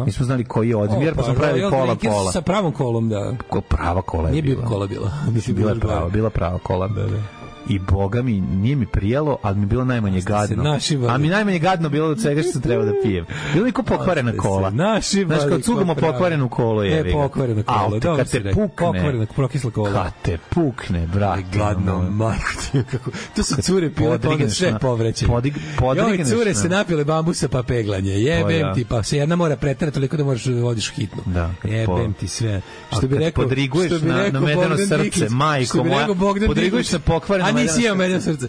Mi smo znali koji je odmjer, pa smo pravili pola. Sa pravom kolom, da. Prava kola je bila. Nije bio kola bila. Bila prava kola. Da. I boga mi, nije mi prijelo, ali mi bilo najmanje gadno. A mi najmanje gadno bilo od svega što sam trebao da pijem. Bilo mi ko pokvarena kola. Znaš, kad cugamo pokvarenu kolu je. Ne, pokvarena kola. Kad te pukne. Prokisla kola. Kad te pukne, brate. Gadno, majko. To su cure pile, pa onda sve povrećenje. Joj, cure se napile bambusa pa peglanje. Jebem ti, pa se jedna mora preterati toliko da moraš da vodiš hitnu. Jebem ti sve. Što bi rekao, podriguješ na medeno srce, majko moja. Podriguješ na pokvarenu. A nisi imao medeno srce.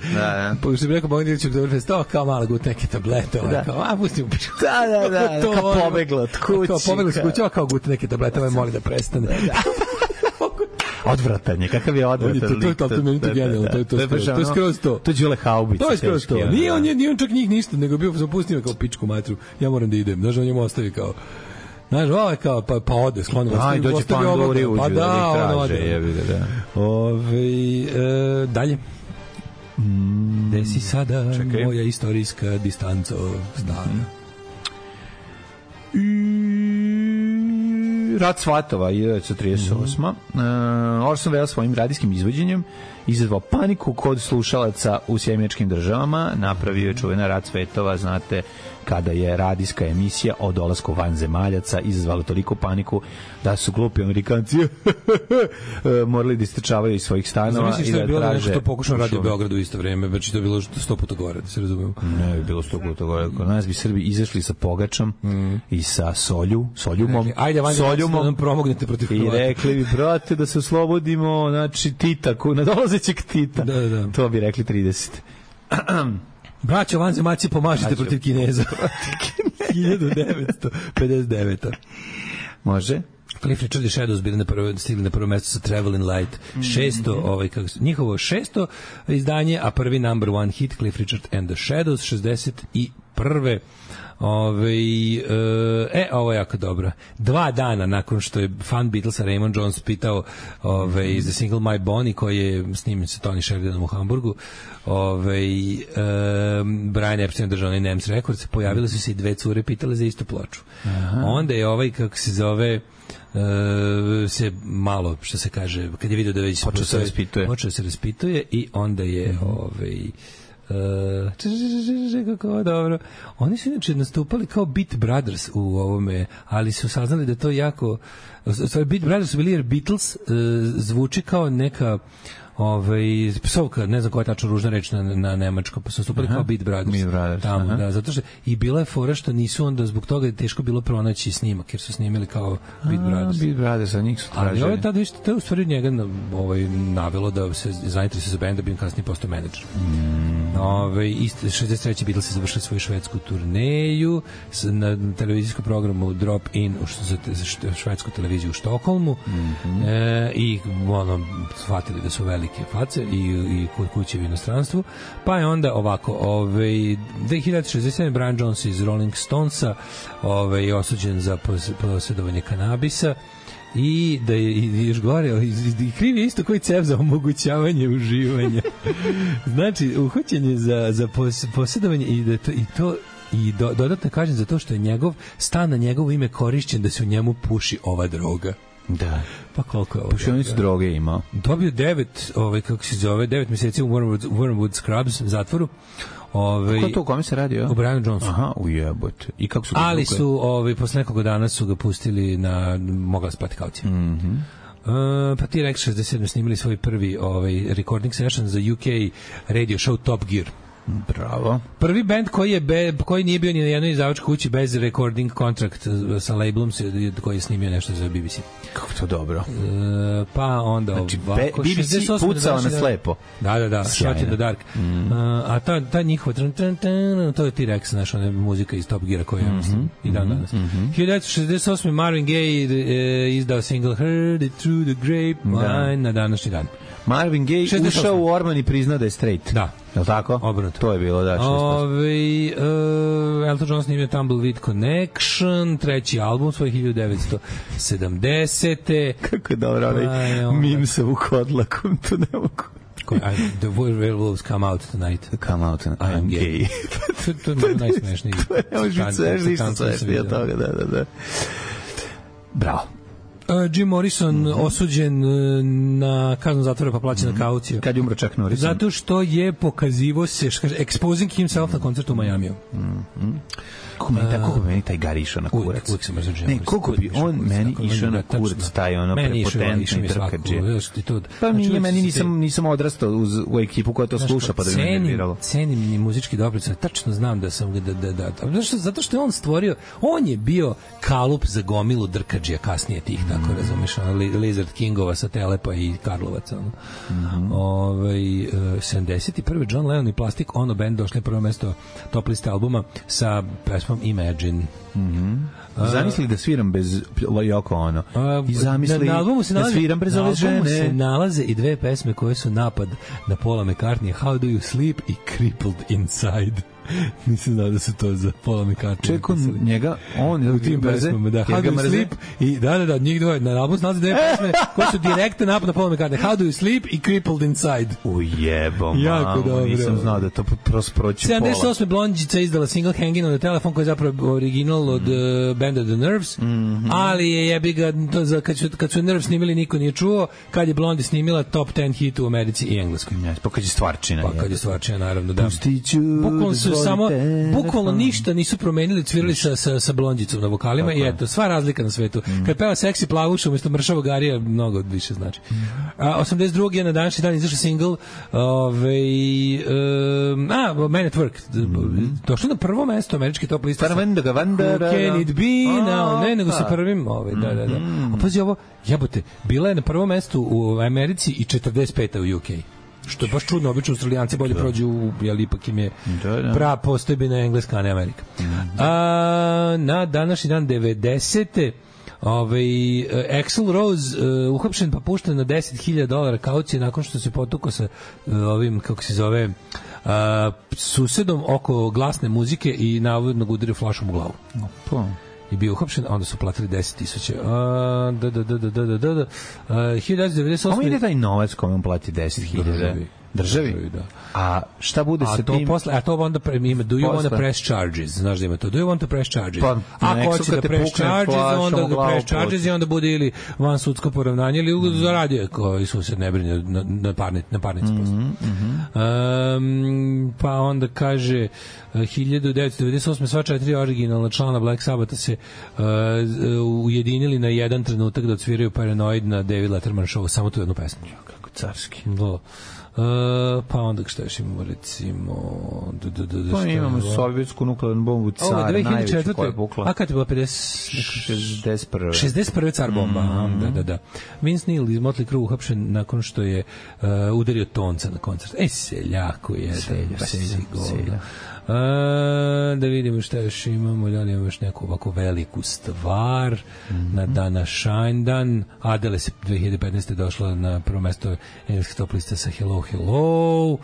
Što bi rekao Bogdan Ilić Oktoberfest, kao mala gut neke tablete, kao, pustim u pičku. Da, kao pobegla od kući. Kao pobegla od kući, kao gut neke tablete, moli da prestane. Odvratan je, kakav je odvratan lik. To je meni to genijalno, to je skroz to. To je Đule Haubica. To je skroz to. Nije on čak njih nego bio zapustio kao pičku matru. Ja moram da idem. Znaš, on njemu ostavi kao... Znaš, ovo je kao, pa ode, sklono. Aj, dođe Pandori uđu, pa da on ode. Dalje. Gde si sada moja istorijska distanco stana? Rat svatova 1938. Orson Welles svojim radijskim izvođenjem izazvao paniku kod slušalaca u Sjemeničkim državama, napravio je čuvena Rat svetova, znate, kada je radijska emisija o dolasku vanzemaljaca izazvala toliko paniku da su glupi Amerikanci morali da istrčavaju iz svojih stanova i da traže... Zamisli što je bilo nešto pokušao Radio Beogradu u isto vreme, već to je bilo 100 puta gore, da se razumemo. Ne, bi bilo 100 puta gore. Kod nas bi Srbi izašli sa pogačom i sa soljumom. Ajde, vanzemaljaci nam promognete protiv Hrvata. I rekli bi, brate, da se oslobodimo, znači, Tita, nadolazećeg Tita. Da. To bi rekli 30. Braćo vanzemaljci, pomažite protiv Kineza. 1959. Može? Cliff Richard i Shadows stigli na prvo mesto sa Traveling Light. 600, njihovo 600 izdanje, a prvi number one hit Cliff Richard and the Shadows 61. Ovo je jako dobro. 2 dana nakon što je fan Beatlesa Raymond Jones pitao za single My Bonnie, koji je snimljen sa Tony Sheridanom u Hamburgu, Brian Epstein držao onaj NEMS Records, pojavile su se i 2 cure pitale za istu ploču. Onda je kako se zove, se malo, što se kaže, kad je vidio da već počeo se raspituje i onda je kako dobro. Oni su inače nastupali kao Beat Brothers u ovome, ali su saznali da to jako Beat Brothers su bili jer Beatles zvuči kao neka psovka, ne znam koja je tačno ružna reč na nemačkom, pa su nastupali kao Beat Brothers tamo, da, zato što i bila je fora što nisu onda zbog toga je teško bilo pronaći snimak, jer su snimili kao Beat Brothers. Beat Brothers, a njih su tražili. Ali tada to je u stvari njega navelo da se zainteresuje za bend, da bi im kasnije postao menadžer. 63. Beatles se završili svoju švedsku turneju na televizijskom programu Drop In za švedsku televiziju u Štokholmu i shvatili da su velike face i kod kuće u inostranstvu. Pa je onda ovako 2067. Brian Jones iz Rolling Stonesa je osuđen za posjedovanje kanabisa i da je još gore i kriv je isto koji cev za omogućavanje uživanja. Znači uhoćen je za posjedovanje i dodatno kažem za to što je njegov stan na njegovo ime korišćen da se u njemu puši ova droga. Da. Pa koliko je ovo? Pušionicu droge imao. Dobio 9 mjeseci u Wormwood Scrubs zatvoru. Kako to, u kome se radi? U Brianu Jonesu. Aha, ujebote. I kako su ga ali su, posle nekoga dana su ga pustili na, mogla spati kaucija. Pa ti Rex 67 snimili svoj prvi recording session za UK radio show Top Gear. Bravo. Prvi band koji nije bio ni na jednoj izdavačkoj kući bez recording kontrakt sa labelom koji je snimio nešto za BBC. Kako to dobro. Pa onda znači, BBC pucao na slepo. Da, Shot in the Dark. A ta njihova to je T-Rex, znaš, ona muzika iz Top Geara koja je i dan danas. 1968. Marvin Gaye izdao single Heard It Through the Grapevine na današnji dan. Marvin Gaye ušao u Orman i priznao da je straight. Da. Je li tako? Obrnuto. To je bilo, da. Elton John snimio Tumbleweed Connection, treći album svoj 1970. Kako je dobro, onaj mim sa Vukodlakom, to ne mogu. The werewolves come out tonight. Come out and I am gay. To je najsmešniji. To ne može biti svežniji što svežniji od toga, da. Bravo. Jim Morrison osuđen na kaznu zatvora pa plaćena kaucija. Kad je umro Chuck Norris? Zato što je pokazivo se, exposing himself na koncertu u Majamiju. Koliko bi meni taj Gari išao na kurac? Uvijek sam mrzio Jim Morrison. Koliko bi on meni išao na kurac, taj prepotentni trkađe. Pa meni nisam odrastao u ekipu koja to sluša, pa da bi me nerviralo. Cenim ni muzički doprinos, tačno znam da sam zato što je on stvorio, on je bio kalup za gomilu drkađija kasnije tih, tako razumeš, Lizard Kingova sa Telepa i Karlovaca. 71. John Lennon i Plastic Ono Band došli na prvo mesto top liste albuma sa pesmom Imagine. Zamisli da sviram bez Yoko Ono. I zamisli da sviram bez ove žene. Na albumu se nalaze i 2 pesme koje su napad na Paula McCartney, How Do You Sleep i Crippled Inside. Nisam znao da su to za Paula McCartney. Čekao njega, on u tim pesmama, da. How Do You Sleep i da, njih dvoje. Na albumu se nalaze 2 pesme koje su direktno napad na Paula McCartney, How Do You Sleep i Crippled Inside. Ujebo, jako dobro. Nisam znao da to proći Paula. 78. Blondjica izdala single Hanging on the Telephone koji je zapravo original od benda The Nerves, ali je jebi ga, kad su Nerves snimili niko nije čuo, kad je Blondie snimila top 10 hit u Americi i Engleskoj. Pa kad je stvarčina. Pa kad je stvarčina, naravno, da. Pustiću, bukvalno ništa nisu promenili, cvirali sa Blondjicom na vokalima. Tako. I eto, sva razlika na svetu. Kad peva Seksi plavuša umjesto Mršavog Garija, mnogo više znači. 82. je na današnji dan izašao single Man at Work. Došlo na prvo mesto američki top lista. Who can it be now? Ne, nego sa prvim. Da. A pazi ovo, jebote, bila je na prvom mestu u Americi i 45. u UK. što je baš čudno, obično Australijanci bolje prođu, jer ipak im je prava postojbina Engleska, a ne Amerika. Na današnji dan 90. Axl Rose uhapšen pa pušten na $10.000 kaucije nakon što se potukao sa ovim, kako se zove, susedom oko glasne muzike i navodno ga udario flašom u glavu. I bio uhapšen, a onda su platili 10.000. 1998. Kome ide taj novac kome on plati 10.000? Državi? Da. A šta bude sa tim? A to onda ima, do you want to press charges? Znaš da ima to? Do you want to press charges? Ako hoće da press charges, onda ga press charges i onda bude ili van sudsko poravnanje ili zaradio koji sused ne brine na parnici posle. Pa onda kaže 1998. sva 4 originalna člana Black Sabbatha se ujedinili na jedan trenutak da odsviraju Paranoid na David Letterman show, samo tu jednu pesmu. Kako carski. Da. Pa onda šta još imamo, recimo pa imamo sovjetsku nuklearnu bombu Car, najveću koja je pukla. A kad je bila 61. Car bomba. Da. Vince Neil iz Motley Crue uhapšen nakon što je udario tonca na koncert. Seljaku je Selja. Da vidimo šta još imamo, da li imamo još neku ovako veliku stvar na dana Shinedan. Adele se 2015. došla na prvo mesto engleskih top lista sa Hello Hello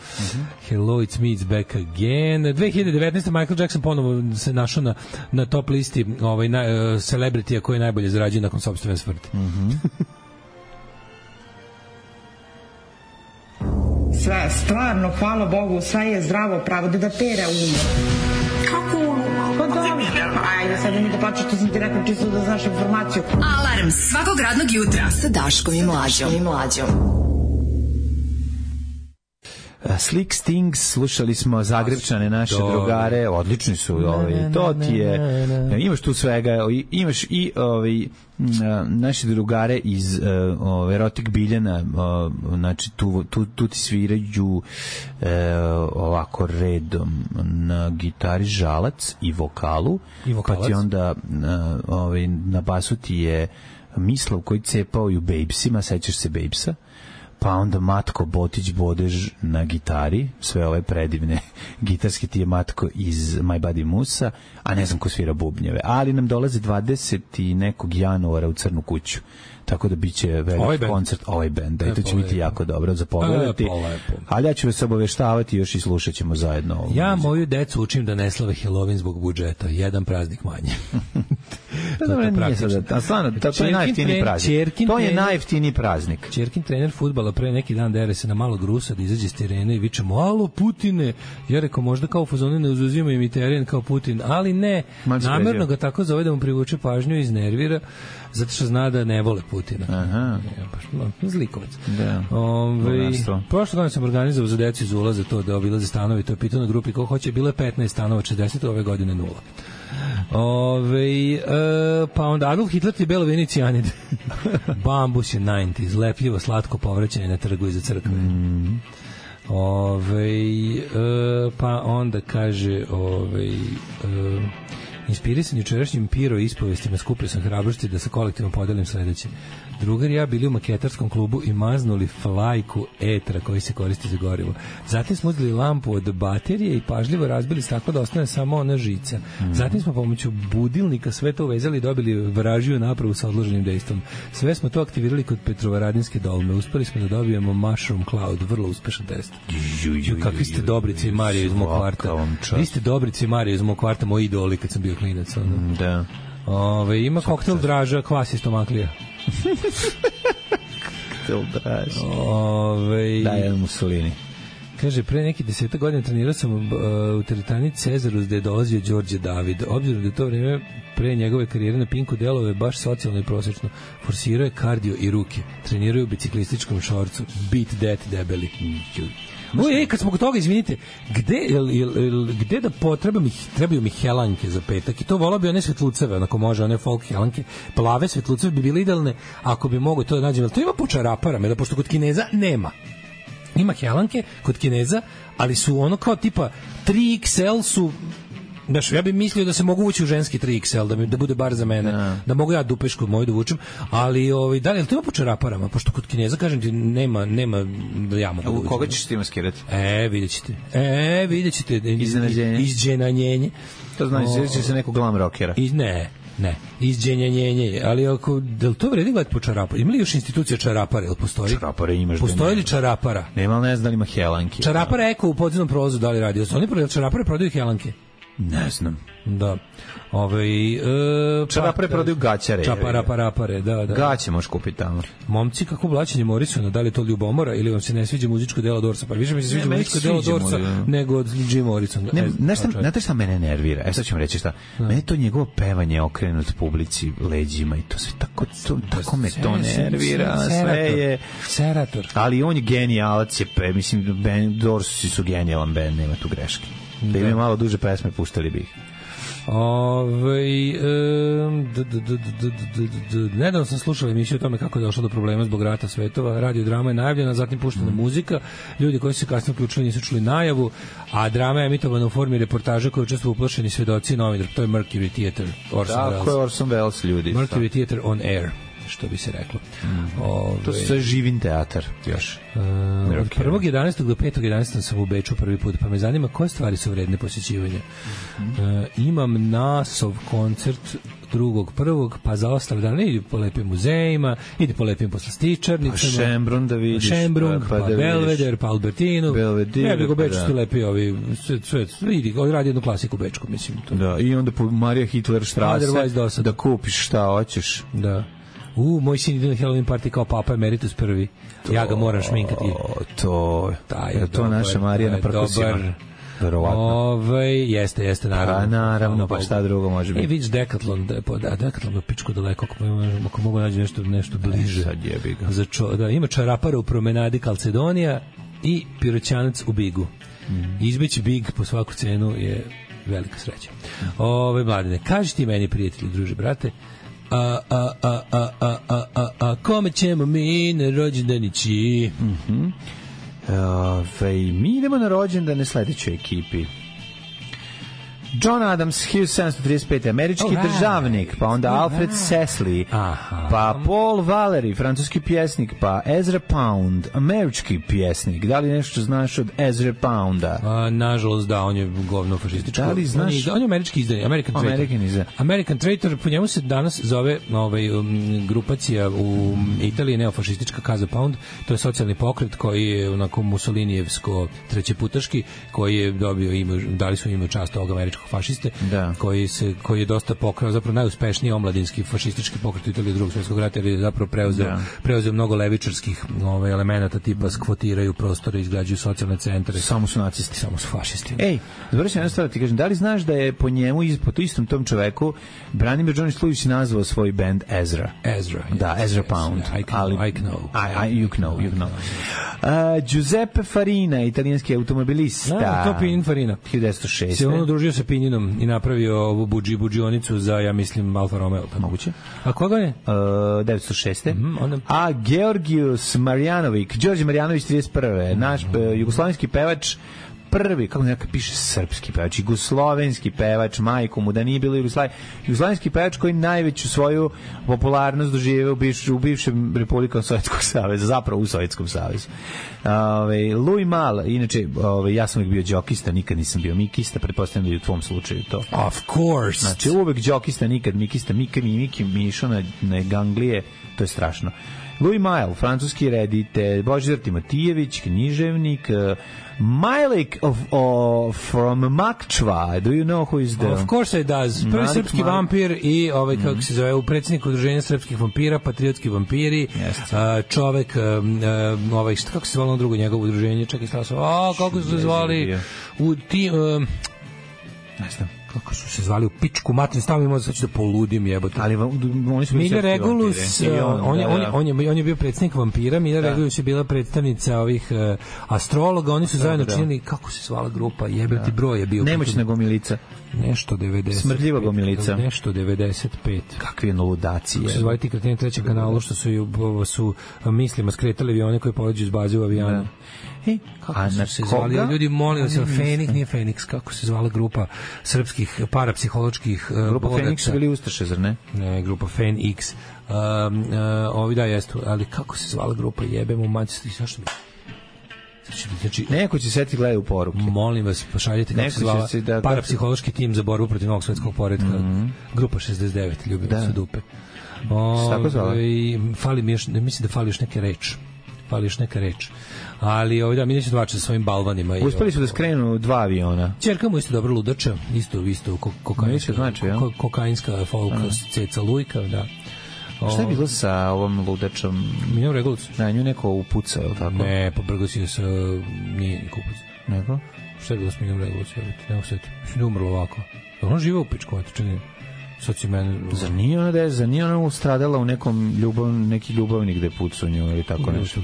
It's Me It's Back Again. 2019. Michael Jackson ponovo se našao na top listi celebritija koji najbolje zarađuje nakon sopstvene smrti. Sve, stvarno, hvala Bogu, sve je zdravo pravo da pere umo. Kako umo? Pa dobro. Ajde, sad mi da plaćaš, što sam ti rekao, čisto da znaš informaciju. Alarm svakog radnog jutra sa Daškom i Mlađom. Slick Stings, slušali smo Zagrebčane, naše drugare, odlični su, to ti je, imaš tu svega, imaš i naše drugare iz Erotik Biljana, znači tu ti sviraju ovako redom na gitari Žalac i vokalu, pa ti onda na basu ti je Mislav koji cepao i u Babesima, sećaš se Babesa, pa onda Matko Botić Bodež na gitari, sve ove predivne gitarske, ti je Matko iz My Buddy Musa, a ne znam ko svira bubnjeve, ali nam dolaze 20. nekog januara u Crnu kuću, tako da biće veliki koncert, ovaj band, da, i to će biti jako dobro za pogledati, ali ja ću vas obaveštavati još i slušat ćemo zajedno. Ja moju decu učim da ne slave Halloween zbog budžeta, jedan praznik manje. To je najjeftiniji praznik. To je najjeftiniji praznik. Ćerkin trener fudbala pre neki dan dere se na malog Rusa da izađe s terena i vičemo, alo Putine, ja rekao možda kao u fazonu ne uzuzima im i teren kao Putin, ali ne, namerno ga tako zove da mu privuče pažnju i iznervira, zato što zna da ne vole Putina. Aha. Zlikovac. Da. Prošle godine sam organizovao za decu iz ulaza to da obilaze stanovi, to je pitao na grupi ko hoće, bilo je 15 stanova, 60, ove godine 0. Pa onda Adolf Hitler ti belo vini cijanid. Bambus je 90s, lepljivo, slatko povraćanje na trgu iza crkve. Pa onda kaže inspirisan jučerašnjim Piro ispovestima skupio sam hrabrosti da sa kolektivom podelim sledeće. Drugar i ja bili u maketarskom klubu i maznuli flajku etra koji se koristi za gorivo. Zatim smo uzeli lampu od baterije i pažljivo razbili staklo da ostane samo ona žica. Zatim smo pomoću budilnika sve to uvezali i dobili vražiju napravu sa odloženim dejstvom. Sve smo to aktivirali kod Petrovaradinske dolme. Uspeli smo da dobijemo Mushroom Cloud, vrlo uspešan test. Kakvi ste Dobrice i Marija iz mog kvarta. Vi ste Dobrice i Marija iz mog kvarta, moji idoli kad sam bio klinac. Da. Ima koktel Draža, kvas iz Tomaklija. Koktel Draža. Da, jedan Mussolini. Kaže, pre neki 10 godina trenirao sam u teretani Cezarus gde je dolazio Đorđe David. Obzirom da je to vreme pre njegove karijere na Pinku delove baš socijalno i prosečno. Forsirao je kardio i ruke. Trenirao je u biciklističkom šorcu. Beat that debeli. Kad smo kod toga, izvinite, gde da trebaju mi helanke za petak i to volao bi one svetluceve, onako može, one folk helanke, plave svetluceve bi bile idealne ako bi mogo to da nađem, ali to ima po čaraparama, da pošto kod Kineza nema. Ima helanke kod Kineza, ali su ono kao tipa 3XL su Znaš, ja bih mislio da se mogu ući u ženski 3XL, da bude bar za mene, da mogu ja dupešku moju da vučem, ali da li to ima po čaraparama, pošto kod Kineza, kažem ti, nema da ja mogu da vučem. Koga ćeš ti maskirati? Vidjet ćete. Izđenanjenje. To znači, sjeći se nekog glam rockera. Ne, izđenjanjenje, ali da li to vredi gledati po čaraparu? Ima li još institucija čarapara, ili postoji? Čarapara imaš. Postoji li čarapara? Nema, ali ne znam da li ima helanki. Čarapara Eko u podzemnom prolazu, da li radi? Oni čarapare prodaju helanke? Ne znam. Da. Čarapare prodaju gaćare. Čaraparapare, da. Gaće možeš kupiti tamo. Momci, kako blaćenje Morrisona, da li to ljubomora ili vam se ne sviđa muzičko delo Dorsa? Pa više mi se sviđa muzičko delo Dorsa nego od Jim Morrisona. Znate šta mene nervira? Sad ću vam reći šta. Mene to njegovo pevanje okrenut publici leđima i to sve tako me to nervira. Sve je Serator. Ali on je genijalac, mislim, Dorsi su genijalan band, nema tu greške. Da im malo duže pesme puštali bih. Nedavno sam slušao emisiju o tome kako je došlo do problema zbog rata svetova. Radio drama je najavljena, zatim puštena muzika. Ljudi koji su se kasnije uključili nisu čuli najavu, a drama je emitovana u formi reportaže koje učestvuju uplašeni svedoci i novinar. To je Mercury Theater. Tako je Orson Welles, ljudi. Mercury Theater on air, što bi se reklo. To je sve živin teatar još. Od 1.11. do 5.11. sam u Beču prvi put, pa me zanima koje stvari su vredne posjećivanja. Imam nasov koncert 2.1. pa za ostale dane idi po lepim muzejima, idi po lepim poslastičarnicama, pa Šembrun da vidiš, pa Belvedere, pa Albertinu, ne bi go Beču ti lepi ovi, sve, idi, radi jednu klasiku bečku, mislim. To. Da, i onda po Marija Hitler Strasse da kupiš šta hoćeš. Da. Moj sin ide na Halloween party kao Papa Emeritus prvi. Ja ga moram šminkati. To naša Marija na Prkosima. Verovatno. Jeste, naravno. Pa naravno, pa šta drugo može biti. Vidiš Decathlon, Decathlon je pičko daleko, ako mogu naći nešto bliže. Sad jebi ga. Ima čarapara u promenadi Kalcedonija i piroćanac u Bigu. Izbeći Big po svaku cenu je velika sreća. Mladine, kaži ti meni, prijatelji, druže, brate, kome ćemo mi na rođendanići? Mi idemo na rođendane sledećoj ekipi. John Adams, 1735. američki državnik, pa onda Alfred Sesley, pa Paul Valery, francuski pjesnik, pa Ezra Pound, američki pjesnik. Da li nešto znaš od Ezra Pounda? Nažalost, da, on je govno fašističko. Da li znaš? On je američki izdan, American Traitor, po njemu se danas zove grupacija u Italiji, neofašistička Casa Pound, to je socijalni pokret koji je onako Mussolinijevsko trećeputaški, koji je dobio ime, dali su ime čast ovog američkog fašiste, koji je dosta pokrao, zapravo najuspešniji omladinski fašistički pokret u Italiji Drugog svjetskog rata, jer je zapravo preuzeo mnogo levičarskih elemenata, tipa skvotiraju prostore, izgrađuju socijalne centre. Samo su nacisti, samo su fašisti. Završi jednu stvar, ti kažem, da li znaš da je po njemu, po istom tom čoveku, Branimir Johnny Slujić nazvao svoj band Ezra? Da, Ezra Pound. I know. You know. Giuseppe Farina, italijanski automobilista. To Pininfarina. 1906. Se on udružio sa Pininom i napravio ovu buđionicu za, ja mislim, Alfa Romeo. Moguće. A koga je? 1906. A Georgios Marjanović, Đorđe Marjanović 31. Naš jugoslovenski pevač, prvi, kako nekako piše, srpski pevač, jugoslovenski pevač, majku mu, da nije bilo jugoslovenski pevač koji najveću svoju popularnost doživio u bivšem Republikom Sovjetskog saveza, zapravo u Sovjetskom savezu. Louis Malle, inače, ja sam uvijek bio džokista, nikad nisam bio mikista, pretpostavljam da je u tvom slučaju to. Of course! Znači, uvijek džokista, nikad mikista, Miki mišao na ganglije, to je strašno. Louis Malle, francuski reditelj, Božidar Timotijević, književnik, Majlik from Makčva. Do you know who is the... Of course it does. Prvi srpski vampir i kako se zove, predsjednik udruženja srpskih vampira, patriotski vampiri, čovek, kako se zvalo drugo njegovo udruženje, čekaj, kako su se zvali u ti... Ne znam. Kako su se zvali u pičku matrin, stavimo možda sad ću da poludim, jebote. Ali oni su Mila Regulus, on je bio predsjednik vampira, Mila Regulus je bila predstavnica ovih astrologa, oni su zajedno činili, kako se zvala grupa, jebati broj je bio. Nemoćna gomilica. Nešto 90. Smrdljiva gomilica. Nešto 95. Kakve ludacije. Kako se zvali ti kreteni trećeg kanala, što su mislima skretali avione koji poleđu iz baze u avijanu. Kako su se zvali? Ljudi, molim se, Fenix, nije Fenix, kako se zvala grupa srpskih tih parapsiholoških Grupa boraca. Fenix su bili ustaše, zar ne? Ne, grupa Fen X. Ovi da jestu, ali kako se zvala grupa, jebemo mađesti, zašto mi... Znači, neko će seti gledati u poruke. Molim vas, pošaljite kako se zvala parapsihološki tim za borbu protiv novog svetskog poretka. Grupa 69, ljubimo se dupe. Tako zvala? Fali mi još, mislim da fali još neka reč. Ali da, mi neće dvače sa svojim balvanima. Uspeli su da skrenu 2 aviona. Ćerka mu isto dobro ludača, isto kokainska folk, ceca lujka, da. Šta je bilo sa ovom ludačom? Minjom Regulus. Na nju neko upucao, ili tako? Ne, pobrgao sa... Nije ni kupac. Nego? Šta je bilo s Minjom Regulus? Nemo seti. Mislim da umrlo ovako. Ona živa u pičku, eto, čekaj. Sad si mene... Zar nije ona ustradala u neki ljubavnik gde pucu nju ili tako nešto?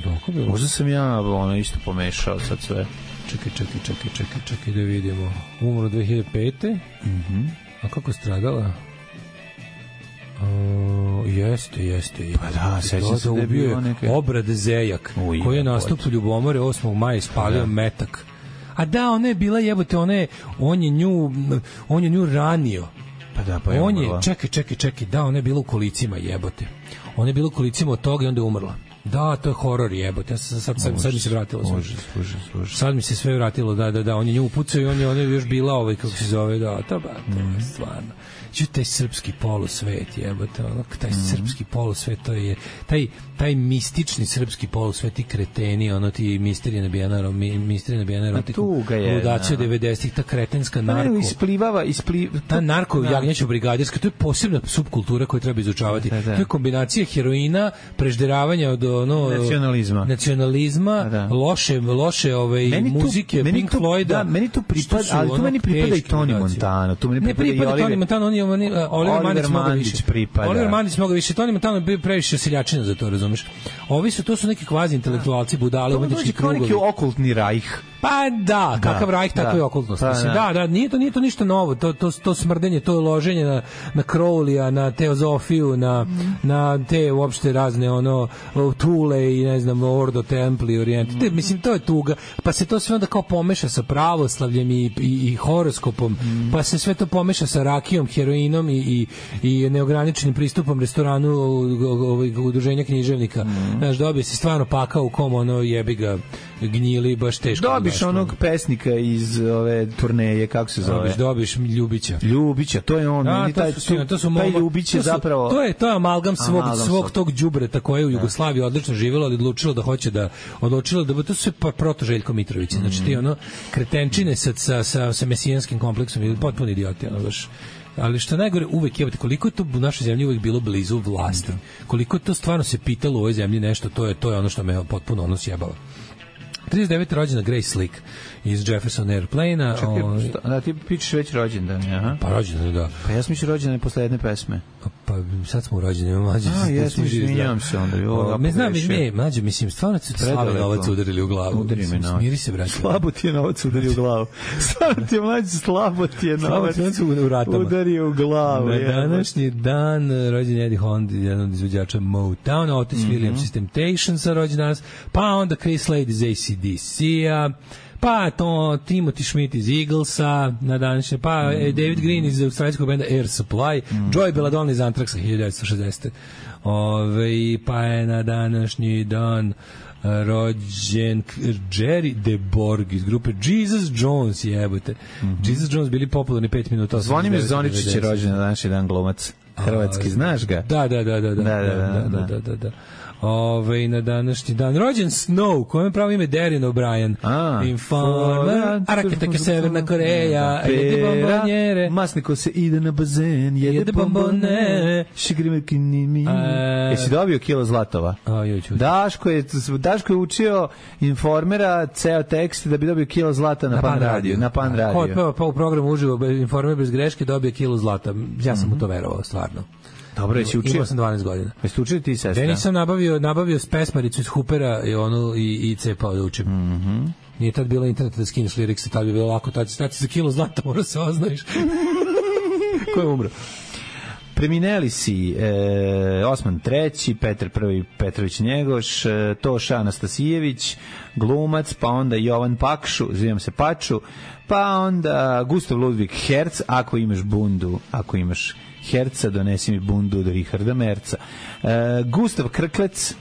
Možda sam ja isto pomešao sad sve. Čekaj da vidimo. Umro 2005. A kako je stradala? Jeste. Pa da, sećam se da je bio Obrad Zejak, koji je nastup u Ljubomore 8. maja ispalio metak. A da, ona je bila jebote, on je nju ranio. Pa da, pa je on umrla. Čekaj, da, ona je bila u kolicima jebote. Ona je bila u kolicima od toga i onda je umrla. Da, to je horor jebote. Sad mi se vratilo. Sad mi se sve vratilo, da, on je nju upucao i on je još bila kako se zove, da, to je stvarno. Taj srpski polusvet jebote, taj srpski polusvet, to je taj mistični srpski polusvet, ti kreteni, ti misterije nabijena erotiku, ludaci od 90-ih, ta kretenska narko, ta narko jagnjeća brigadirska, to je posebna subkultura koju treba izučavati. To je kombinacija heroina, prežderavanja od nacionalizma, loše muzike, Pink Floyda. Meni to pripada, ali tu meni pripada i Tony Montana. Ne pripada Tony Montana, Oliver Mandić pripada. Oliver Mandić mnogo više. Tony Montana bio previše seljačina za to, razumeš? Ovi to su neki kvazi intelektualci, budale, umetnički krugovi. To je neki okultni rajh. Pa da, kakav rajh, tako je okultnost. Da, nije to ništa novo. To smrdenje, to loženje na Crowleya, na teozofiju, na te uopšte razne Tule i ne znam, Ordo Templi, Orient. Mislim, to je tuga. Pa se to sve onda kao pomeša sa pravoslavljem i horoskopom, pa se sve to pomeša sa rakijom, heroinom i neograničenim pristupom restoranu udruženja književnika. Znaš, dobije se stvarno pakao u kom jebi ga gnjili, baš teško. Dobiš onog pesnika iz ove turneje, kako se zove? Dobiš Ljubića, to je on. Taj Ljubić je zapravo... To je amalgam svog tog đubreta koje je u Jugoslaviji odlično živjelo, ali odlučilo da to su sve proto Željko Mitrović. Znači ti kretenčine sa mesijanskim kompleksom ili potpuno idioti, baš. Ali što najgore, uvek jebate, koliko je to u našoj zemlji uvek bilo blizu vlasti. Koliko je to stvarno se pitalo u ovoj zemlji nešto, to je ono što me potpuno sjebalo. 39. rođena Grace Slick iz Jefferson Airplane-a. Čekaj, ti pičeš već rođendan, aha. Pa rođendan, da. Pa ja sam mišljio rođendan posle jedne pesme. Pa sad smo u rođendan, mlađe. Izvinjam se onda. Mlađe, mislim, stvarno se slavi novac udarili u glavu. Udari me novac. Smiri se, braće. Slabo ti je novac udari u glavu. Stvarno ti je, mlađe, slabo ti je novac udari u glavu. Na današnji dan rođen Eddie Hond, jedan od izvođača Motown, Otis Williams iz Temptationsa rođen danas, pa onda Chris Slade iz AC/DC-a, pa to Timothy Schmidt iz Eaglesa na današnje, pa David Green iz australijskog benda Air Supply, Joey Belladonna iz Anthraxa 1960. Pa je na današnji dan rođen Jerry DeBorg iz grupe Jesus Jones, jebote. Jesus Jones bili popularni 5 minuta. Zvonimir Zoničić je rođen na današnji dan, glumac hrvatski, znaš ga? Da. Na današnji dan rođen Snow, kojem pravo ime Darren O'Brien. Informer, Araketaka Severna Koreja, jede bombonjere, Masniko se ide na bazen, jede bombone, šigrimekinimi. Jesi dobio kilo zlatova? Daško je učio Informera ceo tekst da bi dobio kilo zlata na Pan Radio. Pa u programu uživo Informer bez greške dobio kilo zlata. Ja sam mu to verovao, stvarno. Dobro, jesi učio? Imao sam 12 godina. Jesi učio ti, sestra? Denis sam nabavio pesmaricu iz Hoopera i cepao da učim. Nije tad bilo interneta da skineš lirikse, tad bi bilo lako, tad si za kilo zlata, mora se oznajiš. Ko je umro? Premineli si Osman III, Petar I Petrović Njegoš, Toša Anastasijević, glumac, pa onda Jovan Pakšu, zvijem se Paču, pa onda Gustav Ludvig Herc, ako imaš bundu, ako imaš Herca, donesi mi bundu od Richarda Merca. Gustav Krklec,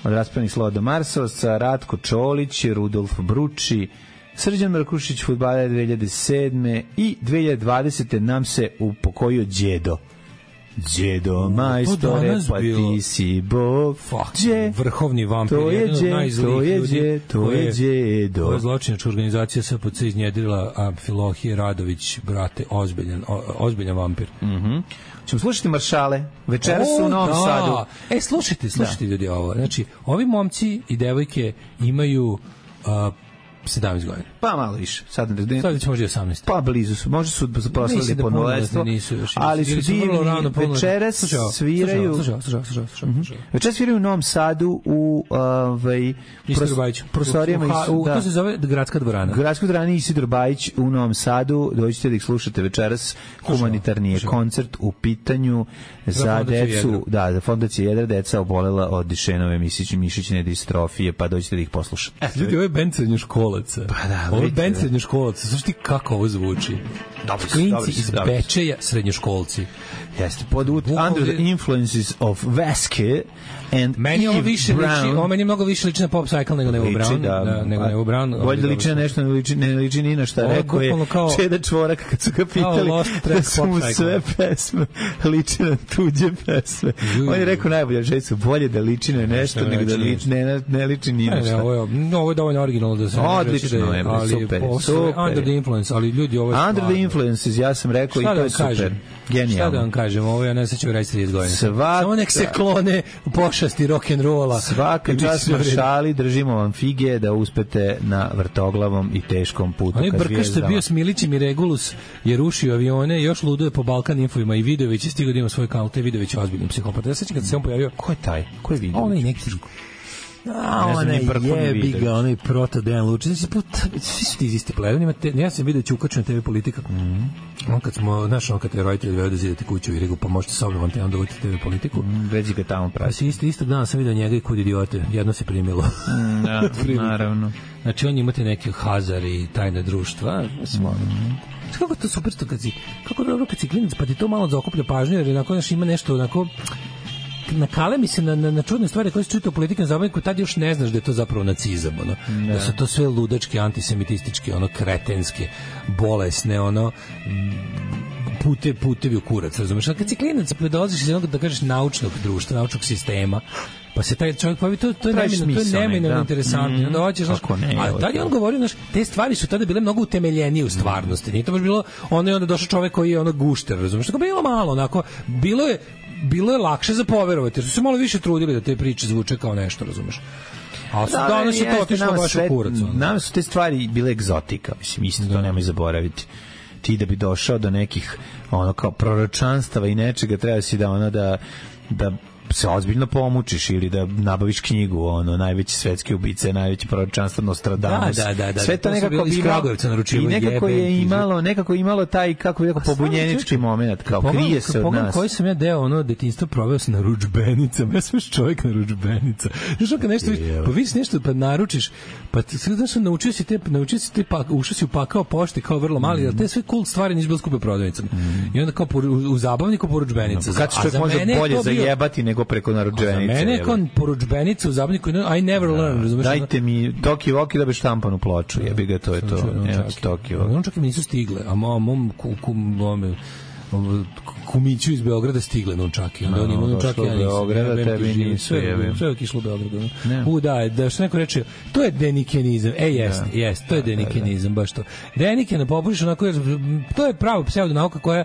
od raspravnih slova do Marsovca, Ratko Čolić, Rudolf Bruči, Srđan Mrkušić, fudbaler 2007. i 2020. nam se upokojio Đedo. Đedo majstore, pa ti si bog. Vrhovni vampir, jedan od najzlijih ljudi. To je Đedo. To je zločinačka organizacija SPC iznjedrila Amfilohije Radović, brate, ozbiljan vampir. Ćemo slušati Maršale. Večeras su u Novom Sadu. Slušajte ljudi ovo. Znači, ovi momci i devojke imaju 17 godina. Pa malo više. Sad će možda 18. Pa blizu su. Možda su proslavili punoletstvo. Ali su divni. Večeras sviraju. Večeras sviraju u Novom Sadu u prostorijama. To se zove Gradska dvorana. Gradska dvorana Isidor Bajić u Novom Sadu. Dođite da ih slušate večeras. Humanitarni je koncert u pitanju za decu. Da, za Fondacija Jedra, deca obolela od Dišenove mišićne distrofije, pa dođite da ih poslušate. Ljudi, ovo je bend srednjoškolaca. Pa da, ovo je bend srednjoškolaca. Znaš ti kako ovo zvuči? Klinci iz Bečeja, srednjoškolci. Jeste, under the influences of Vaske and meni Eve Brown. Ovo meni mnogo više liči na Pop Cycle nego Evo Brown. Nego Evo Brown. Bolje da liči na nešto, ne liči ni na šta. Rekao je Čeda Čvorak kad su ga pitali da su mu sve pesme liči na tuđe pesme. On je rekao najbolje, že su bolje da liči na nešto nego da ne liči ni na šta. Ovo je dovoljno originalno da se odlično je, super. Under the influence, ali ljudi ovo je Under the influences, ja sam rekao i to je super. Genijalno. Šta da vam kažem, ovo ja ne sećam reći 30 godina. Samo nek se klone pošasti rock'n'rolla. Svaka čast Maršali, držimo vam fige da uspete na vrtoglavom i teškom putu. Onaj brkaš što je bio s Milićem i Regulus je rušio avione, još luduje po Balkan Infovima i Vidović je stigao da ima svoj kanal, te Vidović je ozbiljni psihopat. Ja sećam kad se on pojavio. Ko je taj? Ko je Vidović? Onaj neki jebi ga, onaj proto Dejan Lučić. Svi su ti iz iste plevene. Ja sam vidio Ćukaču na TV Politika. On kad smo, znaš, kad je roditelj veo da zidate kuću i rekao, pa možete sa mnom, te onda uvijek TV Politiku. Već ga tamo pravi. Pa istog dana sam vidio njega i Kud idiote. Jedno se primilo. Naravno. Znači, on imate neke Hazar i tajne društva. Kako to super što kako dobro kad si klinac, pa ti to malo zaokuplja pažnju, jer onako ima nešto onako nakale mi se na čudne stvari koje se čuju u političkom zabavniku, tad još ne znaš da je to zapravo nacizam, ono. Da su to sve ludačke, antisemitističke, ono, kretenske, bolesne, ono, putevi u kurac, razumeš? A kad si klinac, dolaziš iz jednog, da kažeš, naučnog društva, naučnog sistema, pa se taj čovjek pojavi, to je neminovno interesantno. Onda hoćeš, znaš, a tad je on govorio, znaš, te stvari su tada bile mnogo utemeljenije u stvarnosti. Nije to baš bilo, ono je onda došao čovjek koji je ono gušter, razumeš? Tako bilo malo, onako, bilo je lakše za poverovati, jer su se malo više trudili da te priče zvuče kao nešto, razumeš? A danas je to otišlo baš u kurac. Nama su te stvari bile egzotika, mislim, isto to nemoj zaboraviti. Ti da bi došao do nekih ono kao proročanstava i nečega, treba si da ono da se ozbiljno pomučiš ili da nabaviš knjigu, ono, najveći svetski ubice, najveći proročanstvo Nostradamus. Da. Sve to nekako bi imalo, i nekako je imalo taj, kako bi rekao, pobunjenički moment, kao krije se od nas. Koji sam ja deo, ono, detinjstvo proveo se na ručbenicama, ja sam još čovjek na ručbenica. Znaš, kad nešto, pa vidiš nešto, pa naručiš, pa znaš, naučio si te, ušao si u pakao pošte kao vrlo mali, jer te sve cool stvari nisu bilo skupe prodavnicama. I onda kao u zabavniku po ručbenica. Kad čovjek može bolje zajebati nego preko narudžbenice. Za mene je kao poručbenica u zabavniku, I never learn, razumiješ? Dajte mi Toki Voki da bi štampanu ploču, jebi ga, to je to. Toki Voki. On čak i mi nisu stigle, a mom kumiću iz Beograda stigle nunčaki. Onda on ima nunčaki, ja nisam. Tebi nisu, sve je kišlo u Beogradu. Da što neko reče, to je denikenizam. Jest, to je denikenizam, baš to. Deniken popušiš onako, to je pravo pseudonauka koja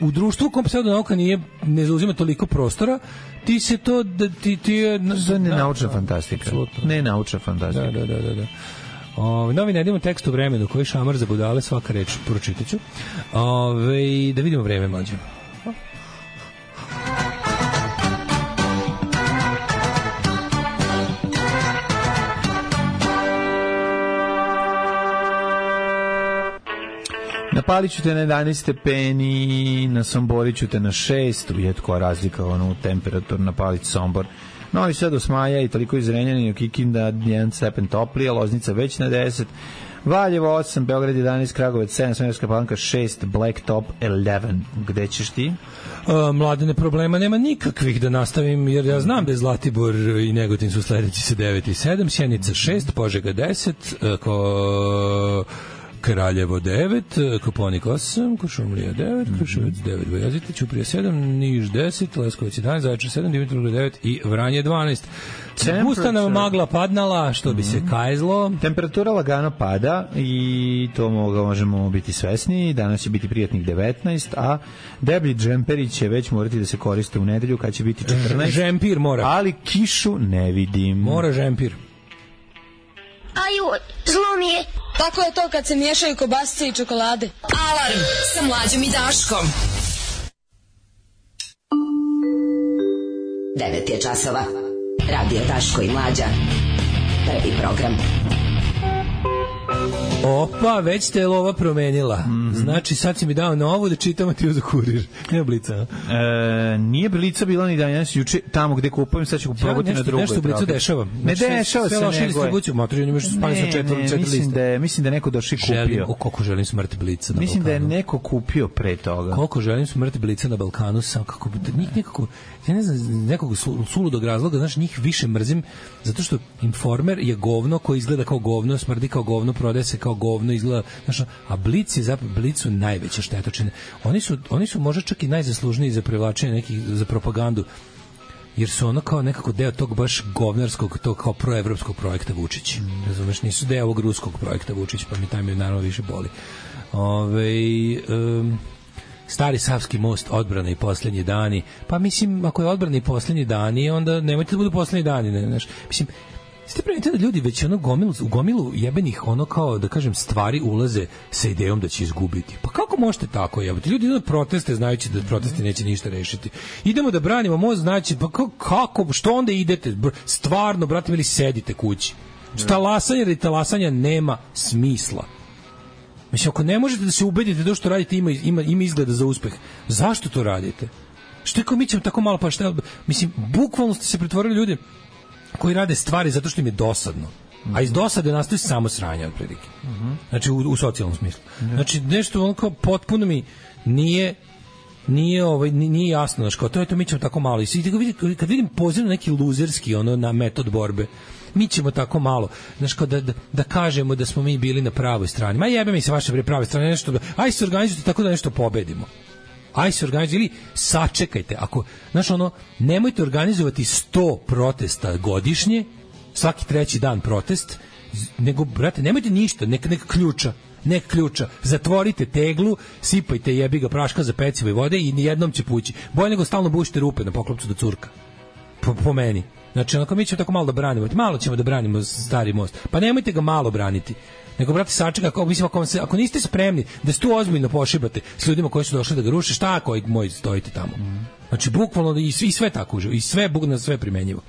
u društvu u kom pseudonauka ne zauzima toliko prostora, ti se to ti je nenaučna fantastika. Nenaučna fantastika. Da. Novi nedimo tekst u vremenu koji šamar za budale, svaka reč pročitaću. Da vidimo vreme, mlađe. Na Paliću te na 11 stepeni, na Somboriću te na 6, uvijek koja razlika u temperatur na Palić Sombor. Novi Sad Osmaja i toliko iz Renjanina, Kikinda 1 stepen toplija, Loznica već na 10, Valjevo 8, Beograd 11, Kragujevac 7, Smederevska Palanka 6, Blacktop 11. Gde ćeš ti? Mladene, problema nema nikakvih, da nastavim, jer ja znam da je Zlatibor i Negotin su sledeći sa 9 i 7, Sjenica 6, Požega 10, Kraljevo 9, Koponik 8, Kuršumlija 9, Kruševac 9, Bojazite, Ćuprija 7, Niš 10, Leskovac 11, Zaječar 7, Dimitrovgrad 9 i Vranje 12. Pusta nam magla padnala, što bi se kajzlo. Temperatura lagano pada i to možemo biti svesni. Danas će biti prijatnih 19, a deblji džemperi će već morati da se koriste u nedelju kad će biti 14. Žempir mora. Ali kišu ne vidim. Mora žempir. Aju, zlo mi je. Tako je to kad se miješaju kobasice i čokolade. Alarm sa Mlađom i Daškom. 9 je časova. Radio Daško i Mlađa. Prvi program. Opa, već te je lova promenila. Znači, sad si mi dao novu da čitam, a ti uzu kurir. Nije Blica. Nije Blica bila ni danas, juče tamo gde kupujem, sad ću probati na drugoj. Nešto u Blicu dešava. Ne dešava se, sve distribuciju, motori imaš spali sa 4 liste. Mislim da je neko došli kupio. Koliko želim smrt Blica na Balkanu. Mislim da je neko kupio pre toga. Koliko želim smrt Blica na Balkanu, sam kako njih nekako, ja ne znam, nekog suludog razloga, znaš, njih više mrzim, zato što Informer je govno koji izgleda kao govno, smrdi kao govno, prodaje se kao govno, izgleda, znaš, a Blic je zapravo, Blic su najveće štetočine. Oni su možda čak i najzaslužniji za privlačenje nekih, za propagandu, jer su ono kao nekako deo tog baš govnarskog, tog kao proevropskog projekta Vučić. Razumeš, nisu deo ovog ruskog projekta Vučić, pa mi taj me naravno više boli. Stari Savski most, odbrana i posljednji dani. Pa mislim, ako je odbrana i posljednji dani, onda nemojte da budu posljednji dani, ne, znaš. Mislim, ste primetili da ljudi već ono u gomilu jebenih, ono kao, da kažem, stvari ulaze sa idejom da će izgubiti. Pa kako možete tako jebati? Ljudi idu na proteste znajući da protesti neće ništa rešiti. Idemo da branimo most, znači, pa kako, što onda idete? Stvarno, brate, ili sedite kući. Talasanje i talasanja nema smisla. Mislim, ako ne možete da se ubedite da što radite ima izgleda za uspeh, zašto to radite? Što je kao mi ćemo tako malo, pa šta? Mislim, bukvalno ste se pretvorili ljudi koji rade stvari zato što im je dosadno. A iz dosade nastaju samo sranje otprilike. Znači, u socijalnom smislu. Znači, nešto ono kao potpuno mi nije jasno, znači, kao to je to, mi ćemo tako malo. I kad vidim poziv na neki luzerski ono, na metod borbe, mi ćemo tako malo, znači, kao da kažemo da smo mi bili na pravoj strani. Ma jebe mi se vaše prave strane, nešto, aj se organizujte tako da nešto pobedimo. Aj se organizujte, ili sačekajte, ako, znači, ono, nemojte organizovati 100 protesta godišnje, svaki treći dan protest, nego, brate, nemojte ništa, neka ključa, zatvorite teglu, sipajte jebiga praška za pecivo i vode i nijednom će pući. Bolje nego stalno bušite rupe na poklopcu do curka. Po meni. Znači, onako, mi ćemo tako malo da branimo. Malo ćemo da branimo stari most. Pa nemojte ga malo braniti. Nego, brate, sačeka, mislim, ako niste spremni da se tu ozbiljno pošibate s ljudima koji su došli da ga ruše, šta ako moji stojite tamo? Znači, bukvalno i sve tako uživo. I sve, bukvalno sve primenjivo.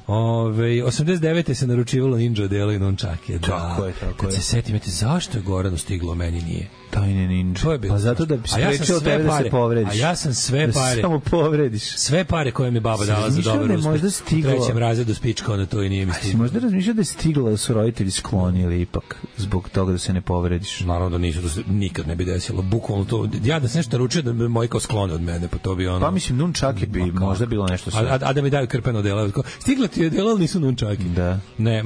89. se naručivalo ninja delo i nunčake. Tako je. Kad se setim, zašto je Goranu stiglo, meni nije? Tajne ninja. Pa zato da bi sprečio tebe da se povrediš. A ja sam sve pare. Samo povrediš. Sve pare koje mi baba dala za dobar uspeh. U trećem razredu spička, onda to i nije mi stiglo. Možda razmišljao da je stiglo da su roditelji sklonili ipak zbog toga da se ne povrediš. Naravno da nisu, da se nikad ne bi desilo. Bukvalno to. Ja da se nešto naručio da bi moji kao sklone od mene, pa to bi ono. Pa mislim nunčake bi možda bilo nešto sve. A da mi daju krpeno delo. Stiglo ti je delo, ali nisu nunčaki. Da. Ne,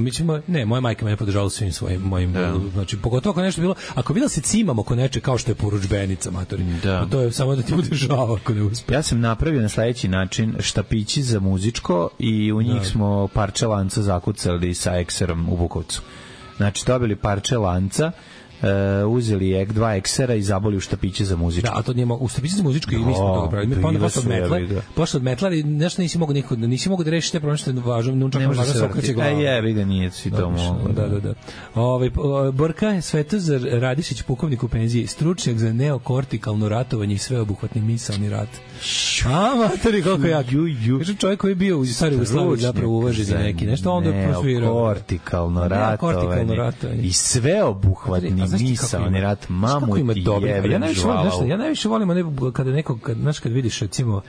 moja majka mene podržala svim svojim mojim. Znači, pogotovo ako nešto bilo, ako bilo se cimamo oko nečeg kao što je poručbenica, matori. To je samo da ti bude žao ako ne uspe. Ja sam napravio na sledeći način štapići za muzičko i u njih smo parče lanca zakucali sa ekserom u Bukovcu. Znači, dobili parče lanca, uzeli dva eksera i zaboli u štapiće za muzičko. Da, a to nije u štapiće za muzičko i mi smo toga pravili. Pa onda posle od metle, ali nešto nisi mogu da rešiš te problem što je važno, nunčak važno se okreće glavom. Jebi ga, nije si to mogo. Da. Borka Svetozar Radišić, pukovnik u penziji, stručnjak za neokortikalno ratovanje i sveobuhvatni misalni rat. A, matori, koliko jak. Kaže čovjek koji je bio u Staroj Jugoslaviji zapravo uvažen za neki nešto, onda je prosvirao. Neokortikalno ratovanje i sveobuhvatni misaoni rat, mamu ti jebem žvalao. Ja najviše volim kada neko, kad vidiš recimo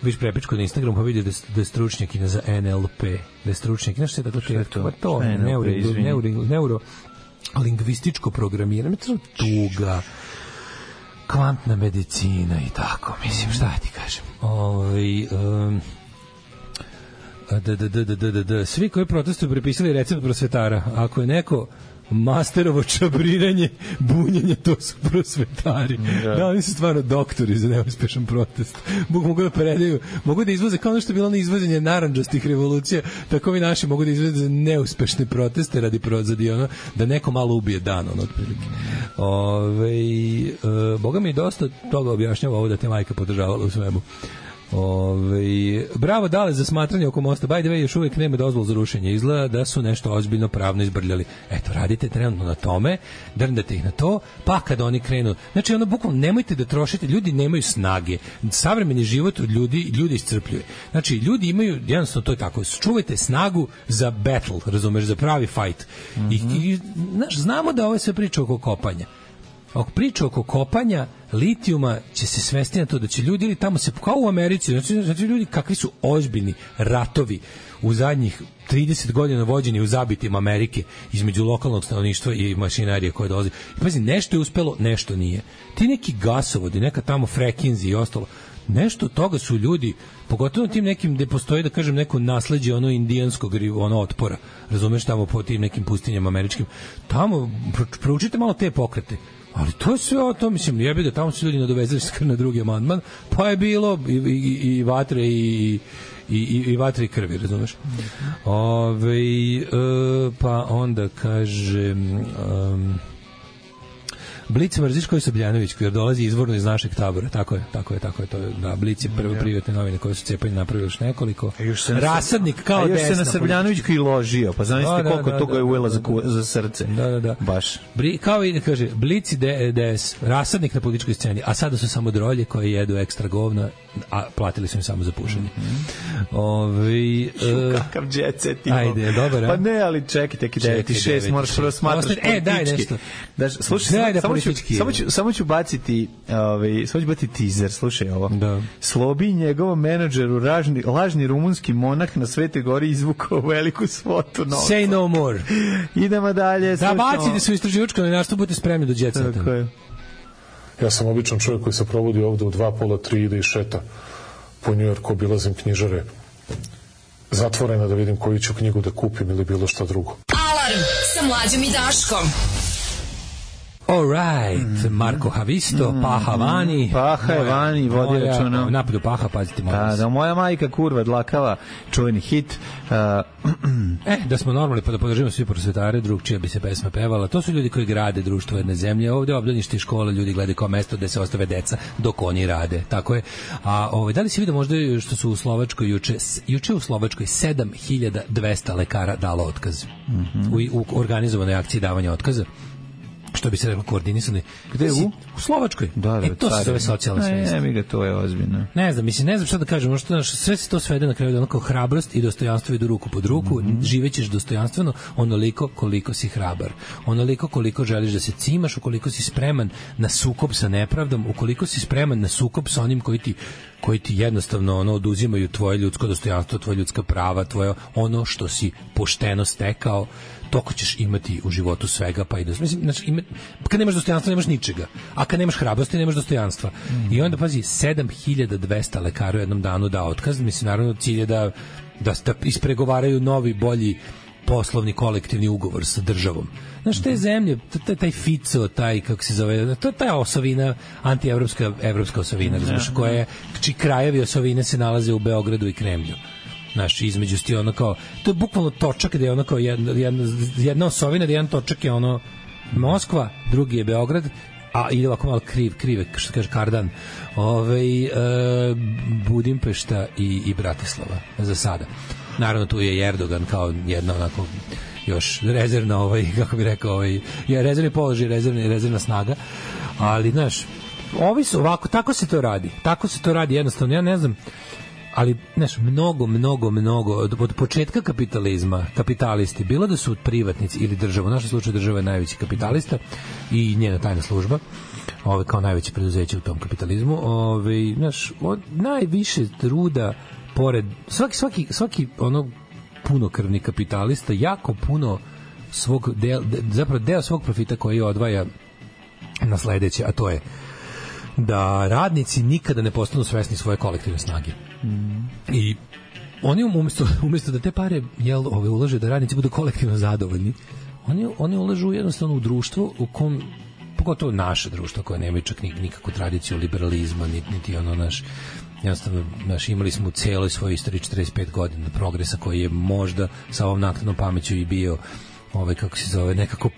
viš prepičku na Instagramu, pa vidi da je stručnjak za NLP, da je stručnjak, znaš što je to neurolingvističko programiranje, tuga, kvantna medicina i tako, mislim, šta ti kažem. Svi koji protestuju prepisali recept prosvetara. Ako je neko masterovo čabriranje, bunjenje, to su prosvetari. Da, oni su stvarno doktori za neuspešan protest. Mogu da predaju, mogu da izvoze, kao ono što je bilo na izvozenje narandžastih revolucija, tako vi naši mogu da izvoze neuspešne proteste radi prozadi, da neko malo ubije dan, otprilike. Boga mi dosta toga objašnjava ovo da te majka podržavala u svemu. Bravo Dale za smatranje oko mosta. By the way, još uvijek nema dozvol za rušenje. Izgleda da su nešto ozbiljno pravno izbrljali. Eto, radite trenutno na tome, drndate ih na to, pa kada oni krenu. Znači, bukvalno nemojte da trošite, ljudi nemaju snage. Savremeni život od ljudi iscrpljuje. Znači, ljudi imaju, jednostavno to je tako, čuvajte snagu za battle, razumeš, za pravi fight. I znamo da ovo je sve priča oko kopanja. Priča oko kopanja litijuma će se svesti na to da će ljudi ili tamo se, kao u Americi, znači ljudi kakvi su ozbiljni ratovi u zadnjih 30 godina vođeni u zabitima Amerike između lokalnog stanovništva i mašinarije koje dolazi. I pazi, nešto je uspelo, nešto nije. Ti neki gasovodi, neka tamo frekinzi i ostalo, nešto od toga su ljudi, pogotovo tim nekim gde postoji, da kažem, neko nasleđe indijanskog otpora, razumeš, tamo po tim nekim pustinjama američkim, tamo proučite malo te pokrete. Ali to je sve o to, mislim, jebi da tamo su ljudi nadovezali na drugi amandman, pa je bilo i vatre i vatre i krvi, razumeš? Pa onda kaže Blic mrziš koji Sobljanović, jer dolazi izvorno iz našeg tabora. Tako je. To je, da, Blic je prve privatne novine koje su cepanje napravili još nekoliko. Rasadnik kao desna. A još se na Srbljanovićku i ložio, pa znaš koliko toga je uvela za srce. Da. Baš. Kao i, kaže, Blic i DS, rasadnik na političkoj sceni, a sada su samo drolje koje jedu ekstra govna, a platili su im samo za pušenje. Kakav jet set imao. Ajde, dobar, pa ne, ali čekaj, 96 moraš prvo smatraš politički. Daj nešto. Slušaj, samo ću baciti teaser, slušaj ovo. Da. Slobi i njegovom menadžeru lažni rumunski monah na Svetoj Gori izvukao veliku svotu novca. Say no more. Idemo dalje. Da bacite se u istraživačko novinarstvo, budete spremni do jet seta. Tako je. Ja sam običan čovjek koji se provodi ovde u 2, pola, 3 ide i šeta po Njujorku, obilazim knjižare zatvorena da vidim koju ću knjigu da kupim ili bilo šta drugo. Alarm sa Mlađom i Daškom. All right, Marko Havisto, Paha Vani. Paha je Vani, vodi računa. Napadu Paha, pazite malo. Da, moja majka kurva dlakava, čuveni hit. Da smo normalni, pa da podržimo svi prosvetare, drugčija bi se pesma pevala. To su ljudi koji grade društvo jedne zemlje. Ovde obdanište škola, ljudi gledaju kao mesto gde se ostave deca dok oni rade. Tako je. A da li si vidio možda što su u Slovačkoj juče u Slovačkoj 7200 lekara dalo otkaz u organizovanoj akciji davanja otkaza? Što bi se reklo koordinisani. Gde je u Slovačkoj? Da, to se zove socijalna svest. Ne, to je ozbiljno. Ne znam šta da kažem, možda sve se to svede na kraju da onako hrabrost i dostojanstvo idu ruku pod ruku, živećeš dostojanstveno onoliko koliko si hrabar. Onoliko koliko želiš da se cimaš, ukoliko si spreman na sukob sa nepravdom, ukoliko si spreman na sukob sa onim koji ti jednostavno oduzimaju tvoje ljudsko dostojanstvo, tvoje ljudska prava, tvoje ono što si pošteno stekao, toliko ćeš imati u životu svega, pa i kad nemaš dostojanstva nemaš ničega, a kad nemaš hrabrosti nemaš dostojanstva. I onda pazi, 7200 lekara u jednom danu da otkaz, mislim, naravno cilj je da ispregovaraju novi, bolji poslovni kolektivni ugovor sa državom. Znaš, te zemlje, taj Fico, taj, kako se zove, to je ta osovina, anti-evropska osovina, razumiješ, čiji krajevi osovine se nalaze u Beogradu i Kremlju. Znaš, između sti ono kao, to je bukvalno točak gde je ono kao jedna osovina, gde jedan točak je ono Moskva, drugi je Beograd, a ide ovako malo krive, što kaže Kardan, Budimpešta i Bratislava za sada. Naravno tu je Erdogan kao jedna onako još rezervna, kako bi rekao, rezervni položaj, rezervna snaga, ali znaš, ovi su ovako, tako se to radi jednostavno, ja ne znam, ali znaš, mnogo od početka kapitalizma, kapitalisti, bilo da su privatnici ili država, u našem slučaju država je najveći kapitalista i njena tajna služba, kao najveće preduzeće u tom kapitalizmu, znaš, najviše truda pored svaki ono punokrvni kapitalista jako puno svog deo svog profita koji odvaja na sledeće, a to je da radnici nikada ne postanu svesni svoje kolektivne snage. I oni umesto da te pare ulaže da radnici budu kolektivno zadovoljni, oni ulažu jednostavno u društvo u kom, pogotovo naše društvo koje nema čak nikakvu tradiciju liberalizma, niti ono jednostavno, imali smo u celoj svojoj istoriji 45 godina progresa koji je možda sa ovom naknadnom pameću i bio kako se zove, nekako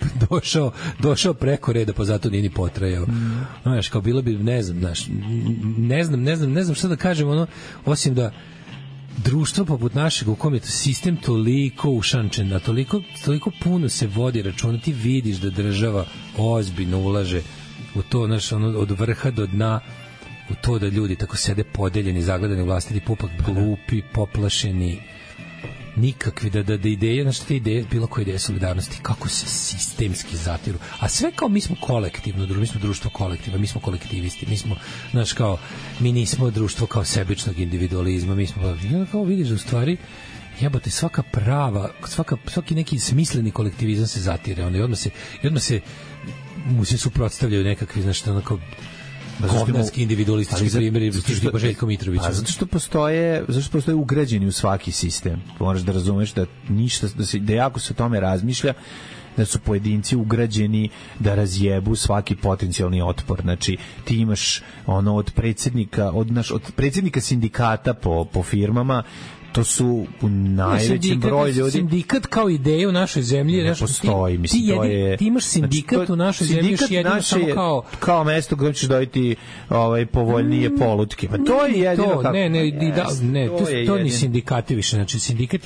došao preko reda, pa zato nije ni potrajao. Znaš, kao bilo bi, ne znam šta da kažem, osim da društvo poput našeg u kom je sistem toliko ušančen, a toliko puno se vodi računa, ti vidiš da država ozbiljno ulaže u to, od vrha do dna, u to da ljudi tako sede podeljeni, zagledani u vlastiti pupak, glupi, poplašeni, nikakvi, da ideje, znaš te ideje, bilo koje ideje solidarnosti, kako se sistemski zatiru, a sve kao mi smo kolektivno, mi smo društvo kolektiva, mi smo kolektivisti, mi smo, znaš, kao, mi nismo društvo kao sebičnog individualizma, mi smo, kao vidiš da u stvari, jebote, svaka prava, svaki neki smisleni kolektivizam se zatire, onda i odmah se mu se suprotstavljaju nekakvi, znaš, onako, govnarski individualistički primjeri tipa Željko Mitrovića. Zato što postoje ugrađeni u svaki sistem. Moraš da razumeš da ništa, da jako se o tome razmišlja, da su pojedinci ugrađeni da razjebu svaki potencijalni otpor. Znači, ti imaš od predsjednika sindikata po firmama, to su u najvećem broju ljudi. Sindikat kao ideja u našoj zemlji ne postoji, mislim, to je... Ti imaš sindikat u našoj zemlji još jedino samo kao mesto gde ćeš dobiti povoljnije polutke. Pa to je jedino kako... To ni sindikati više. Znači, sindikat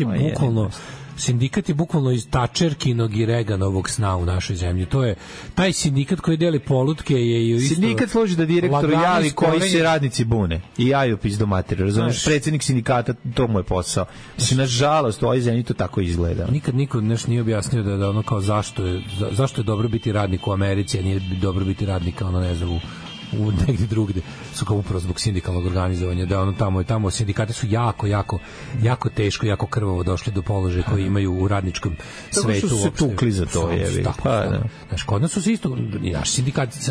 je bukvalno iz Tačerkinog i Reganovog sna u našoj zemlji. To je taj sindikat koji deli polutke je isto... Sindikat služi da direktoru javi koji se radnici bune i jaju pizdo materiju. Razumiješ, predsjednik sindikata, to mu je posao. Znači, nažalost, u ovoj zemlji to tako izgleda. Nikad niko nije objasnio da ono kao zašto je dobro biti radnik u Americi, a nije dobro biti radnik, ne znam, u negdje drugde, su kao upravo zbog sindikalnog organizovanja, da tamo sindikati su jako teško, jako krvavo došli do položaja koji imaju u radničkom svetu. Tako su se tukli za to, jevi. Znaš, kod nas su se isto, naši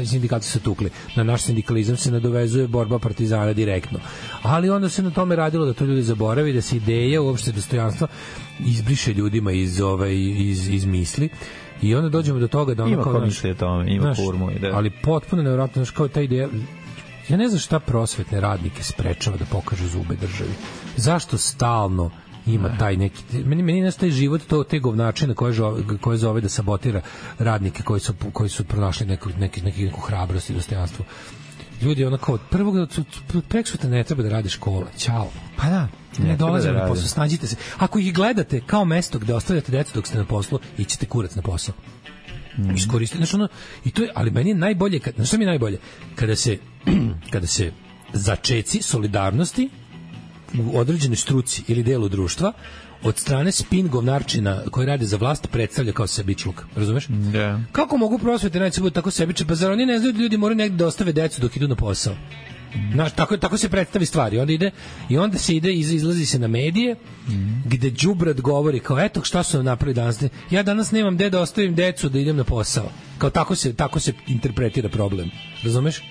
sindikati su se tukli, na naš sindikalizam se nadovezuje borba partizana direktno, ali onda se na tome radilo da to ljudi zaboravi, da se ideja, uopšte dostojanstva izbriše ljudima iz misli. I onda dođemo do toga da ima ko misli o tome, ima kurmu. Ali potpuno nevjerojatno, znaš, kao ta ideja, ja ne znam šta prosvetne radnike sprečava da pokažu zube državi. Zašto stalno ima taj neki... Meni nastaje život te govnačine koje zove da sabotira radnike koji su pronašli neku hrabrost i dostojanstvo. Ljudi, kao prvog preksutra ne treba da radi škola. Ćao. Pa da. Ne dolazimo na posao, snađite se. Ako ih gledate kao mesto gde ostavljate decu dok ste na poslu, ićete kurac na posao. Iskoristite, i to je, ali meni je najbolje, znaš šta mi je najbolje? Kada se začeci solidarnosti u određenoj struci ili delu društva od strane spin govnarčina koji rade za vlast predstavlja kao sebičluk, razumeš? Yeah. Kako mogu prosvete radnici budu tako sebični? Pa zar oni ne znaju da ljudi moraju negde da ostave decu dok idu na posao? Znaš, tako se predstavi stvari. Onda se izlazi se na medije gde đubrad govori kao eto šta su nam napravili danas. Ja danas nemam gde da ostavim decu da idem na posao. Kao tako se interpretira problem. Razumeš?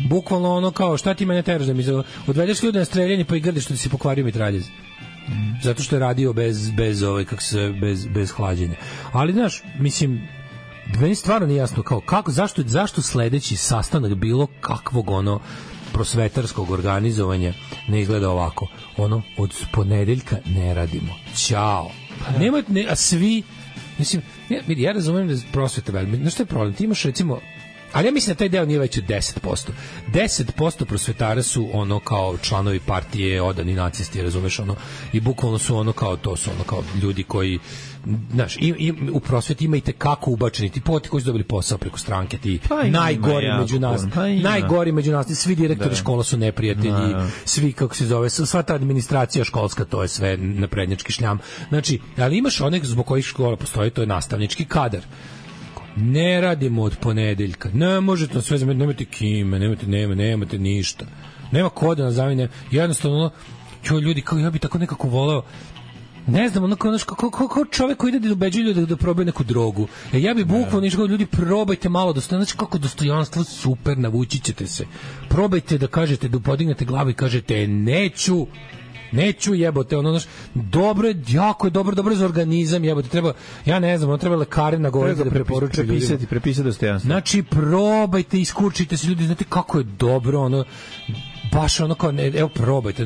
Bukvalno kao šta ti mene teraš da mi odvedeš ljude na streljanje pa i grdiš što ti si pokvario mitraljez. Zato što je radio bez hlađenja. Ali znaš, mislim, meni stvarno nije jasno zašto sledeći sastanak bilo kakvog prosvetarskog organizovanja ne izgleda ovako. Od ponedeljka ne radimo. Ćao. A svi, mislim, ja razumem da je prosveta velika. Znaš što je problem? Ti imaš recimo Ali ja mislim da taj deo nije već od 10%. 10% prosvetara su ono kao članovi partije, odani nacisti, razumeš, ono, i bukvalno su ono kao, to su ono kao ljudi koji, znaš, i u prosveti ima i tekako ubačeni ti poti koji su dobili posao preko stranke, ti najgori među nas, najgori među nas, svi direktori škola su neprijatelji, svi, kako se zove, sva ta administracija školska, to je sve naprednjački šljam. Znači, ali imaš onek zbog kojih škola postoji, to je nastavnički kadar. Ne radimo od ponedeljka. Ne možete sve zameniti, nemate kime, nemate ništa. Nema koda na zamene. Jednostavno, ljudi, kao ja bi tako nekako voleo, ne znam, kao čovek koji ide da ubeđuje ljude da probaju neku drogu. Ja bi bukvalno ništa, ljudi, probajte malo dostojanstvo, znači kako dostojanstvo super, navući ćete se. Probajte da kažete, da podignete glavu i kažete neću jebote, ono, znaš, dobro je, jako je dobro za organizam, jebote, treba, ja ne znam, ono treba lekare nagovoriti da preporučuju ljudima. Prepisati dostojanstvo. Znači, probajte, iskurčite se ljudi, znate kako je dobro, ono, baš ono kao, evo, probajte,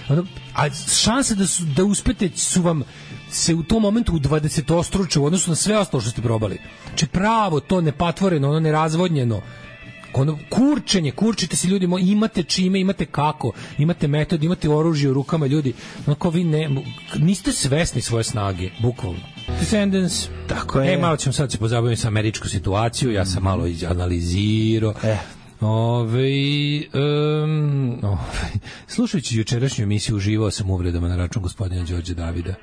ono, a šanse da uspete su vam se u tom momentu u 20-ostruče u odnosu na sve ostalo što ste probali. Znači, pravo, to nepatvoreno, ono, nerazvodnjeno, ono, kurčite se ljudi, imate čime, imate kako, imate metod, imate oružje u rukama, ljudi, onako vi niste svesni svoje snage, bukvalno. Descendants. Tako je. Malo ćemo sad se pozabaviti sa američku situaciju, ja sam malo analizirao. Slušajući jučerašnju emisiju uživao sam uvredama na račun gospodina Đorđa Davida.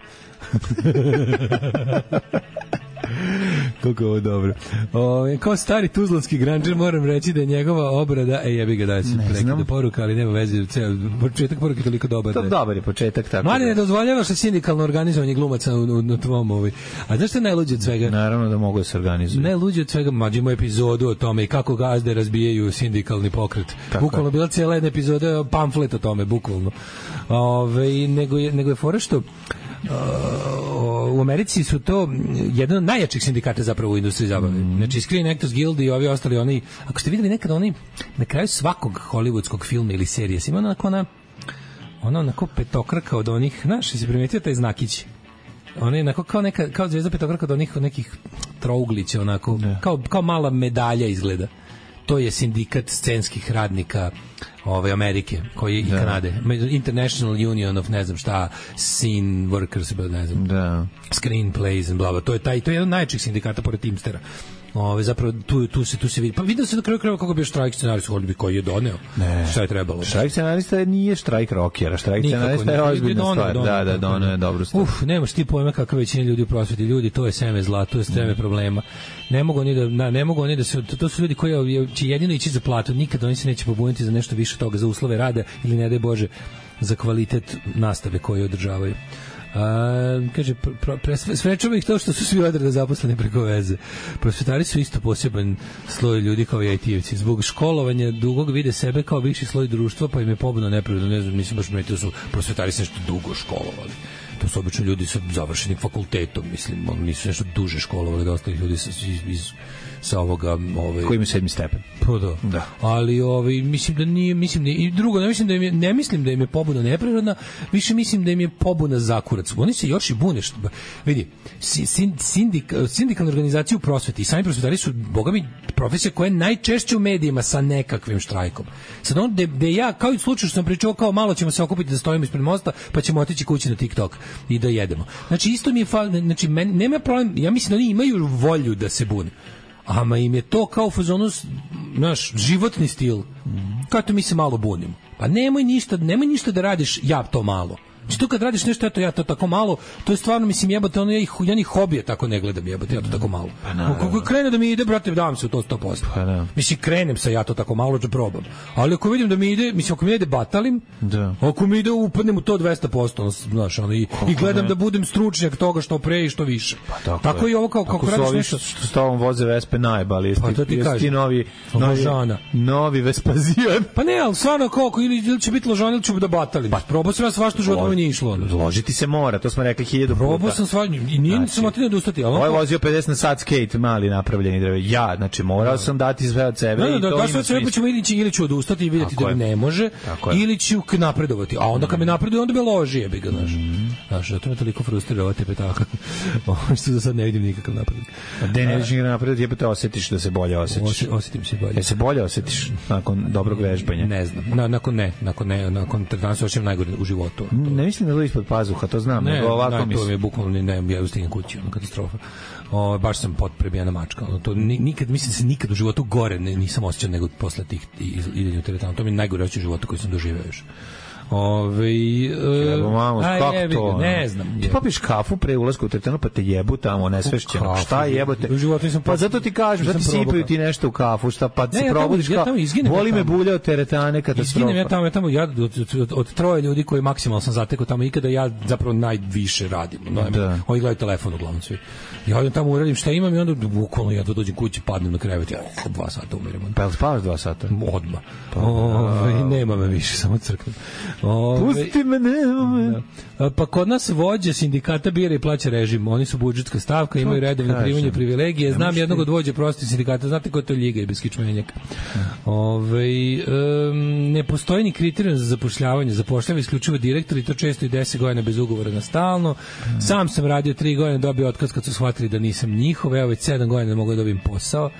Kako je ovo dobro. Kao stari tuzlanski granđer moram reći da je njegova obrada, jebi ga da se prekida poruka, ali nema veze, početak poruke je toliko dobar. To dobar je početak, tako. Mali ne dozvoljavaš da sindikalno organizovanje glumaca na tvom A znaš što je najluđe od svega? Naravno da mogu da se organizuju. Najluđe od svega, mađimo epizodu o tome i kako gazde razbijaju sindikalni pokret. Bukvalno bila cijela jedna epizoda, pamflet o tome, bukvalno. Nego je fora što u Americi su to jedan od najjačih sindikata zapravo u industriji zabave. Znači Screen Actors Guild i ovi ostali, oni, ako ste videli nekada, oni na kraju svakog hollywoodskog filma ili serije ima onako petokraka od onih, znaš, si primetio taj znakić? Ona je kao zvezda petokraka od onih nekih trouglića, onako, kao mala medalja izgleda. To je sindikat scenskih radnika Amerike, koji i Kanade. International Union of ne znam šta, scene workers, ne znam, screenplays and blah, blah. To je jedan od najjačih sindikata pored Teamstera. Zapravo tu se vidi. Pa vidio se na kraju krajeva kako bi štrajk scenarista Hollywood koji je doneo. Šta je trebalo? Štrajk scenarista nije štrajk rockera, štrajk scenarista je ozbiljna stvar. Da, doneo je dobru stvar. Nemaš ti pojma kakva većina ljudi u prosveti. Ljudi, to je seme zla, to je seme problema. Ne mogu oni da se, to su ljudi koji će jedino ići za platu, nikad oni se neće pobuniti za nešto više toga, za uslove rada ili ne daj Bože za kvalitet nastave koju održavaju. Kaže, sprečava ih to što su svi odreda zaposleni preko veze. Prosvetari su isto poseban sloj ljudi kao i IT-evci. Zbog školovanja dugog vide sebe kao viši sloj društva, pa im je pobudno neprirodno. Ne znam, mislim baš metio su prosvetari se nešto dugo školovali. To su obično ljudi sa završenim fakultetom, mislim, oni nisu nešto duže školovali da ostalih ljudi sa ovoga koji ima 7. stepen. Pa da. Ali mislim da nije, i drugo, ne mislim da im je pobuna neprirodna, više mislim da im je pobuna zakurac. Oni se još i bune. Vidi, sindikalne organizacije u prosveti i sami prosvetari su, bogami, profesija koja je najčešće u medijima sa nekakvim štrajkom. Sad on, gde ja, kao i u slučaju što sam pričao, kao malo ćemo se okupiti da stojimo ispred mosta, pa ćemo otići kući na TikTok i da jedemo. Znači, isto mi je znači, nema problem, ja mislim da oni imaju volju da se bune. Ama im je to kao fazonu, naš životni stil. Kako mi se malo bunimo. Pa nemoj ništa da radiš ja to malo. Znači to kad radiš nešto, eto ja to tako malo, to je stvarno, mislim, jebate, ja ni hobije tako ne gledam, jebate, ja to tako malo. Kako krene da mi ide, brate, dam se u to 100%. Mislim, krenem sa ja to tako malo da probam. Ali ako vidim da mi ide, mislim, ako mi ide batalim, ako mi ide upadnem u to 200%, znaš, i gledam da budem stručnjak toga što pre i što više. Tako i ovo kako radiš nešto. Što s tobom voze Vespe najbali, jesi ti novi Vespazijan. Pa ne, ali stvarno koliko, ili će biti ložan ili ću da batalim. Probao sam ja svašta u životu, nije išlo. Ložiti se mora, to smo rekli 1000 puta. Probao sam svađu i nije sam otio da ustati. Ovo je vozio 50 na sat skate, mali napravljeni drvo. Ja, znači morao sam dati sve od sebe i to ima smisla. Ćemo ili ću odustati i vidjeti da mi ne može, ili ću napredovati. A onda kad me napreduje, onda me loži, jebi ga, znaš. Zato me toliko frustrira ova tepetaka. Što za sad ne vidim nikakav napredak. Da ne vidiš nikakav napredak, jebate osjetiš da se bolje osjetiš. Osjetim se bolje. Se bolje osjetiš nakon dobrog vežbanja? Ne znam. Nakon tretmana se osjećam najgore u životu. Ne mislim da je ispod pazuha, to znam. Ne, to mi je bukvalno, ja ustignem kući, katastrofa. Baš sam potprebijena mačka. To nikad, mislim da se nikad u životu gore nisam osjećao nego posle tih idenja u teretanu. To mi je najgore osjećaj u životu koji sam doživeo još. Kako to? Ne znam. Ti popiješ kafu pre ulaska u teretanu pa te jebu tamo nesvešćeno. Šta jebote? Pa zato ti kažem, zato sipaju ti nešto u kafu, šta pa se probudiš kao voli me bulja od teretane, katastrofa. Izginem ja od troje ljudi koji maksimalno sam zatekao tamo ikada, ja zapravo najviše radim. Oni gledaju telefon uglavnom svi. Ja odem tamo, uradim šta imam i onda bukvalno ja dođem kući, padnem na krevet, ja 2 sata umirem. Pa jel spavaš 2 sata? Odmah. Nema me više, samo crknem. Pusti me, nema me. Pa kod nas vođa sindikata bira i plaća režim. Oni su budžetska stavka, imaju redovno primanje privilegije. Znam jednog od vođa prostih sindikata. Znate ko je to ljiga i bez kičmenjaka. Ne postoji ni kriterijum za zapošljavanje. Zapošljava isključivo direktor i to često i 10 godina bez ugovora na stalno. Sam sam radio 3 godine, dobio otkaz kad su shvatili da nisam njihov. Evo već 7 godina ne mogu da dobijem posao.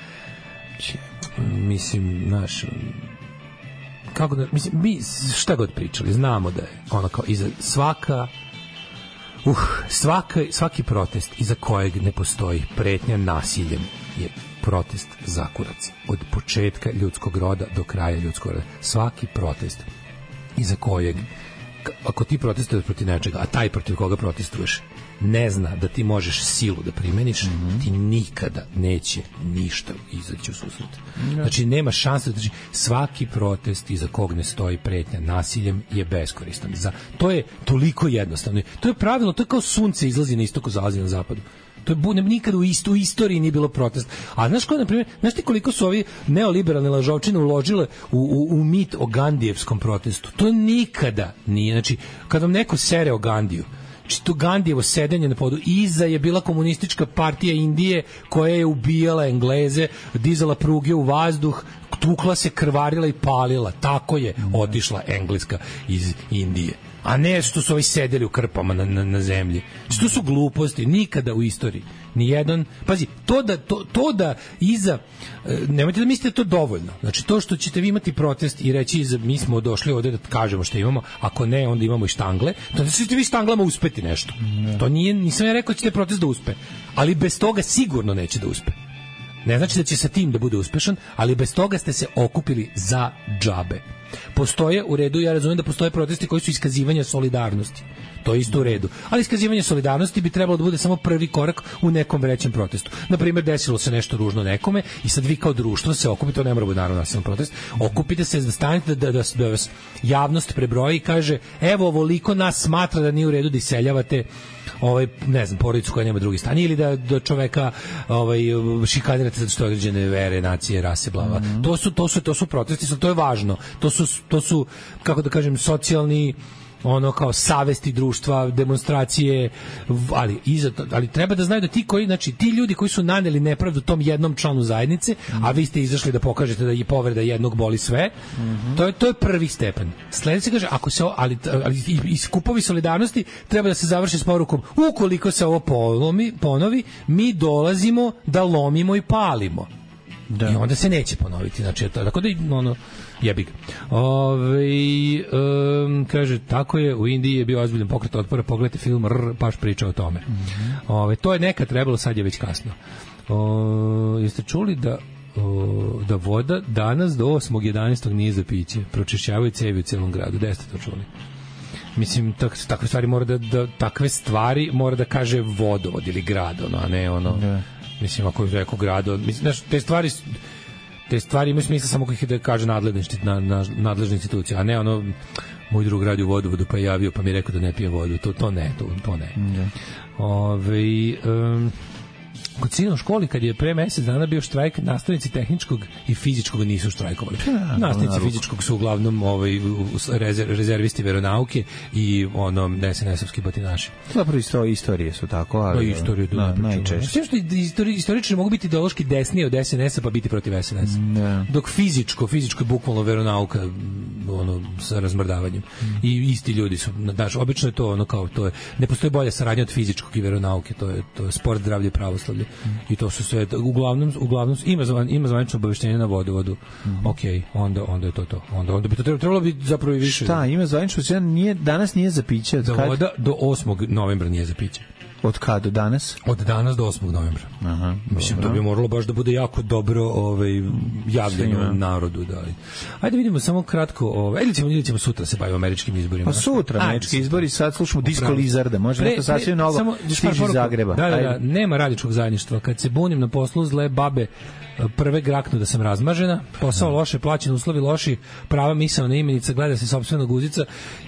Mislim, naš... Kako da, mislim, mi šta god pričali, znamo da je ono kao iza svaki protest iza kojeg ne postoji pretnja nasiljem je protest za kurac. Od početka ljudskog roda do kraja ljudskog roda. Svaki protest iza kojeg, ako ti protestuješ protiv nečega, a taj protiv koga protestuješ ne zna da ti možeš silu da primeniš, ti nikada neće ništa izaći u susret. Znači, nema šanse. Znači, svaki protest iza kog ne stoji pretnja nasiljem je beskoristan. To je toliko jednostavno. To je pravilo, to je kao sunce izlazi na istoku, zalazi na zapadu. To je nikada u istoriji nije bilo protest. A znaš ko, na primjer, znaš ti koliko su ovi neoliberalne lažovčine uložile u mit o Gandijevskom protestu? To nikada nije. Znači, kad vam neko sere o Gandiju, to Gandijevo sedenje na podu, iza je bila komunistička partija Indije koja je ubijala Engleze, dizala pruge u vazduh, tukla se, krvarila i palila. Tako je otišla Engleska iz Indije. A ne što su ovi sedeli u krpama na zemlji. To su gluposti, nikada u istoriji. Nijedan, pazi, to da iza, nemojte da mislite da to dovoljno. Znači, to što ćete vi imati protest i reći mi smo došli ovde da kažemo što imamo, ako ne, onda imamo i štangle, to da ćete vi štanglama uspeti nešto. To nije, nisam ja rekao da ćete protest da uspe, ali bez toga sigurno neće da uspe. Ne znači da će sa tim da bude uspešan, ali bez toga ste se okupili za džabe. Postoje u redu, ja razumijem da postoje protesti koji su iskazivanja solidarnosti. To je isto u redu. Ali iskazivanje solidarnosti bi trebalo da bude samo prvi korak u nekom većem protestu. Na primjer, desilo se nešto ružno nekome i sad vi kao društvo se okupite, to ne mora biti naravno nasilan protest, okupite se, stanite da vas javnost prebroji i kaže, evo, ovoliko nas smatra da nije u redu da iseljavate ne znam, porodicu koja nema drugi stan, ili da čoveka šikanirate zato što je određene vere, nacije, rase, blava. To su protesti, to je važno. To su, kako da kažem, socijalni kao savesti društva, demonstracije, ali treba da znaju da ti ljudi koji su naneli nepravdu tom jednom članu zajednice, a vi ste izašli da pokažete da je povreda jednog boli sve, to je prvi stepen. Sledeće kaže, ali skupovi solidarnosti treba da se završi s porukom, ukoliko se ovo ponovi, mi dolazimo da lomimo i palimo. Da. I onda se neće ponoviti. Znači, tako da jebi ga. Kaže, tako je, u Indiji je bio ozbiljan pokret otpora, pogledajte film baš priča o tome. To je nekad trebalo, sad je već kasno. Jeste čuli da voda danas do 8.11. nije za piće? Pročišćavaju cevi u celom gradu. Gde ste to čuli? Mislim, takve stvari mora da kaže vodovod ili grad, a ne mislim, ako je rekao grad, mislim, te stvari imaju smisla samo kako ih da kaže nadležna institucija, a ne moj drug radi u vodovodu pa je javio pa mi je rekao da ne pije vodu, to ne. kod sina u školi, kad je pre mesec dana bio štrajk, nastavnici tehničkog i fizičkog nisu štrajkovali. Nastavnici fizičkog su uglavnom rezervisti veronauke i SNS-ovski batinaši. Zapravo istorije su tako, ali... Istoriju najčešće. Sve što istoričari mogu biti ideološki desnije od SNS-a pa biti protiv SNS-a. Dok fizičko je bukvalno veronauka sa razmrdavanjem. I isti ljudi su, znaš, obično je to ne postoji bolja saradnja od fizičkog i veronauke, to je sport, zdravlje i pravoslavlje. I to su sve, uglavnom ima zvanično obaveštenje na vodovodu. Okej, onda je to. Onda bi to trebalo biti zapravo i više. Šta, ima zvanično, danas nije za piće. Voda do 8. novembra nije za piće. Od kada do danas? Od danas do 8. novembra. Aha, mislim, to bi moralo baš da bude jako dobro javljeno narodu. Da. Ajde vidimo samo kratko, ili ćemo sutra se bavimo američkim izborima. Pa sutra američki izbori, sad slušamo Disco Lizarda, može nešto sasvim novo stiži iz Zagreba. Da, nema radničkog zajedništva. Kad se bunim na poslu, zle babe prve graknu da sam razmažena, posao loše, plaćen, uslovi loši, prava misaona imenica, gleda se sopstvena guzica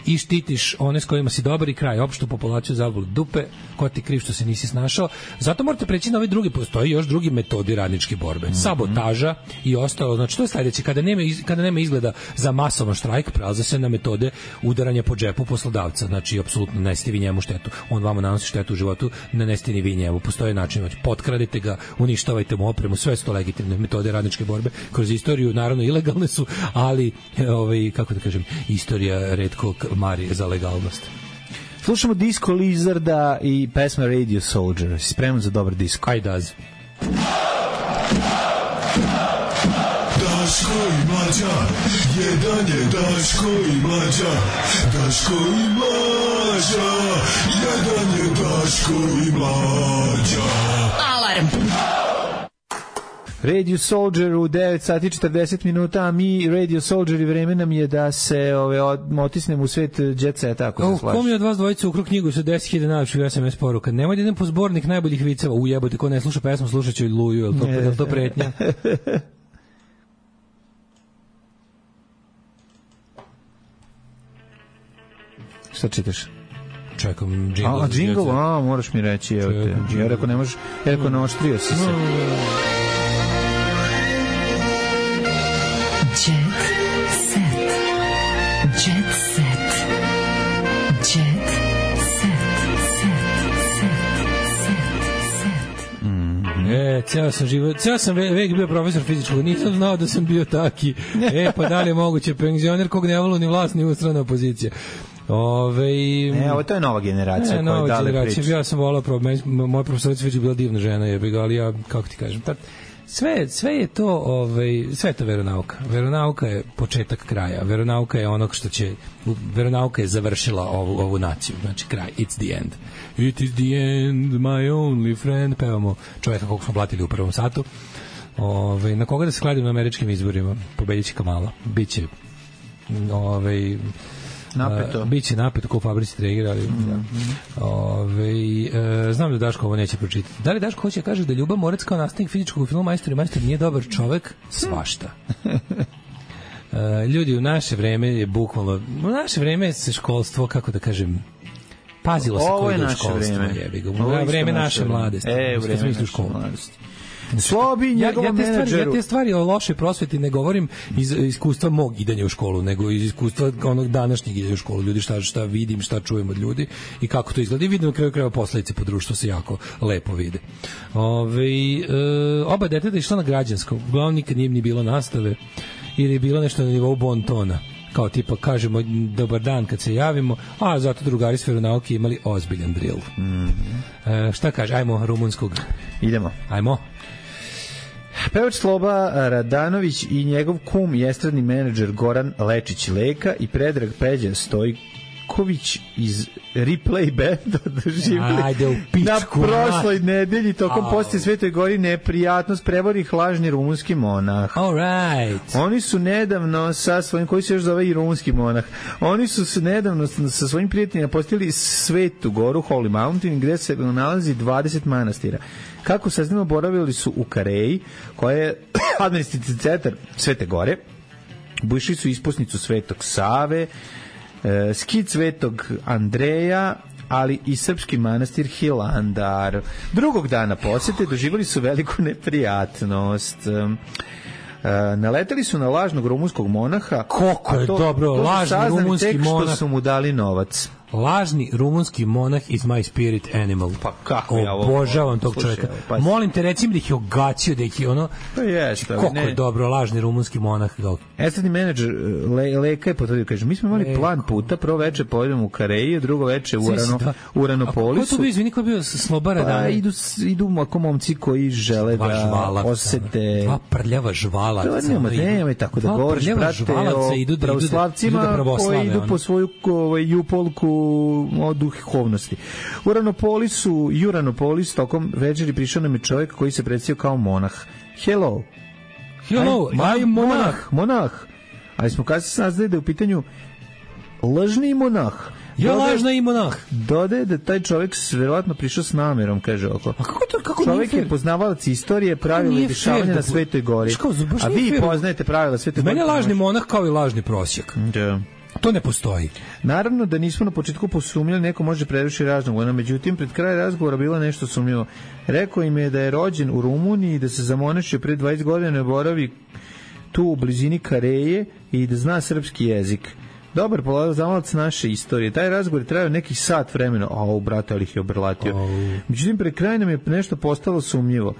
i štitiš one s kojima si dobar i kraj, opštu populaciju zabolu dupe, ko ti kriv što se nisi snašao. Zato morate preći na ove druge, postoji još drugi metodi radničke borbe. Sabotaža i ostalo, znači to je sledeće, kada nema izgleda za masovan štrajk, prelaze se na metode udaranja po džepu poslodavca, znači apsolutno nesite vi njemu štetu, on vama nanosi štetu u životu, ne nesite ni vi njemu, postoje način, znači potkradite ga, uništavajte mu opremu, sve su to legitimne metode radničke borbe kroz istoriju, naravno ilegalne su, ali kako da kažem, istorija retko mari za legalnost. Slušamo Disco Lizarda i pesma Radio Soldier. Si spreman za dobar disko? I does. Daško i Mlađa, jedan je Daško i Mlađa, Daško i Mlađa, jedan je Daško i Mlađa. Alarm! Radio Soldier u 9 sati 40 minuta, a mi Radio Soldier i vreme nam je da se otisnemo u svet jet seta, ako se slažeš. Kom je od vas dvojica ukru knjigu sa 10.000 najlepših SMS poruka? Nemoj da idem po zbornik najboljih viceva. Ujebote, ko ne sluša pesmu, slušat će Luju, je to pretnja? Šta čitaš? Čekam džingl. Džingl, moraš mi reći. Ja rekao ne možeš, ja rekao naoštrio si se. Ceo sam vek bio profesor fizičkog, nisam znao da sam bio taki. Pa da li je moguće, penzioner kog ne volu ni vlast ni ustrana opozicija. Ovo to je nova generacija. Nova generacija, ja sam volao, moja profesorica već je bila divna žena, ali ja, kako ti kažem, sve je to sve je to veronauka. Veronauka je početak kraja. Veronauka je onog što će, veronauka je završila ovu naciju, znači kraj, it's the end. It is the end, my only friend. Pevamo čovjeka kog smo blatili u prvom satu. Na koga da se kladim na američkim izborima? Pobedit će Kamala. Biće napeto. Biće napeto kao u fabrici Traeger, ali znam da Daško ovo neće pročitati. Da li Daško hoće kaže da Ljuba Morac kao nastavnik fizičkog u filmu Majstor i Majstor nije dobar čovek? Svašta. Ljudi, u naše vreme je bukvalno, u naše vreme se školstvo, kako da kažem, pazilo se koji je školstvo. Ovo je vreme naše mladosti. Vreme naše mladosti. Slobi njegovom menadžeru. Ja te stvari o lošoj prosveti ne govorim iz iskustva mog idanja u školu, nego iz iskustva onog današnjeg idanja u školu. Ljudi, šta vidim, šta čujem od ljudi i kako to izgleda. I vidim na kraju krajeva posledice po društvu se jako lepo vide. Oba deteta išla na građansko. Uglavnom nikad nije ni bilo nastave ili je bilo nešto na nivou bontona. Kao tipa kažemo dobar dan kad se javimo, a zato drugari s veronauke imali ozbiljan drill. Šta kaže? Ajmo rumunskog. Idemo. Ajmo. Pevač Sloba Radanović i njegov kum i estradni menadžer Goran Lečić-Leka i Predrag Peđa Stojković iz Replay Banda doživjeli na prošloj nedelji tokom posti Svetoj Gori neprijatnost prevorih lažni rumunski monah. Oni su nedavno sa svojim, koji se još zove i rumunski monah, oni su se nedavno sa svojim prijateljima postili Svetu Goru, Holy Mountain, gde se nalazi 20 manastira. Kako saznamo, boravili su u Kareji, koja je administrativni centar Svete Gore, bušli su ispusnicu Svetog Save, skit Svetog Andreja, ali i srpski manastir Hilandar. Drugog dana posete doživjeli su veliku neprijatnost. Naleteli su na lažnog rumunskog monaha. Koliko je dobro, lažni rumunski monah. Što su mu dali novac. Lažni rumunski monah is my spirit animal. Pa kako ja ovo... Obožavam tog čovjeka. Pa... Molim te, recimo da ih je ogacio, da ih je ono... Pa jeste, koliko je dobro, lažni rumunski monah. Estradni menadžer Leka je potvrdio, kaže, mi smo imali plan puta, prvo veče pojedemo u Kareji, drugo veče u Uranopolisu. A ko to bio, izvini, ko je bio Slobara? Pa idu ako momci koji žele da osete... Dva prljava žvalaca. Nemoj tako da govoriš, brate, o pravoslavcima koji idu po svoju jupolku o duhovnosti. U Uranopolis tokom večeri prišao nam je čovjek koji se predstavio kao monah. Hello, I'm monah. Ali smo kasnije saznali da je u pitanju lažni monah. Lažna i monah. Dodaje da taj čovjek verovatno prišao s namjerom, kaže oko. A kako čovjek je poznavalac istorije, pravila i dešavanja na Svetoj gori. A vi poznajete pravila Svetoj gori. Meni je lažni monah kao i lažni prosjak. Da. To ne postoji. Naravno da nismo na početku posumnjali, neko može prevršiti lažnog, međutim pred kraj razgovora bilo nešto sumnjivo. Rekao im je da je rođen u Rumuniji, da se zamonešio pre 20 godina, boravi tu u blizini Kareje i da zna srpski jezik. Dobar poznavalac naše istorije. Taj razgovor je trajao nekih sat vremena. Brate, ali ih je obrlatio. Međutim, pred krajem nam je nešto postalo sumnjivo.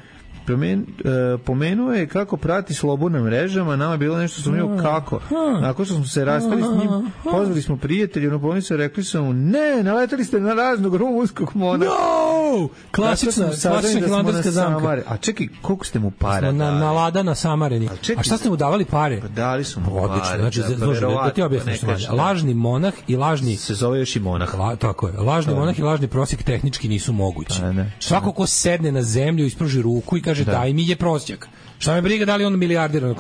Pomenuo je kako prati slobodne mrežama, nama je bilo nešto sumnjivo kako. Nakon što smo se rastali s njim, pozvali smo prijatelji, rekli su mu, ne, naletali ste na raznog rumunskog monaha. No! Klasična hilandarska zamka. A čekaj, koliko ste mu para dali? Na lada na Samareni. A šta ste mu davali pare? Pa dali su mu pare. Odlično, znači, da ti objasnim što manje. Lažni monah i lažni... Se zove još i monah. Tako je. Lažni monah i lažni prosjek tehnički nisu mogući. Svako ko sedne na zemlju, ispruži ruku i kaže daj mi je prosjak. Šta me briga da li on milijarder,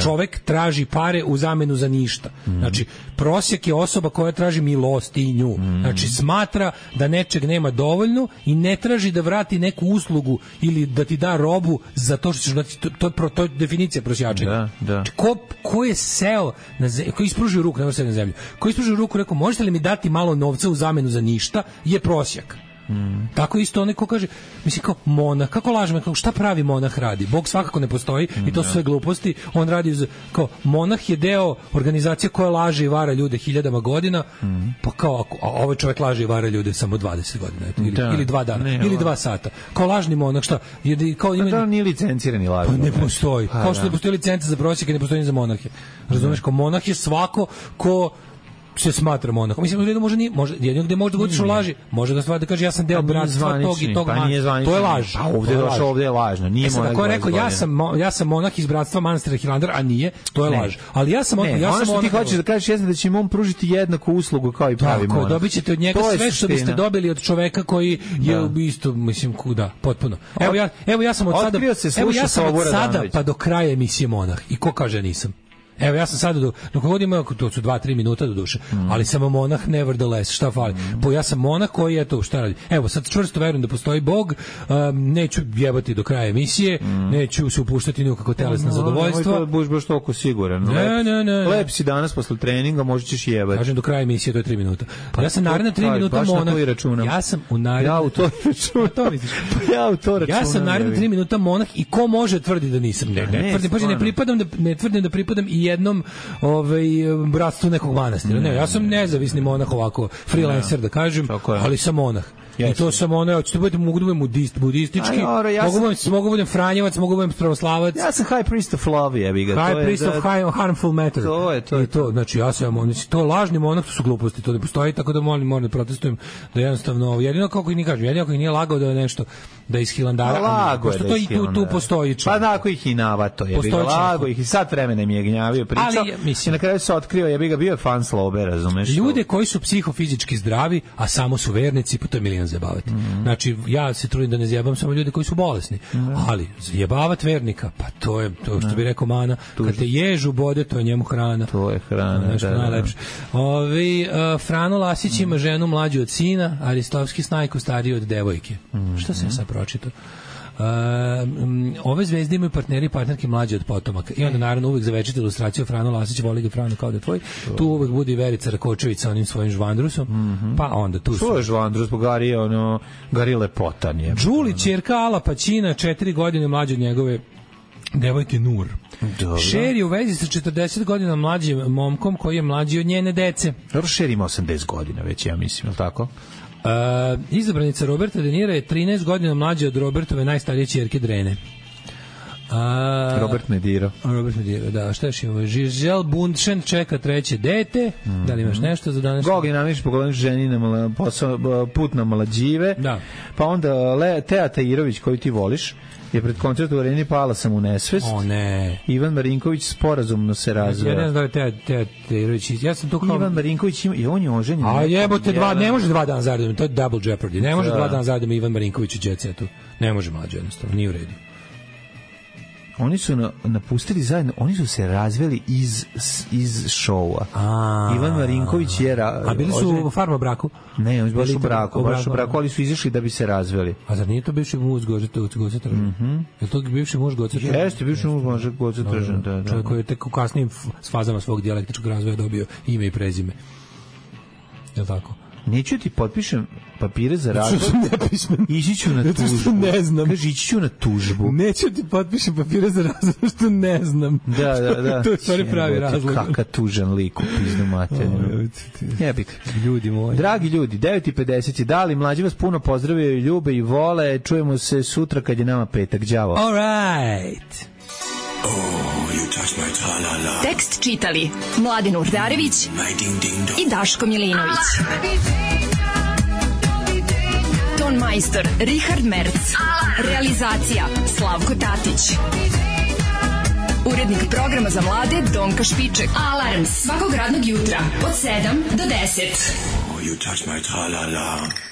čovek traži pare u zamenu za ništa. Znači, prosjek je osoba koja traži milostinju. Znači, smatra da nečeg nema dovoljno i ne traži da vrati neku uslugu ili da ti da robu za to što ćeš dati. To je definicija prosjačenja. Znači, ko je seo na zemlju, ko je ispružio ruku, ne može na zemlju, ko je ispružio ruku, rekao, možete li mi dati malo novca u zamenu za ništa, je prosjak. Tako isto onaj ko kaže, mislim kao monah, kako lažemo, šta pravi monah radi? Bog svakako ne postoji i to su sve gluposti. On radi kao monah je deo organizacije koja laže i vara ljude hiljadama godina. Pa kao ovaj čovjek laže i vara ljude samo 20 godina ili 2 dana ili 2 sata. Kao lažni monah, šta? Kao da nije licencirani lažni. Pa ne postoji. Kao što ne postoji licenca za prosjeke, ne postoji za monahe. Razumeš, kao monah je svako ko se smatra monahom. Mislim, jedino gde može da budiš u laži, može da stvari da kaže ja sam deo bratstva tog i tog. To je laž. A ovde je lažno. Nije monah. Ako je rekao ja sam monah iz bratstva manastira Hilandar, a nije, to je laž. Ali ja sam ono što ti hoćeš da kažeš jeste da će mu pružiti jednaku uslugu kao i pravi monah. Tako, dobićete od njega sve što biste dobili od čoveka koji je isto, mislim, kuda, potpuno. Evo ja sam od sada pa do kraja emisije monah. I ko kaže nisam? Evo, ja sam sada, dok god imao, to su 2-3 minuta do duše, ali sam monah nevertheless, šta fali? Ja sam monah koji je to, šta radi? Evo, sad čvrsto verujem da postoji Bog, neću jebati do kraja emisije, neću se upuštati nikako telesna zadovoljstva. To budeš baš toliko siguran. Ne. Lep si danas posle treninga, možda ćeš jebati. Kažem, do kraja emisije, to je 3 minuta. Ja sam naredna 3 minuta monah. Ja sam u naredna... Ja u to računam. Ja sam naredna 3 minuta monah i ko može tvrdi da nisam? Ne tvrdim da pripadam i jednom bratstvu nekog manastira. Ne, ja sam nezavisni monah ovako, freelancer da kažem, ali sam monah. I to sam mogu da budem budistički, mogu da budem franjevac, mogu da budem pravoslavac. Ja sam high priest of love, jebi ga. High priest of harmful matter. To. Znači, ja sam to lažni monah, to su gluposti, to ne postoji, tako da moram da protestujem da jednostavno, jedino kako i ni kažem, jedino kako i nije lagao da je nešto, da je iz Hilandara, pošto to i tu postoji. Pa tako ih i navato, jebi ga, lago ih i sad vremena mi je gnjavio pričao, i na kraju se otkrio, jebi ga, bio je fan slobe, razumeš? Ljude koji su psihofizički zdravi, a samo su vernici, pa to je milion zajebavati. Znači, ja se trudim da ne zajebam samo ljude koji su bolesni, ali zajebavati vernika, pa to je to što bi rekao Mana, kad te ježu bode, to je njemu hrana. To je hrana, najlepše. Frano Lasić ima ženu mlađu od sina, Aristovski Snajku stariju od devojke. Šta sam ja sad pročitao? Ove zvezde imaju partneri i partnerke mlađe od potomaka. I onda naravno uvek za večit ilustraciju Frano Lasić, voli ga Frano kao da je tvoj. Tu uvek bude i Verica Rakočević sa onim svojim žvandrusom. Pa onda tu su. Što je žvandrus? Gari lepotan je. Đuli, ćerka Ala Pacina, 4 godine mlađe od njegove devojke Nur. Šer je u vezi sa 40 godina mlađim momkom koji je mlađi od njene dece. Dobro, Šer ima 80 godina već, ja mislim, je li tako? Izabranica Roberta De Nira je 13 godina mlađa od Robertove najstarije ćerke Drene. Robert Mediro, da, šta još imamo? Giselle Bundchen čeka treće dete. Da li imaš nešto za danas? Gogin namiš pogledam ženi na put na Malađive. Da. Pa onda Teja Tajirović, koju ti voliš, je pred koncert u Areni pala sam u nesvest. O ne. Ivan Marinković sporazumno se razveo. Ja ne znam da je Teja Tajirović. Ja sam to kao... Ivan Marinković ima, on je oženjen. A jebote, ne može 2 dana zaredom, to je double jeopardy. Ne može 2 dana zaredom Ivan Marinković u Jet Setu. Ne može mlađe, jednostavno, nije u redu. Oni su napustili zajedno, oni su se razveli iz šoua. Ivan Marinković je... A bili su u farma braku? Ne, oni su baš u braku, ali su izašli da bi se razveli. A zar nije to bivši muž Goce Tržan? Je to bivši muž Goce Tržan? Jeste, bivši muž Goce Tržan, da. Čovjek koji je tek u kasnijim fazama svog dijalektičkog razvoja dobio ime i prezime. Je li tako? Neću ti potpišem papire za razvod. Ići ću na tužbu. Ne znam. Kaži, ići ću na tužbu. Neću ti potpišem papire za razvod, što ne znam. Da. To je stvari pravi razlog. Kaka tužan lik u pizdu materiju. Jebik. Ljudi moji. Dragi ljudi, 9:50. Da li mlađi vas puno pozdravljaju, ljube i vole. Čujemo se sutra kad je nama petak. Đavo. All right. Tekst čitali Mladin Urdarević i Daško Milinović. Ton majstor Richard Merc. Realizacija Slavko Tatić. Urednik programa za mlade Donka Špiček. Alarms svakog radnog jutra od 7 do 10. You touch my tra-la-la.